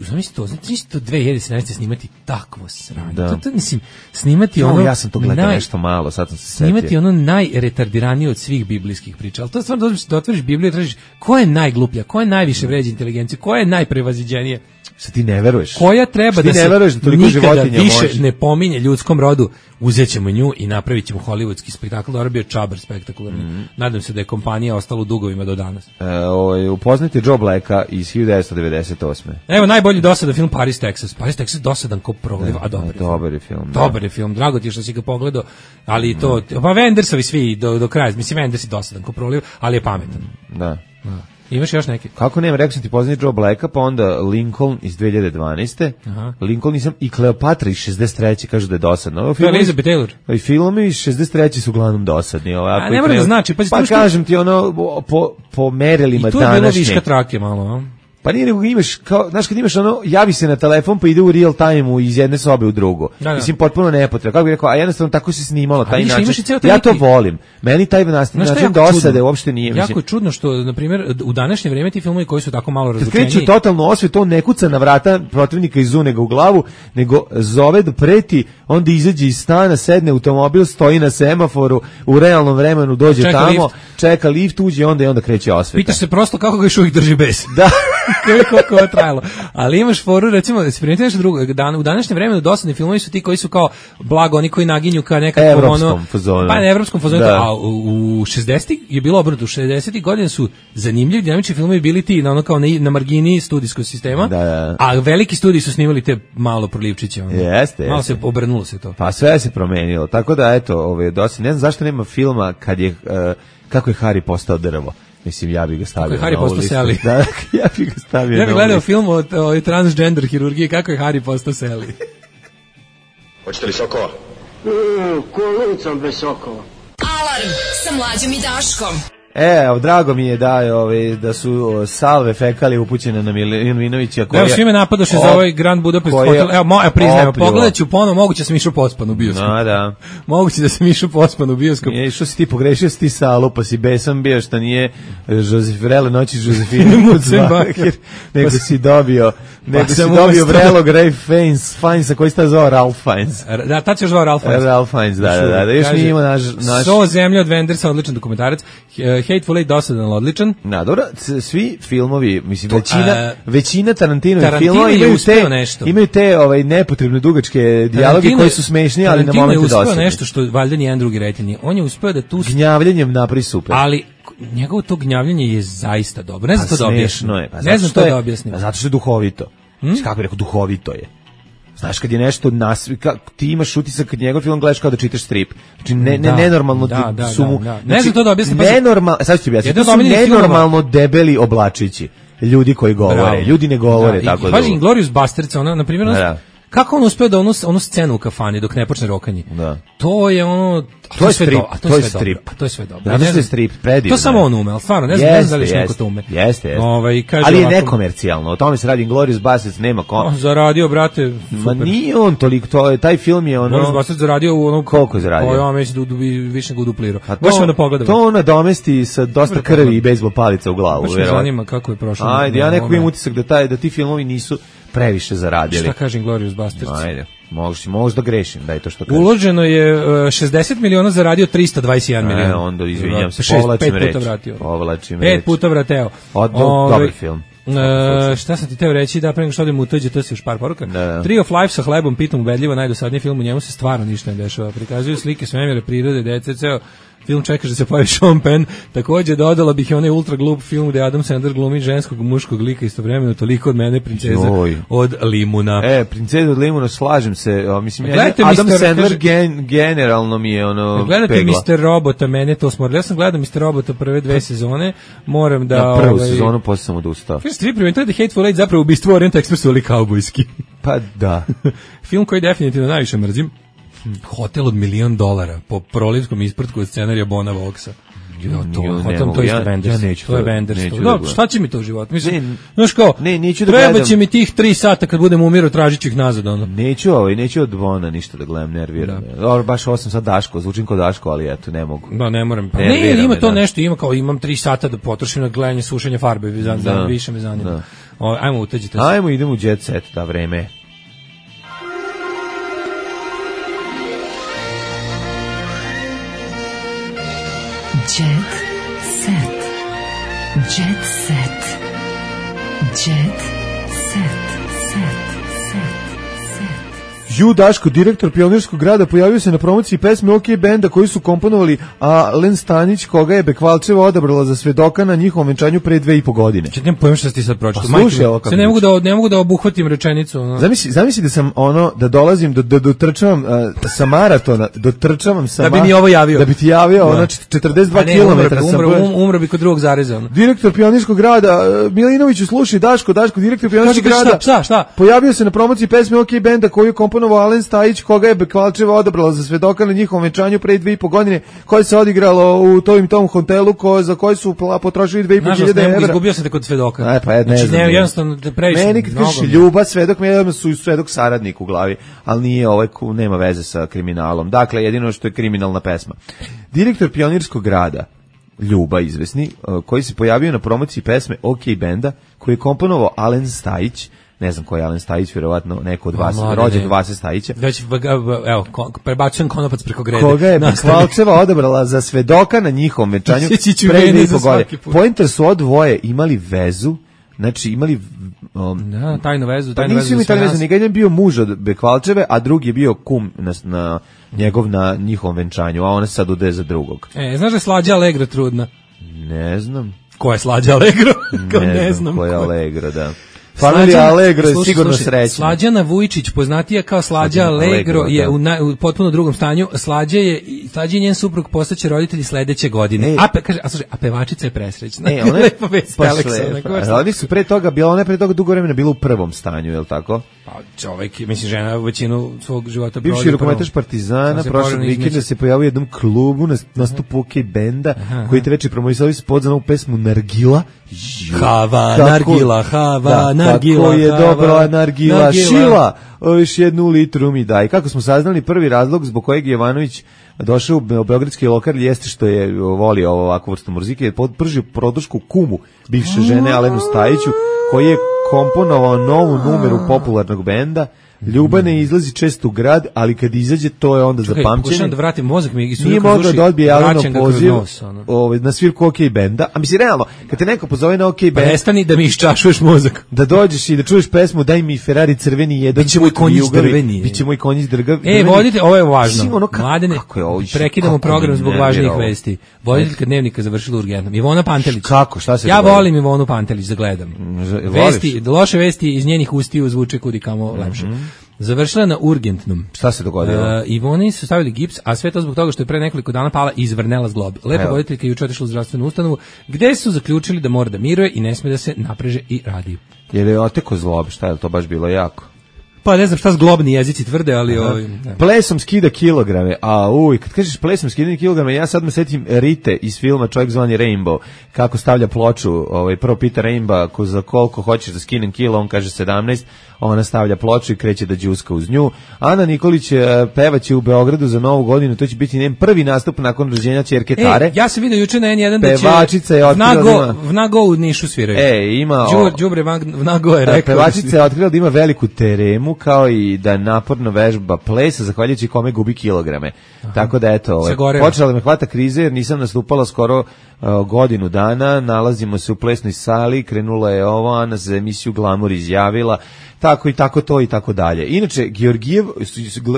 Znači to 2017. snimati takvo sranje. To mislim, snimati ja sam to gledao nešto malo, sad sam se setio. Snimati ono najretardiranije od svih biblijskih priča. Ali to stvarno da otvoriš Bibliju i tražiš ko je najgluplja, ko je najviše vređa inteligenciju, ko je najprevaziđenije. Šta ti ne veruješ? Koja treba da se nikada više ne pominje ljudskom rodu, uzet ćemo nju i napravit ćemo hollywoodski spektakl. Dobro bio čabar spektakularni. Nadam se da je kompanija ostala u dugovima do danas. Upoznajte Joe Blacka iz 1998. Evo najbolji dosadan film Paris, Texas. Paris, Texas dosadan ko proliv, a dobar je film. Dobar je film, drago ti je što si ga pogledao, ali to, pa Wendersovi svi do kraja, mislim Wenders je dosadan ko proliv, ali je pametan. Da. Imaš još neki? Kako nema, rekao sam ti poznati Joe Blacka, pa onda Lincoln iz 2012. Lincoln nisam i Kleopatra iz 63. kažu da je dosadno. To je Elizabeth Taylor. I filmovi iz 63. su uglavnom dosadni. A ne mora da znači. Pa kažem ti po merilima današnje. I tu je bilo viška trake malo. Pa nije nego imaš, kao, znaš kad imaš ono, javi se na telefon pa ide u real time-u iz jedne sobe u drugu. Da. Mislim, potpuno nepotrebno. Kako bih rekao, a jednostavno tako se snimalo, taj način. Ja to volim. Meni taj način dosade uopšte nije. Jako je čudno što, na primjer, u današnje vrijeme ti filmovi koji su tako malo razvučeniji. Kad kreću totalno osvet, on ne kuca na vrata protivnika iz unega u glavu, nego zove da preti, onda izađe iz stana, sedne u automobil, stoji na semaforu, u realnom vremenu dođe čeka tamo, čeka lift, uđe i onda kreće osveta. Pitaš se prosto kako ga još uvijek drži bez. Da. Koliko je trajalo. Ali imaš foru, recimo, se primijeti nešto drugo, u današnjem vremenu dosadni filmovi su ti koji su kao blago, oni koji naginju ka nekakvom evropskom fazonu. Pa evropskom fazonu, a u 60-ih je bilo obrnuto, u 60-ih godina su zanimljivi dinamični filmovi bili ti na ono kao na margini studijskog sistema, a veliki studiji su snimali te malo prolivčiće. Jeste. Malo se obrnulo se to. Pa sve se promenilo. Tako da eto, dosadni, ne znam zašto nema filma kad je kako je Harry postao drvo. Mislim, ja bih ga stavio na ovu listu. Seli. Da, ja bih ga stavio ja bih gledao film o transgender hirurgiji, kako je Harry postao Seli. Hoćete li sokova? Kolicom bez sokova. Alarm sa Mlađom i Daškom. Drago mi je da su salve fekali upućene na Milinovića. Evo, svi me napadoše za ovaj Grand Budapest Hotel. Evo, priznajem, pogledat ću ponovo, moguće da sam išao pospan u bioskop. Da. Moguće da sam išao pospan u bioskop. Što si ti pogrešio, si ti salu, pa si besan bio što nije Vrele noći Josefine Mucembacher, nego si dobio Vrelog Ray Fiennes, koji sta zvao Ralph Fiennes. Da, tad se još zvao Ralph Fiennes. Ralph Fiennes, da. Još nije imao naš... So zemlja od Wendersa, odličan dokumentarac. Hateful Eight dosadan, odličan. Da, dobro, svi filmovi, mislim, većina Tarantinovih filmova imaju te nepotrebne dugačke dijaloge koji su smešni, ali na momente dosadni. Tarantino je uspeo nešto što valjda nijedan drugi reditelj nije. On je uspeo da tu... Gnjavljenjem napravi super. Ali njegovo to gnjavljenje je zaista dobro. Ne znam to da objasnim. Ne znam to da objasnim. Zato što je duhovito. Kako bih rekao, duhovito je. Znaš, kad je nešto ti imaš utisak kad njegov film gledaš kao da čitaš strip. Znači, nenormalno su mu... Ne znam to da objasnim. Sad ću ti objasniti. To su nenormalno debeli oblačići. Ljudi koji govore. Ljudi ne govore tako da... Pazi, Inglourious Basterds, na primjer, kako on uspeo da onu scenu u kafani dok ne počne rokanje? To je ono... To je strip. To je strip. To je sve dobro. Zato što je strip predivno. To samo on ume, ali stvarno, ne znam da li još neko to ume. Jeste. Ali je nekomercijalno. O tome se radi. Inglourious Basterds nema zaradio, brate, super. Ma nije on toliko, taj film je ono... Inglourious Basterds zaradio u ono... Koliko je zaradio? Ja mislim da više nego duplirao. Baš ćemo da pogledamo. To ona domesti sa dosta krvi i bejzbol palica u glavu. Baš me zanima kako je prošlo. Ajde, ja neko imam utisak da ti filmovi nisu previše zaradili. Šta kaže Inglourious Basterds? Ajde, možeš da grešim, daj to što kažeš. Uloženo je 60 miliona, zaradio 321 miliona. Onda izvinjam se, povlačim reč. 5 puta vrateo. Dobar film. Šta sam ti teo reći, da pre nego što odem u tuđe, to si još par poruka. Tree of Life sa hlebom, pitom ubedljivo, najdosadniji film, u njemu se stvarno ništa ne dešava. Prikazuju slike svemira, prirode, dece, ceo film čekaš da se pojavi Sean Penn. Takođe dodala bih i onaj ultra glup film gde Adam Sandler glumi ženskog muškog lika istovremeno, toliko od mene princeza od limuna. Princeza od limuna, slažem se. Mislim, Adam Sandler generalno mi je ono gledate Mr. Robota, mene to smorilo. Ja sam gledao Mr. Robota prve 2 sezone, moram da... Na prvu sezonu, posle sam odustao. Kažete, vi primetili da Hateful Eight zapravo ubistvo Orient Expressu ali kaubojski. Pa da. Film koji definitivno najviše mrzim. Hotel od $1 milion po prolivskom ispratku od scenarija Bona Voxa. To je isto Wenders. To je Wenders. Šta će mi to u životu? Mislim, znaš kao, treba će mi tih 3 sata kad budem umirao, tražit ću ih nazad. Neću od Bona ništa da gledam, nerviram. Baš ovo sam sad Daško, zvučim kao Daško, ali eto, ne mogu. Da, ne moram. Ne, ima to nešto, imam 3 sata da potrošim na gledanje, sušenje farbe, više me zanima. Ajmo, utađite se. Ajmo, idemo u Jet Set, da, vreme. Jet set. Jet set. Jet set. Daško, direktor Pionirskog grada, pojavio se na promociji pesme OK benda koju su komponovali, a Len Stanić, koga je Bekvalčeva odabrala za svedoka na njihovom venčanju pre 2,5 godine. Čekaj, nemam pojma šta si ti sad pročitao. Slušaj, ne mogu da obuhvatim rečenicu. No. Zamisli da sam da dolazim, dotrčavam sa maratona, da bi mi ovo javio. Da bi ti javio, 42 km sam. Umro bi kod drugog zareza. Direktor Pionirskog grada, Milinoviću, slušaj, Daško, direktor Pionirskog grada. Šta? Pojavio se na promociji pesme OK benda koju komponovali komponovao Alen Stajić, koga je Bekvalčeva odabrala za svedoka na njihovom venčanju pre 2,5 godine, koje se odigralo u tom hotelu za koji su potrošili 2.500 evra. Izgubio sam te kod svedoka. Ne znam. Jednostavno da previše. Meni kad kažeš Ljuba, svedok, meni su svedok saradnik u glavi, ali nije nema veze sa kriminalom. Dakle, jedino što je kriminalna pesma. Direktor Pionirskog grada, Ljuba izvesni, koji se pojavio na promociji pesme OK benda, koji je komponovao Alen Stajić, ne znam ko je Alen Stajić, vjerovatno neko od vas, rođen Vase Stajića. Evo, prebacujem konopac preko grede. Koga je Bekvalčeva odabrala za svedoka na njihovom venčanju pre 2,5 godine. Pointer su od dvoje imali vezu, znači imali tajnu vezu, pa nisu mi tajnu vezu, nego jedan bio muž od Bekvalčeve, a drugi je bio kum na njihovom venčanju, a ona se sad udaje za drugog. Znaš da je Slađa Allegra trudna? Ne znam. Ko je Slađa Allegro? Ne znam ko je Allegro, da. Familija Allegro je sigurno srećna. Slađana Vujčić, poznatija kao Slađa Allegro, je u potpuno drugom stanju. Slađa i njen suprug postaće roditelji sledeće godine. A pevačica je presrećna. Lepo vest, Aleksa. Oni su pre toga, ona je pre toga dugo vremena bila u prvom stanju, je li tako? Pa čovjek, mislim, žena većinu svog života provodi. Bivši rukometaš Partizana, prošlog vikenda se pojavio u jednom klubu na nastupu OK benda, koji te već promovisali spot za novu pesmu Nargila. Hava, Nargila, Hava, Nargila. Kako je dobra Nargila, Šila, još 1 litru mi daj. Kako smo saznali, prvi razlog zbog kojeg je Jovanović došao u beogradski lokal jeste što je volio ovakvu vrstu muzike, je pržio produšku kumu bivše žene Alenu Stajiću, koji je komponovao novu numeru popularnog benda. Ljuba ne izlazi često u grad, ali kad izađe, to je onda za pamćenje. Pokušam da vratim mozak mi. Nije mogao da odbije Alenov poziv na svirku OK benda. A mislim, realno, kad te neko pozove na OK bend... Prestani da mi iščašuješ mozak. Da dođeš i da čuješ pesmu Daj mi Ferrari crveni jedan. Biće moj konjić drveni. Biće moj konjić drveni. Vodite, ovo je važno. Mladene, prekidamo program zbog važnijih vesti. Voditeljka Dnevnika završila urgentnom. Ivona Pantelić. Kako? Šta se ja volim Ivonu Pantelić da gledam. Loše vesti iz njenih ustiju zvuče kudikamo lepše. Završila na urgentnom. Šta se dogodilo? Ivoni su stavili gips, a sve to zbog toga što je pre nekoliko dana pala i izvrnela zglob. Lepa voditeljka juče otišla u zdravstvenu ustanovu, gde su zaključili da mora da miruje i ne sme da se napreže i radi. Jer je oteko zglob, šta je to baš bilo jako? Pa ne znam šta zglobni jezici tvrde, ali... Plesom skida kilograme, kad kažeš plesom skida kilograme, ja sad me setim Rite iz filma Čovjek zvani Rainbow, kako stavlja ploču, prvo pita Rainbow za koliko hoćeš da skinem kilo, on kaže 17, ona stavlja ploču i kreće da đuska uz nju. Ana Nikolić pevaće u Beogradu za Novu godinu, to će biti njen prvi nastup nakon rođenja ćerke Tare. Ja sam vidio juče na N1 da će... Pevačica je otkrila Vnago u Nišu sviraju. Ima... Đubre Vnago je rekao. Pevačica je otkrila da ima veliku teremu, kao i da naporno vežba plesa, zahvaljujući kome gubi kilograme. Tako da, eto, počela da me hvata krize, jer nisam nastupala skoro godinu dana, nalazimo se u plesnoj sali, krenula je Ana za emisiju Glamour izjavila, tako i tako to i tako dalje. Inače,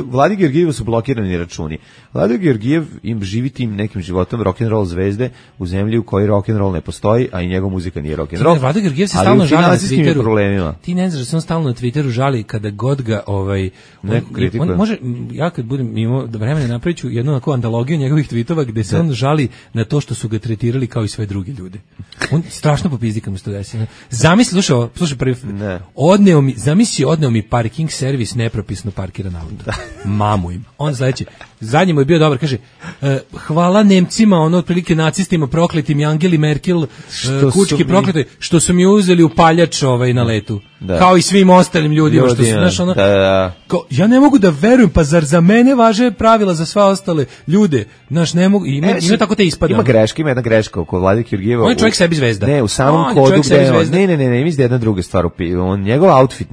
Vladi Georgijevu su blokirani računi. Vladi Georgijev živi tim nekim životom rock'n'roll zvezde u zemlji u kojoj rock'n'roll ne postoji, a i njegov muzika nije rock'n'roll. Vladi Georgijev se stalno žali na Twitteru. Problemima. Ti ne znaš da se on stalno na Twitteru žali kada god ga neko kritikuje. On može, ja kad budem imao vremena napravit ću jednu onako antologiju njegovih tweetova gde se on žali na to što su ga tretirali kao i sve druge ljude. On strašno popizdi kad mu se to desi. Zamisli, slušaj prvi. Odneo mi parking servis nepropisno parkiran auto. Mamu im. On sledeći. Zadnji mu je bio dobar, kaže, hvala Nemcima, otprilike nacistima prokletim i Angeli Merkel, kučki prokleti, što su mi uzeli upaljač na letu. Da. Kao i svim ostalim ljudima. Što su, znaš, ja ne mogu da verujem, pa zar za mene važe pravila za sva ostale ljude? Znaš, ne mogu, ima tako te ispada. Ima jedna greška oko Vlade Georgijeva. On je čovjek sebi zvezda. Ne, u samom kodu gde ne, mislim da jedna druga stvar. Njegov outfit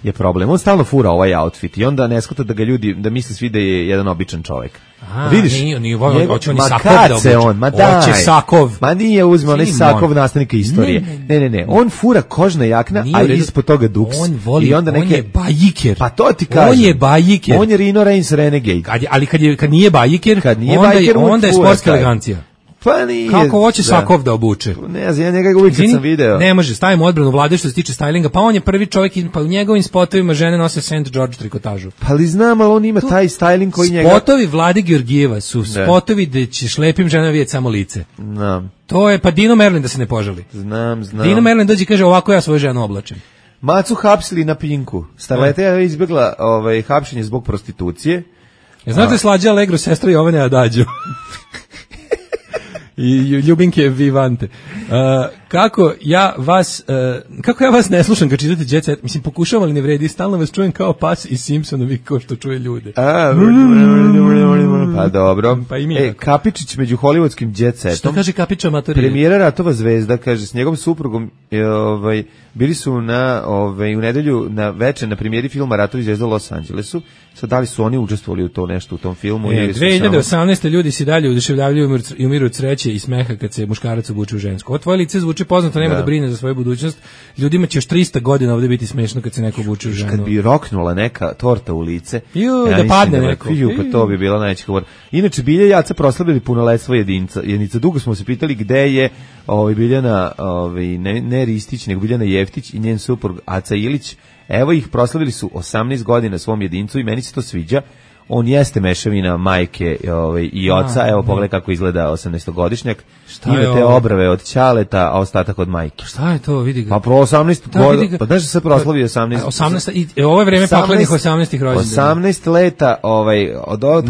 je problem. On stalno fura ovaj outfit i onda ne shvata da ga ljudi, da misle svi da je jedan običan čovjek. Vidiš? Hoće on i Sakov da obuče. Hoće Sakov. Ma nije uzme, on je Sakov nastavnika istorije. Ne. On fura kožna jakna, a ispod toga duks. On voli, on je bajiker. Pa to ti kažem. On je bajiker. On je Rino Reigns Renegade. Ali kad nije bajiker, onda je sportska elegancija. Pa nije. Kako hoće Sakov da obuče? Ne znam, ja njega uvijek kad sam video. Ne može, stavimo odbranu Vlade što se tiče stylinga, pa on je prvi čovjek, pa u njegovim spotovima žene nose St. George trikotažu. Pa ali znam, ali on ima taj styling koji njega... Spotovi Vlade Georgijeva su spotovi gde ćeš lepim ženama vidjeti samo lice. Znam. To je, pa Dino Merlin da se ne požali. Znam. Dino Merlin dođe i kaže, ovako ja svoju ženu oblačim. Macu hapsili na Pinku. Starleta je izbjegla hapšenje zbog prostitucije. Znate Slađa Allegro, sestra Jovane Adađo? I Ljubinke Vivante. Kako ja vas ne slušam kad čitate Jet Set, mislim pokušavam, ali ne vredi, stalno vas čujem kao pas iz Simpsonovi kao što čuje ljude. Pa dobro. Pa i mi Kapičić među hollywoodskim Jet Setom. Što kaže Kapić amator? Premijera Ratova zvezda, kaže, s njegovom suprugom bili su u nedelju na večer na premijeri filma Ratovi zvezda u Los Angelesu. Sad da li su oni učestvovali u to nešto u tom filmu? 2018. ljudi si dalje uduševljavljaju i umiru od sreće i smeha kad se muškarac obuče u žensko. Ovo tvoje lice zvuči poznato, nema da brine za svoju budućnost. Ljudima će još 300 godina ovdje biti smešno kad se neko obuče u ženu. Kad bi roknula neka torta u lice, da padne neko. Pa to bi bila najveća govor. Inače, Bilja i Jaca proslavili punoletstvo jedinca. Dugo smo se pitali gde je Biljana, ne Ristić, nego Biljana Jeftić i njen suprug Aca Ilić. Evo ih, proslavili su 18 godina svom jedincu i meni se to sviđa. On jeste mešavina majke i oca. Evo pogledaj kako izgleda 18-godišnjak. Ima te obrave od ćaleta, a ostatak od majke. Šta je to, vidi ga? Pa pro 18 godina, pa znaš da se proslavio 18. I ovo je vreme paklenih 18-ih rođendana. 18 leta, od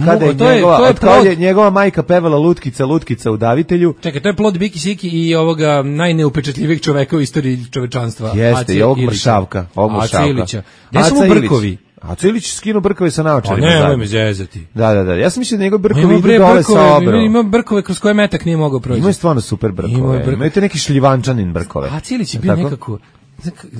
kada je njegova majka pevala Lutkica u Davitelju. Čekaj, to je plod Biki Siki i ovoga najneupečatljivijeg čoveka u istoriji čovečanstva. Jeste, i ovog mršavka. Aca Ilića. Gde su mu brkovi? A Cilić skinu brkove sa naočarima. Ne, nemoj me zezati. Da. Ja sam mislio da njegov brkovi idu dole sa obrom. Ima brkove kroz koje metak nije mogao proći. Ima stvarno super brkove. Imaju te neki šljivančanin brkove. A Cilić je bio nekako...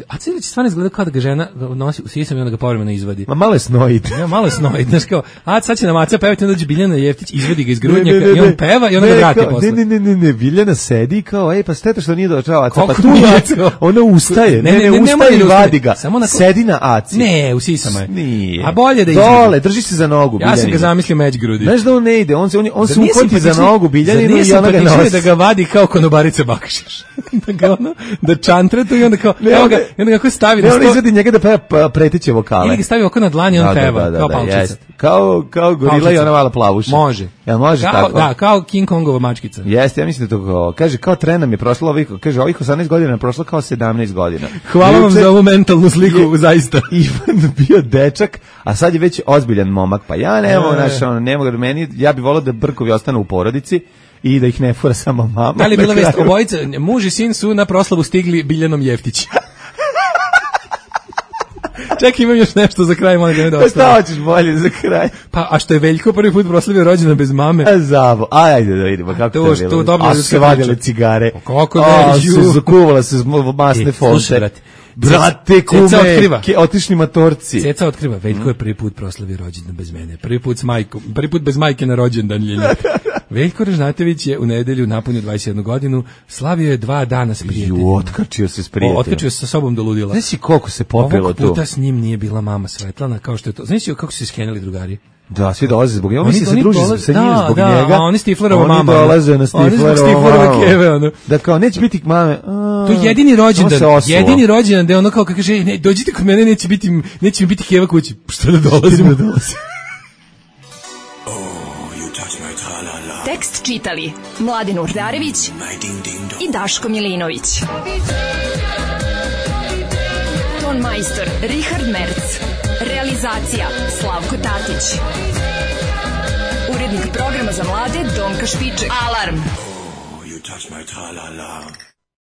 A Cilić stvarno izgleda kao da ga žena nosi u sisam i onda ga povremeno izvadi. Ma malo je snoid. Ja, malo je snoid. Znaš kao, sad će nam Aca pevati, onda dođe Biljana Jeftić, izvadi ga iz grudnjaka i on peva i onda ga vrati posle. Ne, Biljana sedi kao, pa steta što nije došao Aca, pa tu je, ona ustaje, ne ustaje i vadi ga, sedi na Aci. Ne, u sisama je. Nije. A bolje da izvadi. Dole, drži se za nogu Biljani. Ja sam ga zamislio među grudi. Znaš da on ne ide, on se uhvati za nogu Biljaninu i ona ga nosi. Da ga vadi kao konobarica bakšiš. Da čantre to i onda kao, evo ga, i onda kako stavi... Ne, on izvedi njega da peva preteće vokale. Ili ga stavi oko na dlan i on peva, kao palčica. Kao gorila i ona mala plavuša. Može. Ja, može tako? Da, kao King Kongova mačkica. Jeste, ja mislim da to kaže, kao tren nam je prošlo ovih 18 godina je prošlo kao 17 godina. Hvala vam za ovu mentalnu sliku, zaista. Ivan bio dečak, a sad je već ozbiljan momak, pa ja ne mogu meni, ja bih volao da brkovi ostanu u porodici i da ih ne fura samo mama. Da li je bila vest, obojica, muž i sin su na proslavu stigli Biljanom Jeftić. Čekaj, imam još nešto za kraj, molim da ne dosta. Šta hoćeš bolje za kraj? Pa, a što je Veljko prvi put proslavio rođendan bez mame? Zavo, ajde da vidimo kako to je bilo. A su se vadile cigare. Kako ne? Su zakuvala se masne fonte. Brate, kume, otišli matorci. Ceca otkriva, Veljko je prvi put proslavio rođendan bez mene. Prvi put bez majke na rođendan. Veljko Ražnatović je u nedelju napunio 21 godinu, slavio je 2 dana s prijateljima. Otkačio se s prijateljima. Otkačio se sa sobom do ludila. Znaš si koliko se popelo tu? Ovog puta s njim nije bila mama Svetlana, kao što je to. Znaš si kako su se skenjali drugari? Da, svi dolaze zbog njega. Oni se druže sa njim zbog njega. A oni Stiflerova mama. Oni dolaze na Stiflerova keve. Da kao, neće biti mame. To je jedini rođendan gde ono kao kaže, ne, dođite kod mene, neće mi biti keva kući. Što da dolazimo? Tekst čitali Mladen Urdarević i Daško Milinović. Ton majstor Richard Merc. Realizacija Slavko Tatić. Urednik programa za mlade Donka Špiček. Alarm! Oh, you touch my tra-la-la.